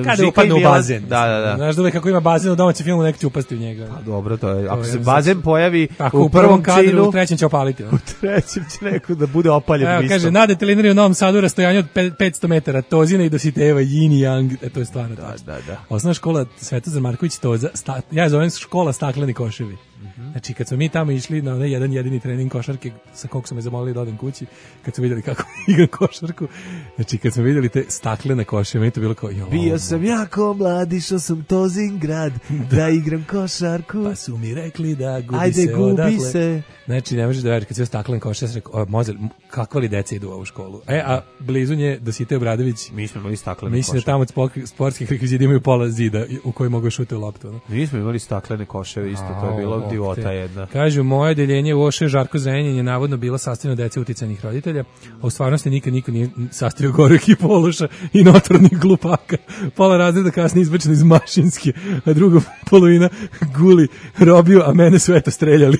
Kada upadne u bazen. Da, da, da. Znaš da uvek kako ima bazen u domaćem filmu, nek će upasti u njega. Pa dobro, to je. Ako to se je, bazen pojavi tako, u prvom kadru, cilju, u trećem će opaliti. U trećem će neko da bude opaljen. Evo, kaže, na detelinari u Novom Sadu rastojanje od petsto metara, Tozina i Dositejeva, Yin i Yang, e, to je stvarno da, tačno. da, da. Osnovna škola Svetozar Marković Toza, sta, ja zovem škola stakleni koševi. Mm-hmm. Znači, kad smo mi tamo išli na onaj jedan jedini trening košarke, sa kog su me zamolili da odem kući, kad su vidjeli kako igram košarku, znači, kad smo vidjeli te staklene koševe, meni to bilo kao, jo, bio sam jako mlad, išao sam Tozin grad, da, da igram košarku. Pa su mi rekli da gubi Ajde, se gubi odakle. se. Znači, ne možeš da veriš, kad se staklen košar, ja sam rekao, Mozel, kakva li deca idu u ovu školu? E, a blizu nje Dositej Obradović. Mi smo imali staklene mislim koševe. Mislim da tamo od sportskih rekvizita imaju pola zida u koji mogu šuti u loptu. No? Mi smo imali staklene koševe isto, to je bilo divota jedna. Kažu, moje odeljenje u Oše Žarko Zrenjanin je navodno bilo sastavljeno dece uticajnih roditelja, a u stvarnosti nikad niko nije sastavio goru ekipu Oluša i notornih glupaka. Pola razreda kasnije izbačeno iz Mašinske, a druga polovina guli robio, a mene su eto streljali.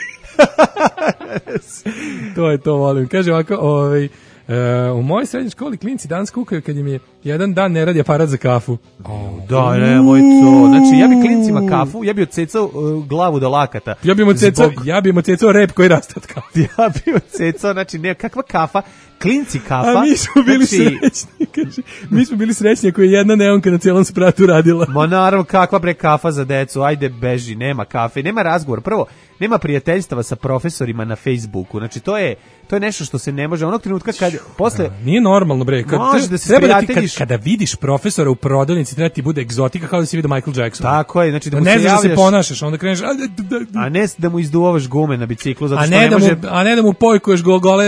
To je to, volim. Kaže ovako, ovaj, Uh, u mojoj srednjoj školi klinci danas kukaju kad im je jedan dan ne radi aparat za kafu. Oh, da, ne, moj to. Znači, ja bi klincima kafu, ja bi odsecao uh, glavu do lakata. Ja bi im odsecao, Zbog... ja bi im odsecao rep koji raste od kafe. Ja bi odsecao, znači, ne, kakva kafa, klinci kafa. A mi smo bili znači... srećni, kaže. Mi smo bili srećni ako je jedna neonka na cijelom spratu radila. Ma naravno, kakva bre kafa za decu, ajde beži, nema kafe, nema razgovor. Prvo, nema prijateljstava sa profesorima na Facebooku, znači to je to je nešto što se ne može onog trenutka kad posle da, nije normalno bre kad može da se treba da ti, kad, prijateljiš kada vidiš profesora u prodavnici treba ti bude egzotika kao da si vidio Michael Jackson. Tako je, znači da mu ne se znaš javljaš, da se ponašaš, onda kreneš a, da, da, a ne da mu izduvavaš gume na biciklu zato što ne, ne da može mu, a ne da mu pojkuješ go, gole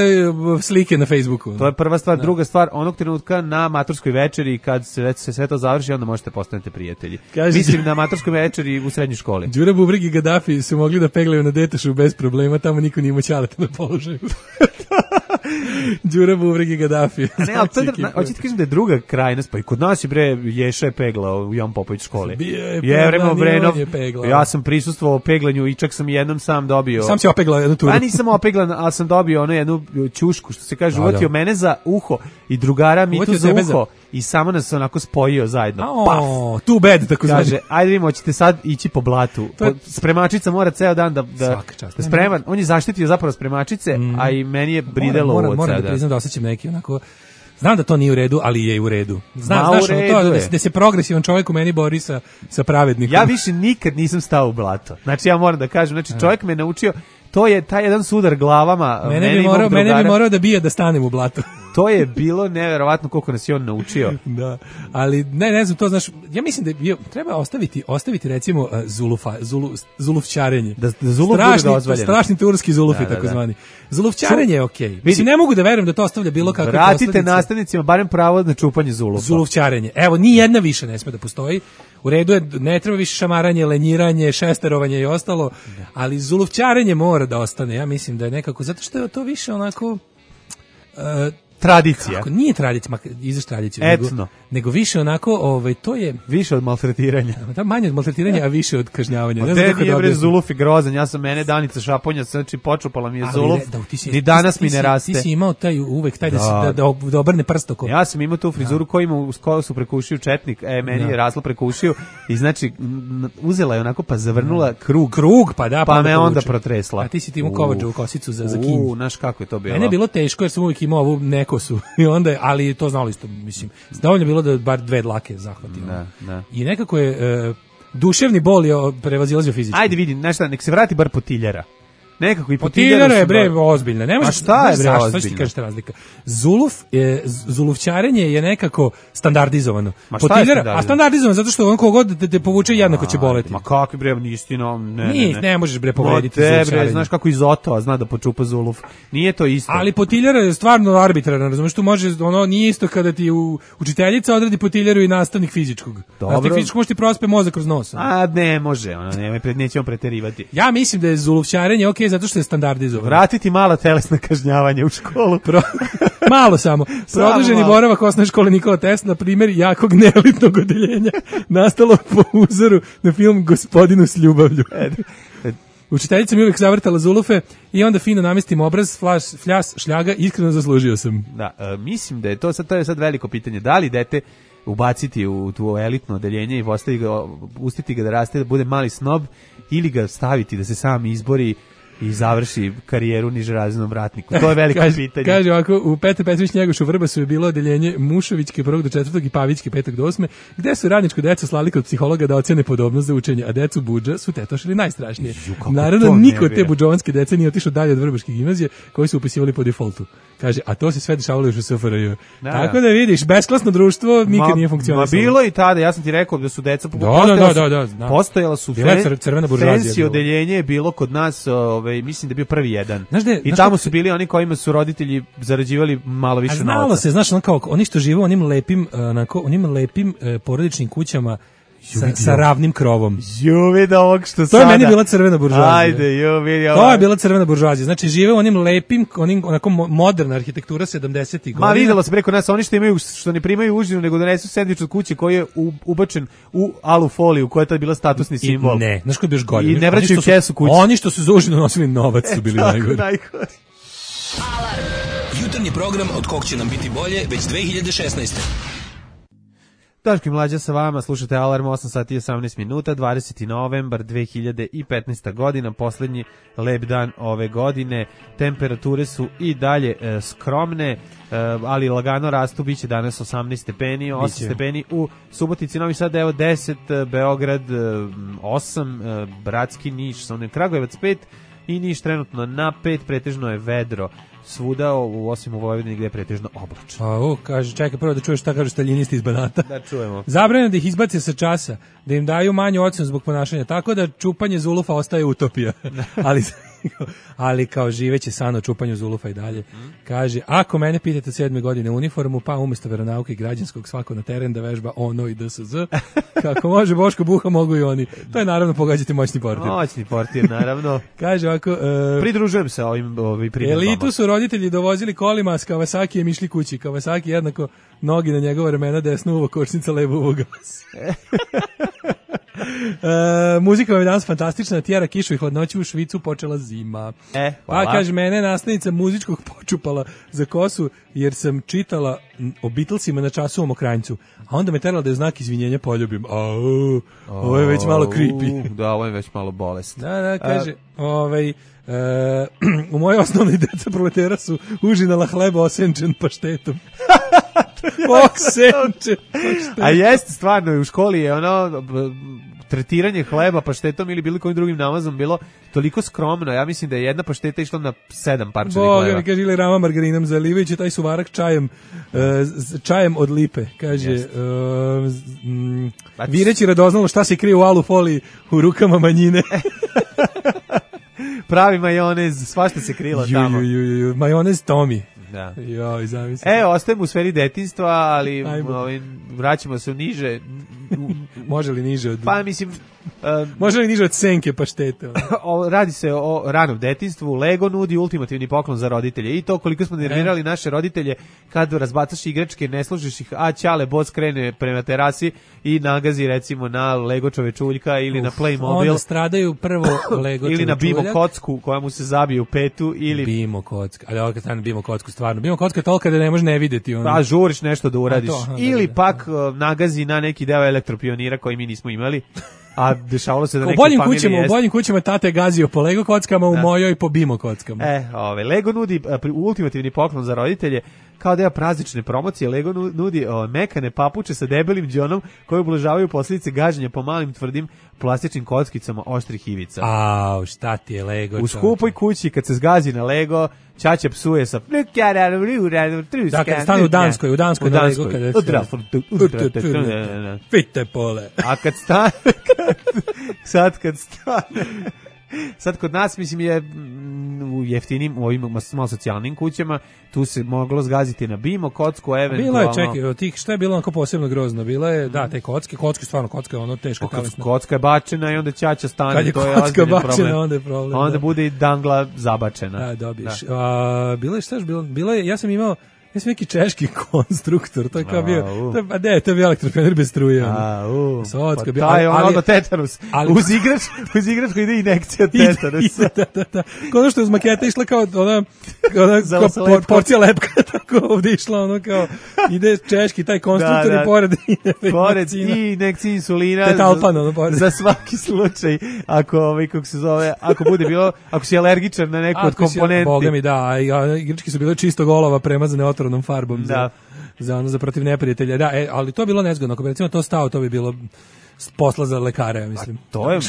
slike na Facebooku. To je prva stvar, da. Druga stvar, onog trenutka na maturskoj večeri kad se se sve to završi, onda možete postanete prijatelji. Kaži, mislim na maturskoj večeri u srednjoj školi. Đura Bubreg i Gaddafi su mogli da peglaju na detašu bez problema, tamo niko nije imao ćaleta na položaju. Đura Bubreg i Gaddafi. Ne, ali to je, hoćete kažem da je druga krajnost, pa i kod nas je bre Ješa je peglao u Jan Popović školi. Je vremo Brenov, ja sam prisustvovao peglanju i čak sam jednom sam dobio. Sam si opeglao jednu turu. Pa nisam opeglan, ali sam dobio ono jednu ćušku, što se kaže, uvatio mene za uho i drugara mi tu za uho za... i samo nas onako spojio zajedno. Oh, too bad, tako kaže, znači. Ajde vi hoćete sad ići po blatu. To je... Spremačica mora ceo dan da, da, da spreman. On je zaštitio zapravo spremačice, mm. a i meni je bridelo moram, ovo moram, moram da priznam da osjećam neki onako. Znam da to nije u redu, ali je u redu. Znam, znaš, ono to da, da se progresivan čovjek u meni bori sa, sa pravednikom. Ja više nikad nisam stao u blato. Znači, ja moram da kažem, znači, čovjek me naučio, to je taj jedan sudar glavama. Mene, mene, bi, morao, mene bi morao da bije da stanem u blato. To je bilo neverovatno koliko nas je on naučio. Da, ali ne, ne znam, to znaš, ja mislim da je, treba ostaviti, ostaviti recimo zulufa, zulu, zulufčarenje. Da, da zuluf strašni, bude dozvoljeno. Strašni turski zulufi, da, da, tako da. zvani. Zulufčarenje je okej. Okay. Mislim, ne mogu da verujem da to ostavlja bilo kakve Vratite posledice. nastavnicima barem pravo na čupanje zulufa. Zulufčarenje. Evo, ni jedna više ne sme da postoji. U redu je, ne treba više šamaranje, lenjiranje, šesterovanje i ostalo, ali zulufčarenje mora da ostane. Ja mislim da je nekako, zato što je to više onako... Uh, tradicija. Kako, nije tradicija, izaš tradiciju. Etno. Nego, nego više onako, ovaj, to je... Više od maltretiranja. Da, manje od maltretiranja, a više od kažnjavanja. Ne znam nije bre zuluf i grozan, ja sam mene Danica Šaponja, znači počupala mi je ali zuluf, ne, da, si, ni danas ti, mi ne raste. Ti si imao taj uvek, taj da, da, si, da, da, da obrne prst oko. Ja sam imao tu frizuru koju ima uz koju su prekušio četnik, e, meni da. je raslo prekušio i znači uzela je onako pa zavrnula da. krug. Krug, pa da. Pa, pa me onda protresla. A ti si ti imao kovačevu kosicu za, za kinj. U, znaš kako je to bilo. Mene je bilo teško jer sam uvijek imao ovu nekosu i onda, ali to znalo isto, mislim. Dovoljno bilo da bar dve dlake zahvatimo. Da, da. I nekako je e, duševni bol je prevazilazio fizički. Ajde vidim, znaš šta, nek se vrati bar Potiljara. Nekako i Potiljara je bre ozbiljna. Ne možeš. A šta je bre ozbiljna? Šta ti kažeš razlika? Zuluf je zulufčarenje je nekako standardizovano. Potiljara, a standardizovano zato što on kogod da te povuče jednako će boleti. Ma kakvi bre istina, ne, ne, ne. Ne možeš bre povrediti zulufčarenje. Znaš kako Izoto zna da počupa zuluf. Nije to isto. Ali Potiljara je stvarno arbitrarna, razumeš, tu može ono nije isto kada ti u, učiteljica odredi Potiljaru i nastavnik fizičkog. Nastavnik fizičkog može ti prospe mozak kroz nos. A ne može, ona nema pred nećemo preterivati. Ja mislim da je zulufčarenje okej zato što je standardizovano. Vratiti mala telesna kažnjavanja u školu. Pro... malo samo. Produženi boravak osnovne škole Nikola Tesla, na primjer, jakog neelitnog odeljenja, nastalo po uzoru na film Gospodinu s ljubavlju. Učiteljica mi uvijek zavrtala zulufe i onda fino namestim obraz, flaš, fljas, šljaga, iskreno zaslužio sam. Da, e, mislim da je to sad, to je sad veliko pitanje. Da li dete ubaciti u tu elitno odeljenje i postaviti ga, pustiti ga da raste, da bude mali snob, ili ga staviti da se sam izbori i završi karijeru nižerazrednom ratniku. To je veliko kaže, pitanje. Kaže ovako, u Petar Petrović Njegošu Vrbasu je bilo odeljenje Mušovićke prvog do četvrtog i Pavićke petog do osme, gde su radničko deca slali kod psihologa da ocene podobnost za učenje, a decu budža su tetošili najstrašnije. Ju, naravno, niko te budžovanske dece nije otišao dalje od Vrbaške gimnazije, koji su upisivali po defaultu. Kaže, a to se sve dešavalo još u S F R J. Da, tako da vidiš, besklasno društvo nikad ma, nije funkcionisalo. Ma bilo i tada, ja sam ti rekao da su deca da, da, da, da, da. postojala su fen, crvena buržuazija. Fancy odeljenje je bilo kod nas, ovaj, mislim da je bio prvi jedan. Znaš de, I znaš tamo su bili oni kojima su roditelji zarađivali malo više novca. Znalo se, znaš, on kao, oni što žive u onim lepim, onako, onim lepim e, porodičnim kućama, Sa, sa ravnim krovom. Jo, vidi ovog što to sada. To je meni bila crvena buržuazija. Ajde, jo, vidi ovog. To je bila crvena buržuazija. Znači, žive u onim lepim, onim, onako moderna arhitektura sedamdesetih godina. Ma videlo se preko nas, oni što imaju, što ne primaju užinu, nego donesu sendvič od kuće koji je u, ubačen u alu foliju, koja je tad bila statusni simbol. I, ne, znaš koji je još golje. I ne vraćaju kesu kuće. Oni što su za užinu nosili novac su bili e, najgori. najgori. Alarm. Jutarnji program od kog će nam biti bolje već dve hiljade šesnaeste. Daško i Mlađa sa vama, slušate Alarm, osam sati i osamnaest minuta, dvadeseti novembar dve hiljade petnaesta godina, poslednji lep dan ove godine. Temperature su i dalje e, skromne, e, ali lagano rastu, biće danas osamnaest stepeni, osam stepeni u Subotici, Novi Sad, evo deset, Beograd osam, e, Bratski, Niš, Kragujevac pet i Niš trenutno na pet, pretežno je vedro svuda, u, osim u Vojvodini gde je pretežno oblačno. A, u, kaže, čekaj prvo da čuješ šta kažu staljinisti iz Banata. Da čujemo. Zabranjeno da ih izbace sa časa, da im daju manju ocenu zbog ponašanja, tako da čupanje zulufa ostaje utopija. ali, ali kao živeće san o čupanju zulufa i dalje. Kaže, ako mene pitate sedme godine uniformu, pa umesto veronauke i građanskog svako na teren da vežba ono i D S Z, kako može Boško Buha, mogu i oni. To je naravno, pogađate moćni portir. Moćni portir, naravno. Kaže ovako... Uh, Pridružujem se ovim, ovim primjerbama. Elitu su roditelji dovozili kolima s Kawasakijem išli kući. Kawasaki jednako nogi na njegova ramena, desno uvo kočnica, levo uvo gas. E, muzika vam je danas fantastična, tjera kišu i hladnoću, u Švicu počela zima. E, hvala. Pa kaže, mene nastavnica muzičkog počupala za kosu jer sam čitala o Beatlesima na času o Mokranjcu, a onda me terala da je znak izvinjenja poljubim. Au, ovo je već malo creepy. Da, ovo je već malo bolest. Da, da, kaže, a, ovaj... E, u mojoj osnovnoj deca proletera su užinala hleba osenčen paštetom. Osenčen paštetom. A jeste, stvarno, u školi je ono tretiranje hleba paštetom ili bilo kojim drugim namazom bilo toliko skromno. Ja mislim da je jedna pašteta išla na sedam parčenih hleba. Boga mi kaže, ili rama margarinom zalivajući taj suvarak čajem, uh, čajem od lipe. Kaže, uh, mm, vireći radoznalo šta se krije u alu foliji u rukama manjine. Pravi majonez, svašta se krilo ju, tamo. Ju, ju, ju, majonez Tomi. Da. Joj, zamisli. E, ostajemo u sferi detinjstva, ali ovaj, vraćamo se u niže. Može li niže od... Pa mislim... Um, Može li niže od senke paštete? o, radi se o ranom detinjstvu. Lego nudi ultimativni poklon za roditelje. I to koliko smo nervirali e. naše roditelje kad razbacaš igračke, ne složiš ih, a ćale boss krene prema terasi i nagazi recimo na Lego čovečuljka ili Uf, na Playmobil. Onda stradaju prvo Lego ili na Bimo kocku koja mu se zabije u petu. Ili... Bimo kocka. Ali ovo kad stane Bimo kocku, stvarno. Bimo kocka je tolika da ne može ne videti. Ono. Pa žuriš nešto da uradiš. To, aha, ili da, pak da. nagazi na neki deo elektropionira koji mi nismo imali. A dešavalo se da neke familije kućama, jest. U boljim kućama tate gazio po Lego kockama, u da. mojoj po Bimo kockama. E, ove, Lego nudi a, ultimativni poklon za roditelje. Kao deo praznične promocije, Lego nudi o, mekane papuče sa debelim đonom koje ublažavaju posljedice gaženja po malim tvrdim plastičnim kockicama oštrih ivica. Au, šta ti je Lego? U skupoj kući kad se zgazi na Lego, ćaća psuje sa da, kad stane u Danskoj, u Danskoj, u Danskoj. Fite pole. A kad stane, sad kad stane, sad kod nas, mislim, je u jeftinim, u ovim malo socijalnim kućama, tu se moglo zgaziti na Bimo, kocku, eventualno... Bilo je, čekaj, od tih, šta je bilo onako posebno grozno? Bilo je, da, te kocke, kocke, stvarno, kocka je ono teška talesna. Kocka je bačena i onda ćaća stane, kad je to je kocka bačena, problem. onda je problem. Onda da. bude i dangla zabačena. Da, dobiješ. Da. A, bilo je, šta je bilo? Bilo je, ja sam imao, Ja sam neki češki konstruktor, to je kao bio, to je, a ne, to je bio elektrošofer bez struje. A, u, Socka, pa bio, taj je ali- ono tetanus. ali- Uz igrač, uz igrač koji ide inekcija tetanusa. da, da, da. Kao ono što je uz maketa išla kao ona, ona Za kao sa por- lepkom. porcija lepka, tako ovdje išla ono kao, ide češki taj konstruktor Da, da. i pored Pored vakcina. i inekcija insulina Tetalpan, za, ono, pored. za svaki slučaj ako ovaj kako se zove ako bude bilo ako si alergičan na neku od Ako si- komponenti. Boga mi da, a i- a igračke su bile čisto golova premazane otrovnom farbom za, Da. za ono za protiv neprijatelja. Da, e, ali to je bilo nezgodno. Ako bi recimo to stao, to bi bilo s- posla za lekare, ja mislim. To je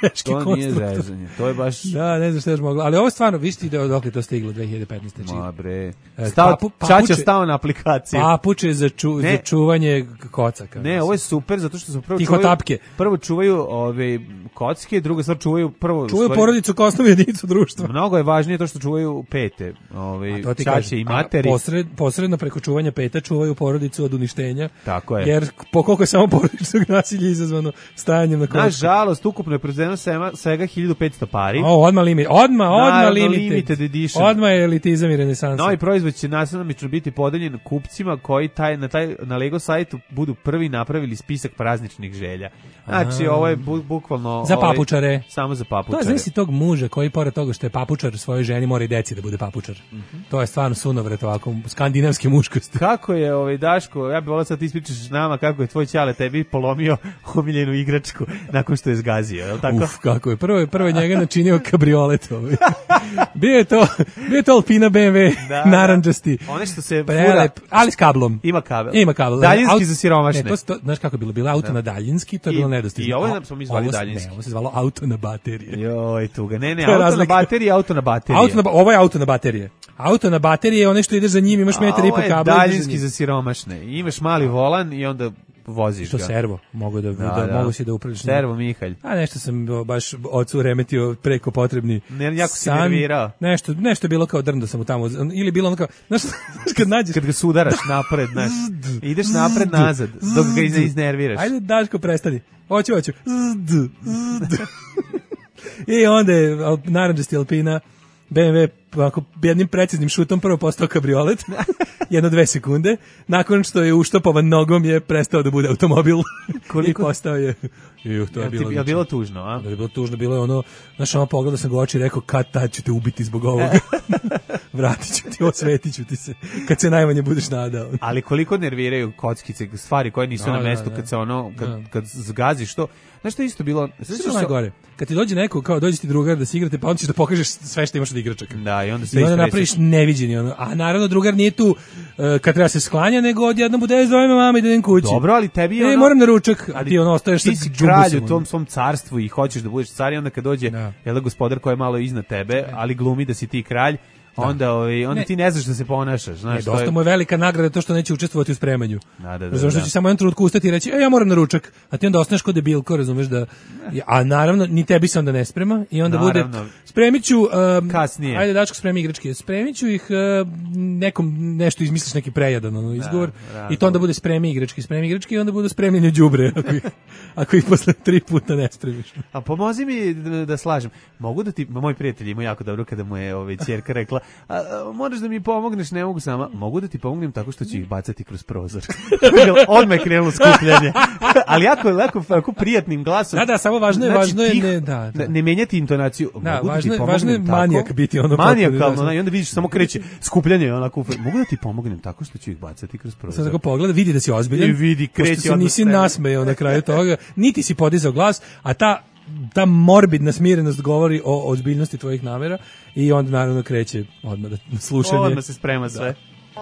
Češki to nije konstruktor. zezanje. To je baš Da, ne znam šta je još moglo. Ali ovo je stvarno, vi ste ide dok je to stiglo dve hiljade petnaeste. Čini. ma bre. E, Stao papu- Čača papuče- stao na aplikaciju. Papuče za, ču, Ne. za čuvanje kocaka. Ne, ovo je super zato što su prvo Tiho čuvaju, tapke. prvo čuvaju ove kocke, drugo stvar čuvaju prvo Čuvaju stvari- porodicu kao osnovnu jedinicu društva. Mnogo je važnije to što čuvaju pete, ovaj A to ti ćaće kažem. i A materi. Posred, posredno preko čuvanja peta čuvaju porodicu od uništenja. Tako je. Jer po koliko je samo porodičnog nasilja izazvano stajanjem na kocku. Nažalost, ukupno je proizvedeno svema- svega hiljadu petsto pari. O, odmah limit. Odmah, odmah Naravno, limited. limited edition. Odmah je elitizam i renesansa. Novi proizvod će nasilnomično biti podeljen kupcima koji taj, na, taj, na Lego sajtu budu prvi napravili spisak prazničnih želja. Znači, A. ovo je bu, bukvalno... Za ovaj, papučare. samo za To papučare. je znači tog muža koji pored toga što je papučar svojoj ženi mora i deci da bude papučar. To je stvarno sunovrat ovako skandinavske muškosti. Kako je, ovaj, Daško, ja bih volao sad ti ispričaš s nama kako je tvoj ćale tebi polomio omiljenu igračku nakon što je zgazio, je li tako? Uf, kako je. Prvo je prvo je njega načinio kabriolet ovaj. Bio je to, bio je to Alpina B M W Da, narandžasti. One što se Prelep, fura- ali s kablom. Ima kabel. Ima kabel. Daljinski Aut- za siromašne. Ne, to, se- to, znaš kako je bilo? Bilo auto na daljinski, to je I- bilo nedostižno. i ovo je, A- smo mi zvali ovo se- daljinski. Ne, ovo se zvalo auto na baterije. Joj, tuga. Ne, ne, To je auto na razlika. bateriji, auto na bateriji. Auto na, ba- ovo je auto na baterije. Auto na baterije je onaj što ide za njim, imaš metar i po Ovo je kabla. daljinski za siromašne. Imaš mali volan i onda voziš Što ga. servo, mogu da, da, Da, da. mogu si da uprilično. Servo Mihalj. A nešto sam o, baš ocu remetio preko potrebni. Ne, jako si san. nervirao. Nešto, nešto je bilo kao drndo sam mu tamo, ili bilo ono kao, znaš, znaš kad nađeš, Kad ga sudaraš napred, znaš, ideš napred nazad, dok ga iz- iznerviraš. ajde Daško prestani, hoću, hoću, Zd, zd. I onda je al- narandžasti Alpina B M W ovako jednim preciznim šutom prvo postao kabriolet, jedno dve sekunde, nakon što je uštopovan nogom je prestao da bude automobil i postao je, juh, to je Jel ti- bilo, jel bilo tužno, a? Da je bilo tužno, bilo je ono, znaš, ono pogledao sam ga u oči i rekao, kad tad ću te ubiti zbog ovoga. Vratit ću ti, osvetit ću ti se, kad se najmanje budeš nadao. Ali koliko nerviraju kockice, stvari koje nisu Da, na da, mestu da. kad se ono, kad, Da. kad zgaziš to. Znaš što je isto bilo? Sve je najgore. Kad ti dođe neko, kao dođe ti drugar da se igrate, pa on ćeš da pokažeš sve što imaš od igračaka. Da, i onda sve I onda istresaš. napraviš neviđeni ono. A naravno drugar nije tu e, kad treba se sklanja, nego odjednom bude zove me mama i da idem kući. Dobro, ali tebi je E, ono... moram na ručak, a ali ti ono ostaješ ti sa si džumbusom, kralj u ono. tom svom carstvu i hoćeš da budeš car i onda kad dođe Da. jel da gospodar koji je malo iznad tebe, ali glumi da si ti kralj, onda, ovaj, onda Ne. ti ne znaš da se ponašaš. Znaš, Ne, to dosta je- mu je velika nagrada to što neće učestvovati u spremanju. Da, da, da, Razumeš da da. će samo jedan trenutku ustati i reći, e, ja moram na ručak, a ti onda ostaneš kod debilko, razumeš da, a naravno, ni tebi se onda ne sprema i onda Naravno. bude, spremit ću, um, Kasnije. ajde Dačko spremi igračke, spremit ću ih um, nekom, nešto izmisliš neki prejadan ono, izgovor, da, i to onda bude spremi igračke, spremi igračke i onda bude spremljenje đubre, ako ih, ako ih posle tri puta ne spremiš. A pomozi mi da, da slažem. Mogu da ti, moj prijatelj ima jako dobro kada mu je ovaj ćerka rekla, a, a, moraš da mi pomogneš, ne mogu sama. Mogu da ti pomognem tako što ću ih bacati kroz prozor. Odmah je krenulo skupljanje. Ali jako, jako, jako prijatnim glasom. Da, da, samo važno je- važno je tih- ne- da, da. ne menjati intonaciju. Da, Mogu da važno ti je- pomognem važno je tako? manijak biti ono potpuno, Manijakalno, da. da, i onda vidiš samo kreće skupljanje onako. Mogu da ti pomognem tako što ću ih bacati kroz Sad prozor. tako pogleda, vidi da si ozbiljan. I vidi, pošto kreće se odmah nisi spremno. nasmejao na kraju toga, niti si podizao glas, a ta ta morbidna smirenost govori o ozbiljnosti tvojih namera i onda naravno kreće odmah da na slušanje. Odmah se sprema sve.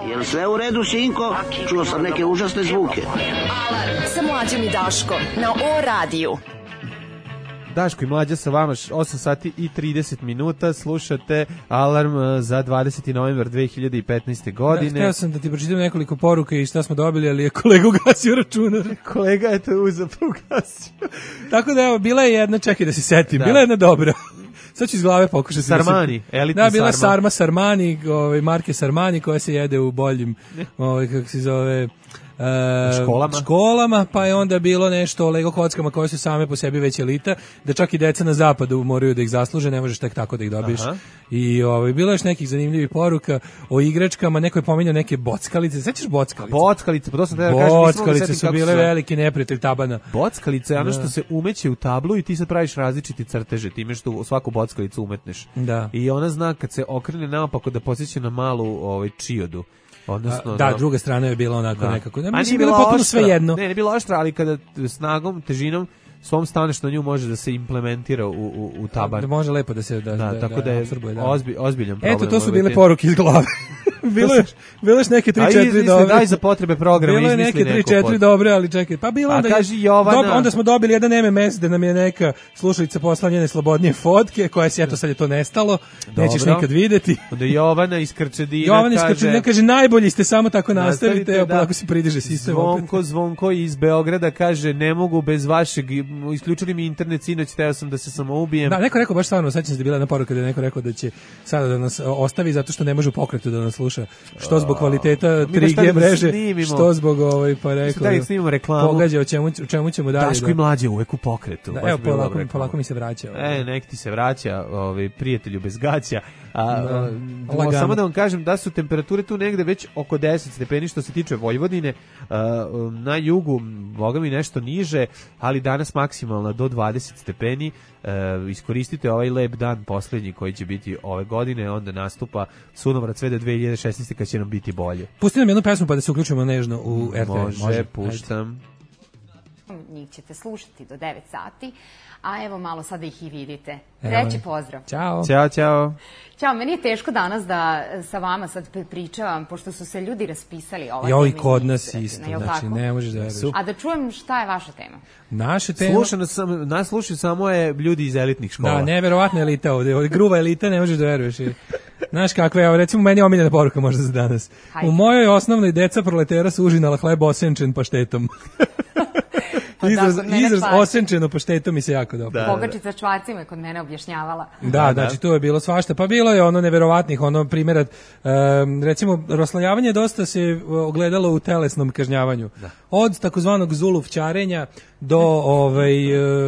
Jel sve u redu, sinko? Čuo sam neke užasne zvuke. Alarm sa mlađom i Daškom na O radiju. Daško i Mlađa sa vama, osam sati i trideset minuta, slušate Alarm eh, za dvadeseti novembar dve hiljade petnaeste Da, godine. htio sam da ti pročitam nekoliko poruka i šta smo dobili, ali je kolega ugasio računar. Kolega je to uzeo pa ugasio. Tako da evo, bila je jedna, čekaj da se setim, Da. bila je jedna dobra. Sad ću iz glave pokušati. Sarmani, da se... elitni Da, bila je sarma. Sarma Sarmani, ovaj, marke Sarmani koja se jede u boljim, ovaj, kako se zove... e, školama. školama, pa je onda bilo nešto o Lego kockama koje su same po sebi već elita, da čak i deca na zapadu moraju da ih zasluže, ne možeš tek tako da ih dobiješ. Aha. I ovaj, bilo je još nekih zanimljivih poruka o igračkama, neko je pominjao neke bockalice, sećaš bockalice? Bockalice, pa to sam da kažem. Bockalice su bile veliki neprijatelj tabana. Bockalice je ono što se umeće u tablu i ti sad praviš različiti crteže, time što u svaku bockalicu umetneš. Da. I ona zna kad se okrene naopako da posjeća na malu ovaj, čiodu. Odnosno, da, da, druga strana je bila onako da. nekako. Ne, mislim, bilo potpuno sve jedno. Ne, ne bilo oštra, ali kada snagom, težinom svom staneš na nju može da se implementira u, u, u taban. Da može lepo da se da, da, da tako da, da je absorbuje, da. Ozbi, ozbiljan problem. Eto, to su bile poruke iz glave. bilo je bilo je neke tri četiri dobre. Daj za potrebe programa bilo je neke tri četiri dobre, ali čekaj. Pa bilo onda kaži Jovana. Dob, onda smo dobili jedan M M S da nam je neka slušalica poslala njene slobodnije fotke, koja se eto sad je to nestalo. Dobro. Nećeš nikad videti. Onda Jovana iz Krčedina Jovana iz kaže. Krčedina kaže najbolji ste, samo tako nastavite, evo polako se pridiže sistem. Zvonko, Zvonko iz Beograda kaže ne mogu bez vašeg, isključili mi internet sinoć, teo sam da se samoubijem. Da, neko rekao baš stvarno, sećam se da je bila jedna poruka da je neko rekao da će sada da nas ostavi zato što ne može u pokretu da nas sluša. Što zbog kvaliteta tri G mreže, što zbog ovaj pa rekao. Da snimimo reklamu. Pogađa o čemu o čemu ćemo dalje. Daško i mlađe uvek u pokretu. Da, evo polako, polako mi se vraća. E, nek ti se vraća, ovaj prijatelju bez gaća. A, da, samo da vam kažem da su temperature tu negde već oko deset stepeni što se tiče Vojvodine, a, na jugu boga mi nešto niže, ali danas maksimalno do dvadeset stepeni. E, iskoristite ovaj lep dan poslednji koji će biti ove godine, onda nastupa sunovrat sve do dve hiljade šesnaeste kad će nam biti bolje. Pusti nam jednu pesmu pa da se uključimo nežno u R T V. Može, Može puštam. Njih ćete slušati do devet sati, a evo malo sada ih i vidite. Treći pozdrav. Ćao. Ćao, ćao. Ćao, meni je teško danas da sa vama sad pričavam, pošto su se ljudi raspisali ova tema. Jo, i kod nas isto, znači ne možeš da veruješ. A da čujem šta je vaša tema? Naša tema... Slušano sam, nas slušaju samo je ljudi iz elitnih škola. Da, neverovatna elita ovde, ovde gruba elita, ne možeš da veruješ. Znaš kakve, evo recimo meni je omiljena poruka možda za danas. Hajde. U mojoj osnovnoj deca proletera su užinala hleb osenčen paštetom. Izraz, da, izraz osenčeno paštetom mi se jako dobro. Da, Pogačica Čvarcima je kod mene objašnjavala. Da, da, znači to je bilo svašta. Pa bilo je ono neverovatnih, ono primjera, um, recimo, roslajavanje dosta se ogledalo u telesnom kažnjavanju. Da. Od takozvanog zuluvčarenja do ovaj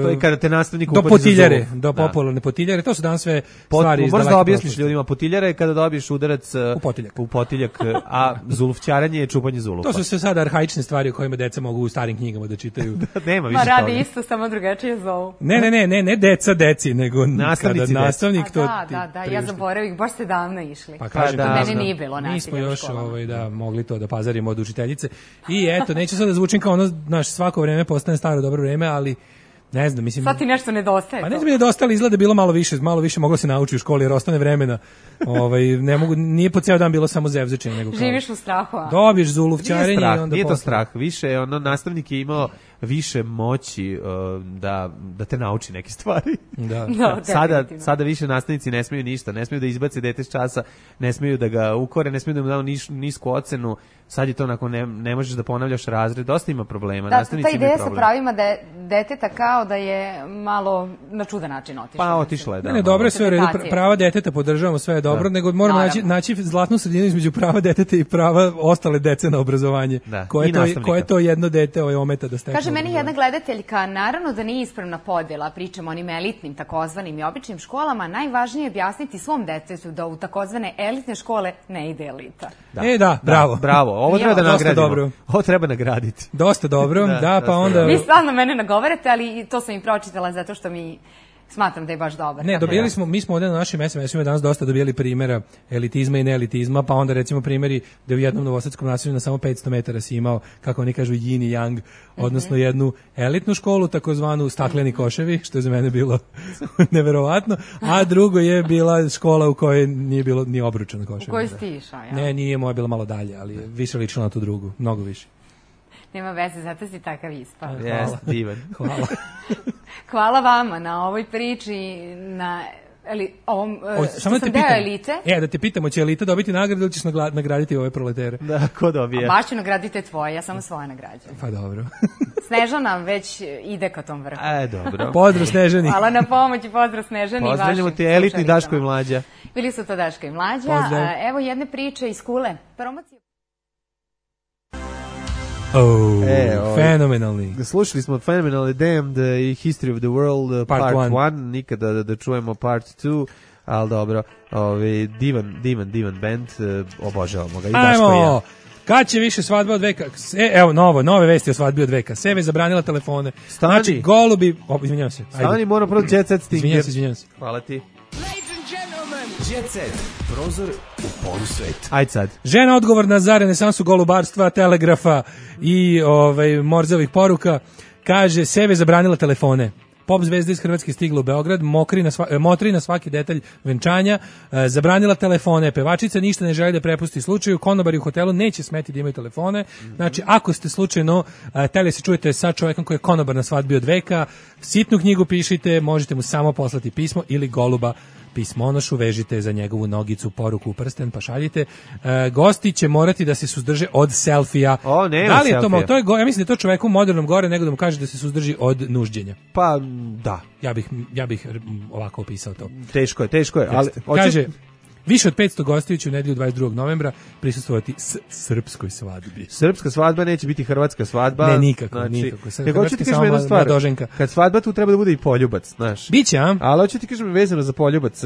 to je kada te nastavnik do potiljare, do popularne potiljare. To su danas sve Pot, stvari iz možda objasniš ljudima, potiljara je kada dobiješ udarac u potiljak, u potiljak a zuluvčaranje je čupanje zulufa. To su sve sada arhaične stvari o kojima deca mogu u starim knjigama da čitaju. Nema više toga. Ma radi toga. isto, samo drugačije zovu. Ne, ne, ne, ne, ne deca deci, nego nastavnici kada nastavnik a, to da, da, da, ja zaboravim, baš ste davno išli. Pa kažem, da, mene nije bilo nasilja. Mi smo još ovaj, da, mogli to da pazarimo od učiteljice. I eto, neću sad da zvučim kao ono, znaš, svako vreme postane staro dobro vreme, ali ne znam, mislim... Sad ti nešto nedostaje. Pa ne znam mi nedostali, izgleda bilo malo više, malo više moglo se nauči u školi jer ostane vremena. Ovaj, ne mogu, nije po ceo dan bilo samo zevzečenje. Nego kao... Živiš u strahu, a? Dobiješ zuluvčarenje i onda... Nije to strah, više ono, nastavnik je imao više moći uh, da, da te nauči neke stvari. Da. No, sada, sada više nastavnici ne smiju ništa, ne smiju da izbace dete s časa, ne smiju da ga ukore, ne smiju da mu daju niš, nisku ocenu, sad je to onako, ne, ne možeš da ponavljaš razred, dosta ima problema. Da, ta ideja sa pravima da je deteta kao da je malo na čudan način otišla. Pa otišla je, da. Ne, ne, dobro je sve u redu, prava deteta podržavamo, sve je dobro, da. Nego moramo naći, naći zlatnu sredinu između prava deteta i prava ostale dece na obrazovanje. Da. Koje, to, koje to jedno dete ovaj ometa da stekne? Kaže meni jedna gledateljka, naravno da nije ispravna podjela, pričamo o onim elitnim, takozvanim i običnim školama, najvažnije je objasniti svom detetu da u takozvane elitne škole ne ide elita. Da. E da, bravo. Da, bravo, ovo treba da nagradimo. Dobro. Ovo treba nagraditi. Dosta dobro, da, da pa onda... Vi stvarno mene nagovarate, ali to sam i pročitala zato što mi... Smatram da je baš dobar. Ne, dobili smo, mi smo ovdje na našim es em esima danas dosta dobili primjera elitizma i neelitizma, pa onda recimo primjeri da u jednom novosadskom naselju na samo petsto metara si imao, kako oni kažu, yin i yang, odnosno mm-hmm. jednu elitnu školu, takozvanu stakleni koševi, što je za mene bilo neverovatno, a drugo je bila škola u kojoj nije bilo ni obručan košev. U kojoj si ti išao, ja? Ne, nije moja bila malo dalje, ali je više lično na tu drugu, mnogo više. Nema veze, zato si takav ispao. Jes, divan. Hvala. Hvala vama na ovoj priči, na eli, ovom, o, što sam deo elite. E, da te pitamo, će elita dobiti nagradu ili ćeš nagraditi ove proletere? Da, ko dobije? A baš ću nagraditi tvoje, ja samo svoje nagrađujem. Pa dobro. Snežana već ide ka tom vrhu. E, dobro. Pozdrav Snežani. Hvala na pomoći, pozdrav Snežani. Pozdravljamo ti elitni Daško i Mlađa. Bili su to Daško i Mlađa. Pozdrav. Evo jedne priče iz Kule. Promocija. Oh, e, ovaj, fenomenalni. Slušali smo Phenomenally Damned i History of the World part Part one, nikada da, da čujemo part two, ali dobro, ovaj, divan, divan, divan band, obožavamo ga i Daško i ja. Kad će više svadba od veka? E, evo, novo, nove vesti o svadbi od veka. Seve zabranila telefone. Stani. Znači, golubi... O, izvinjavam se. Ajde. Stani, moram prvo Jet Set Stinger. Izvinjavam se, izvinjavam se. Hvala ti. Jet Set, prozor u polusvet. Ajde sad. Žena odgovorna za renesansu golubarstva, telegrafa i ovaj, morzovih poruka, kaže, Seve zabranila telefone. Pop zvezda iz Hrvatske stigla u Beograd, mokri na sva, motri na svaki detalj venčanja, e, zabranila telefone, pevačica ništa ne želi da prepusti slučaju, konobari u hotelu neće smeti da imaju telefone, znači ako ste slučajno e, teli se čujete sa čovjekom koji je konobar na svadbi od veka, sitnu knjigu pišite, možete mu samo poslati pismo ili goluba pismonošu, vežite za njegovu nogicu poruku u prsten, pa šaljite. E, gosti će morati da se suzdrže od selfija. O, nema da li je to, selfija. to je go, ja mislim da je to čoveku modernom gore nego da mu kaže da se suzdrži od nužđenja. Pa, da. Ja bih, ja bih ovako opisao to. Teško je, teško je. Ali, hoće... Kaže, više od petsto gostiju će u nedelju dvadeset drugog novembra prisustvovati s srpskoj svadbi. Srpska svadba neće biti hrvatska svadba. Ne, nikako, znači, nikako. Hrvatski hoću ti kažem jednu stvar. Mladoženka. Kad svadba tu treba da bude i poljubac, znaš. Biće, a? Ali hoću ti kažem vezano za poljubac.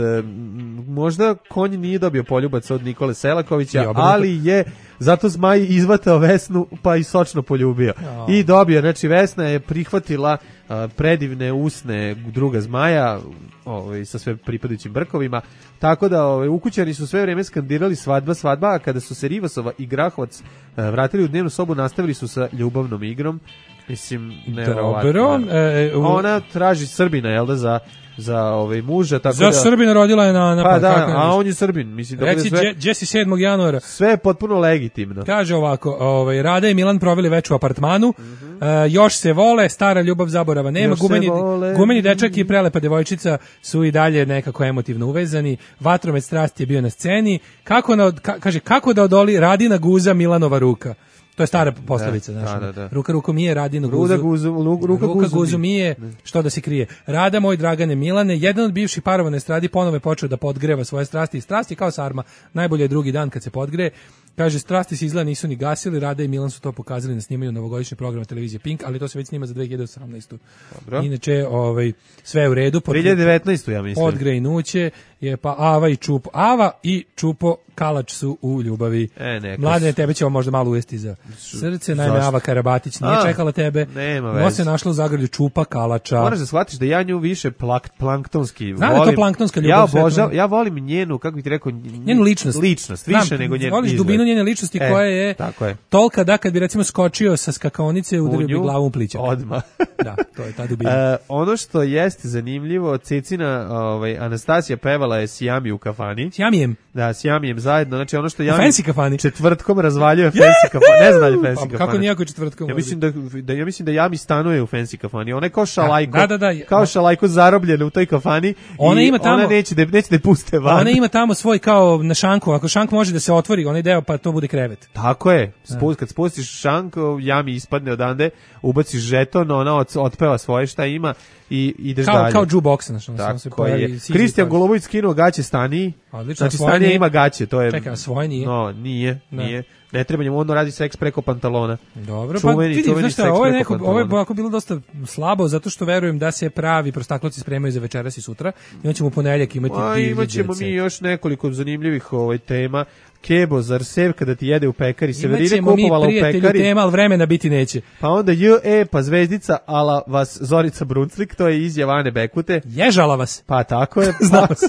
Možda konj nije dobio poljubac od Nikole Selakovića, ali je zato Zmaj izvatao Vesnu pa i sočno poljubio. Oh. I dobio, znači Vesna je prihvatila uh, predivne usne druga Zmaja, ovaj, sa sve pripadajućim brkovima, tako da ovaj, ukućani su sve vreme skandirali svadba, svadba, a kada su se Rivasova i Grahovac uh, vratili u dnevnu sobu, nastavili su sa ljubavnom igrom. Mislim, Dobro. E, u... Ona traži Srbina, jel da, za za ovaj muža, tako za da... Za Srbina rodila je na... na pa da, a on je Srbin. Mislim, reci, da sve, Jesse sedmog januara. Sve je potpuno legitimno. Kaže ovako, ovaj, Rada i Milan proveli večer u apartmanu, mm-hmm. uh, još se vole, stara ljubav zaborava nema, gumeni, gumeni dečak i prelepa devojčica su i dalje nekako emotivno uvezani, vatromet strasti je bio na sceni, kako na, ka, kaže, kako da odoli Radina guza Milanova ruka. To je stara poslovica, da, znači. Da, da. Ruka ruku mije, Radinu guzu. guzu ruka, ruka guzu, guzu mije, što da se krije. Rada, moj Dragane Milane, jedan od bivših parova na estradi ponovo je počeo da podgreva svoje strasti. Strasti kao sarma, najbolje je drugi dan kad se podgreje. Kaže, strasti se izgleda nisu ni gasili, Rada i Milan su to pokazali na snimanju novogodišnjeg programa televizije Pink, ali to se već snima za dve hiljade osamnaestu. Dobro. Inače, ovaj, sve je u redu. dve hiljade devetnaestu ja mislim. Podgrejnuće je pa Ava i Čupo. Ava i Čupo Kalač su u ljubavi. E, Mladene, tebe ćemo možda malo uvesti za srce. Naime, Ava Karabatić nije A, čekala tebe. Nema veze. No se našla u zagrlju Čupa Kalača. Moraš da shvatiš da ja nju više plak, planktonski Znam volim. Da to planktonska ljubav. Ja, obožav, ja volim njenu, kako bih ti rekao, njenu ličnost. Ličnost, više Znam, nego njen voliš izgled. dubinu njene ličnosti e, koja je, je tolika da kad bi recimo skočio sa skakaonice udario bi glavu u plićak. Odmah. Da, to je ta dubina. Uh, ono što jeste zanimljivo, Cecina, ovaj, Anastasija pevala je Sijami u kafani. Sijamijem? Da, Sijamijem zajedno. Znači ono što ja fancy kafani. Četvrtkom razvaljuje fancy kafani. Ne znam da li fancy kafani. Kako nijako četvrtkom? Ja mislim da, da, ja mislim da Jami stanuje u fancy kafani. Ona je kao šalajko. Da, da, da. Kao šalajko zarobljena u toj kafani. Ona i ima tamo, ona neće da, neće da je puste van. Ona ima tamo svoj kao na šanku. Ako šank može da se otvori, onaj deo pa to bude krevet. Tako je. Spust, kad spustiš šank, Jami ispadne odande, ubaciš žeton, ona od, otpeva svoje šta ima i ideš kao, dalje. Kao jukebox, znači on tako se pojavi. Kristijan Golubović skinuo gaće Stani. Odlično, znači Stanija ima gaće, to je. Čekaj, svoje nije. No, nije, ne. nije. Ne treba njemu, ono radi seks preko pantalona. Dobro, čuveni, pa vidi, znaš šta, ovo je neko, pantalona. ovo je ovako bilo dosta slabo, zato što verujem da se pravi prostakloci spremaju za večeras i sutra i on ćemo u ponedeljak imati A, divlji imat ćemo djece. mi još nekoliko zanimljivih ovaj, tema. Kebo, zar sev kada ti jede u pekari? Severine kupovala u pekari. Imaćemo mi prijatelju tema, ali vremena biti neće. Pa onda J E, pa zvezdica, ala vas Zorica Brunclik, to je izjava Ane Bekute. Ježala vas. Pa tako je. Znam vas.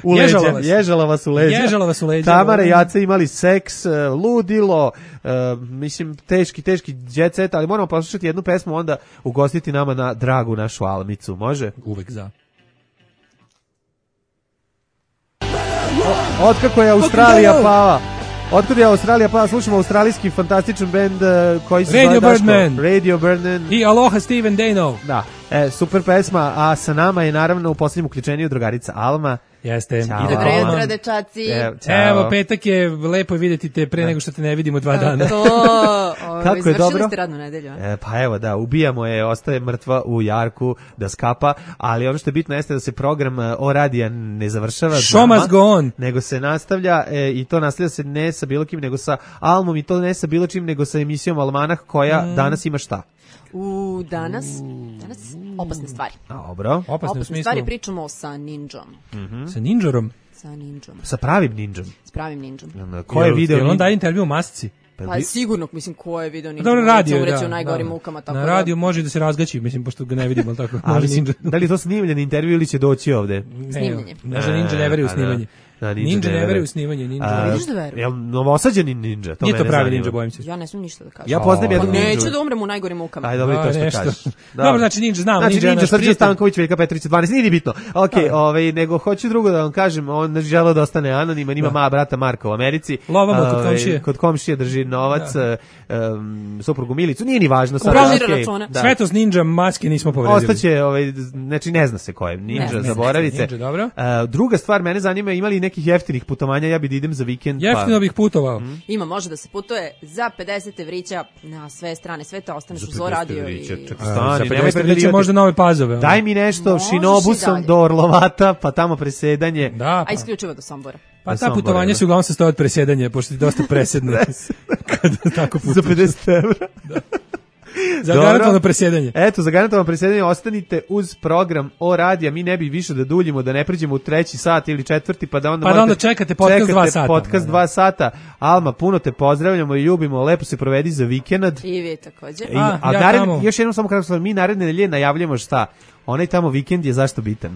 U leđa. Ježala vas. Ježala vas u leđa. Ježala vas u leđa. Tamara i Jaca imali seks, ludilo, uh, mislim, teški, teški jet set, ali moramo poslušati jednu pesmu, onda ugostiti nama na dragu našu Almicu. Može? Uvek za. Otkako je Australija pala, otkako je Australija pala, slušamo australijski fantastičan band uh, koji se Radio zove Birdman. Radio Birdman. I Aloha Steven Dano. Da, e, super pesma, a sa nama je naravno u posljednjem uključenju drugarica Alma. Jeste. Ćao. Ide Dobro kolon. jutro, dečaci. Evo, ćao. Evo, petak je, lepo je vidjeti te pre nego što te ne vidimo dva dana. To, o, Kako je izvršili dobro? ste radnu nedelju. a? E, pa evo da, ubijamo je, ostaje mrtva u jarku da skapa, ali ono što je bitno jeste da se program e, O radija ne završava Show znama, must go on. nego se nastavlja e, i to nastavlja se ne sa bilo kim nego sa Almom i to ne sa bilo čim nego sa emisijom Almanah koja Mm. danas ima šta? U, danas, danas opasne stvari. A, dobro. Opasno u Opasne smislu. stvari pričamo sa ninjom. Sa ninđorom. Sa ninjom. Sa pravim ninđom. S pravim ninjom. Ko je video? Jel on nin- daje intervju u masci? Pa sigurno, mislim, ko je video ninju? Dobro, radio, Ćemo reći da, u najgorim da. mukama. Tako Na da- radiju može da se razgaći, mislim, pošto ga ne vidimo, ali tako. Ali Može ninja. da li je to snimljen intervju ili će doći ovde? Snimljanje. Ne, za ninja ne veruje u E, snimanje. Da, Ninja ne veruje u snimanje, ninja. A, Vidiš da veruje? Jel novosađeni ninja? To Nije to mene pravi zanima. ninja, bojim se. Ja ne smijem ništa da kažem. Ja poznajem Pa jednog Pa ninju. neću da umrem u najgorim mukama. Ajde, dobro, Da, to što nešto. kažeš. Dobro, znači ninja, znamo, Znači, ninja je ninja, naš Srđan prijatelj. Stanković, Veljka Petrić, dvanaest, nije ni bitno. Ok, ovaj, nego hoću drugo da vam kažem, on ne želeo da ostane anoniman, ima ma brata Marka u Americi. Lovamo kod Ovaj, komšije. Kod komšije drži novac, um, suprugu Milicu, nije ni važno. Sad, Upravlja okej, račune. da. Svetos ninja maske nismo povredili. Ostaće, ovaj, znači ne zna se ko je, Ne ninja, zna se. zaboravite. Ninja, dobro. Uh, druga stvar, mene zanima, ima li nekih jeftinih putovanja, ja bi da idem za vikend. Jeftino bih putovao. Ima, može da se putuje za pedeset evrića na sve strane sveta, ostaneš Za uz Zo pedeset radio evrića, i... čekaj, A, stani, za nemoj pedeset preterivati. možda nove Pazove. ono. Daj mi nešto Možeš i šinobusom dalje. do Orlovata, pa tamo presedanje. Da, A pa, isključivo do Sombora. pa do ta Sombora, putovanja da. su uglavnom sastoje od presedanja, pošto ti dosta presedne. Kada tako Za putuješ. pedeset evra. Za Dobro. garantovano presedanje. Eto, za garantovano presedanje ostanite uz program O radija, mi ne bi više da duljimo, da ne pređemo u treći sat ili četvrti, pa da onda, Pa da morate- onda čekate podcast dva sata. podcast Da, da. dva sata. Alma, puno te pozdravljamo i ljubimo, lepo se provedi za vikend. I vi također. I, A, a ja naredni- tamo. još jednom samo kako sam, mi naredne nedelje najavljamo šta? Onaj tamo vikend je zašto bitan? A,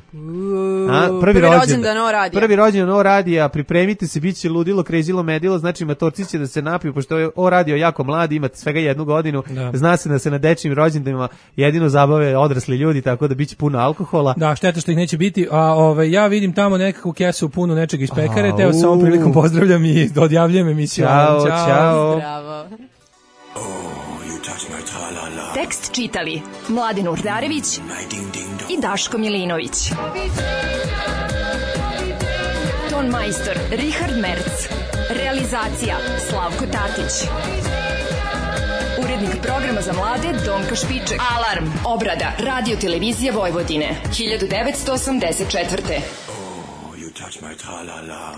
Prvi prvi rođendan. rođendan O radija. Prvi rođendan O radija, pripremite se, bit će ludilo, krezilo, medilo, znači matorci će da se napiju, pošto je O radio jako mladi, imate svega jednu godinu, Da. zna se da se na dečijim rođendanima jedino zabave odrasli ljudi, tako da bit će puno alkohola. Da, šteta što ih neće biti, a ove, ja vidim tamo nekakvu kesu punu nečega iz pekare, te Au. vas ovom prilikom pozdravljam i odjavljujem emisiju. Ćao, ćao. Bravo. Tekst čitali Mladin Urdarević i Daško Milinović. Ton majstor Richard Merc. Realizacija Slavko Tatić. Urednik programa za mlade Donka Špiček. Alarm! Obrada Radio Televizije Vojvodine. hiljadu devetsto osamdeset četvrte. You touch my tra-la-la.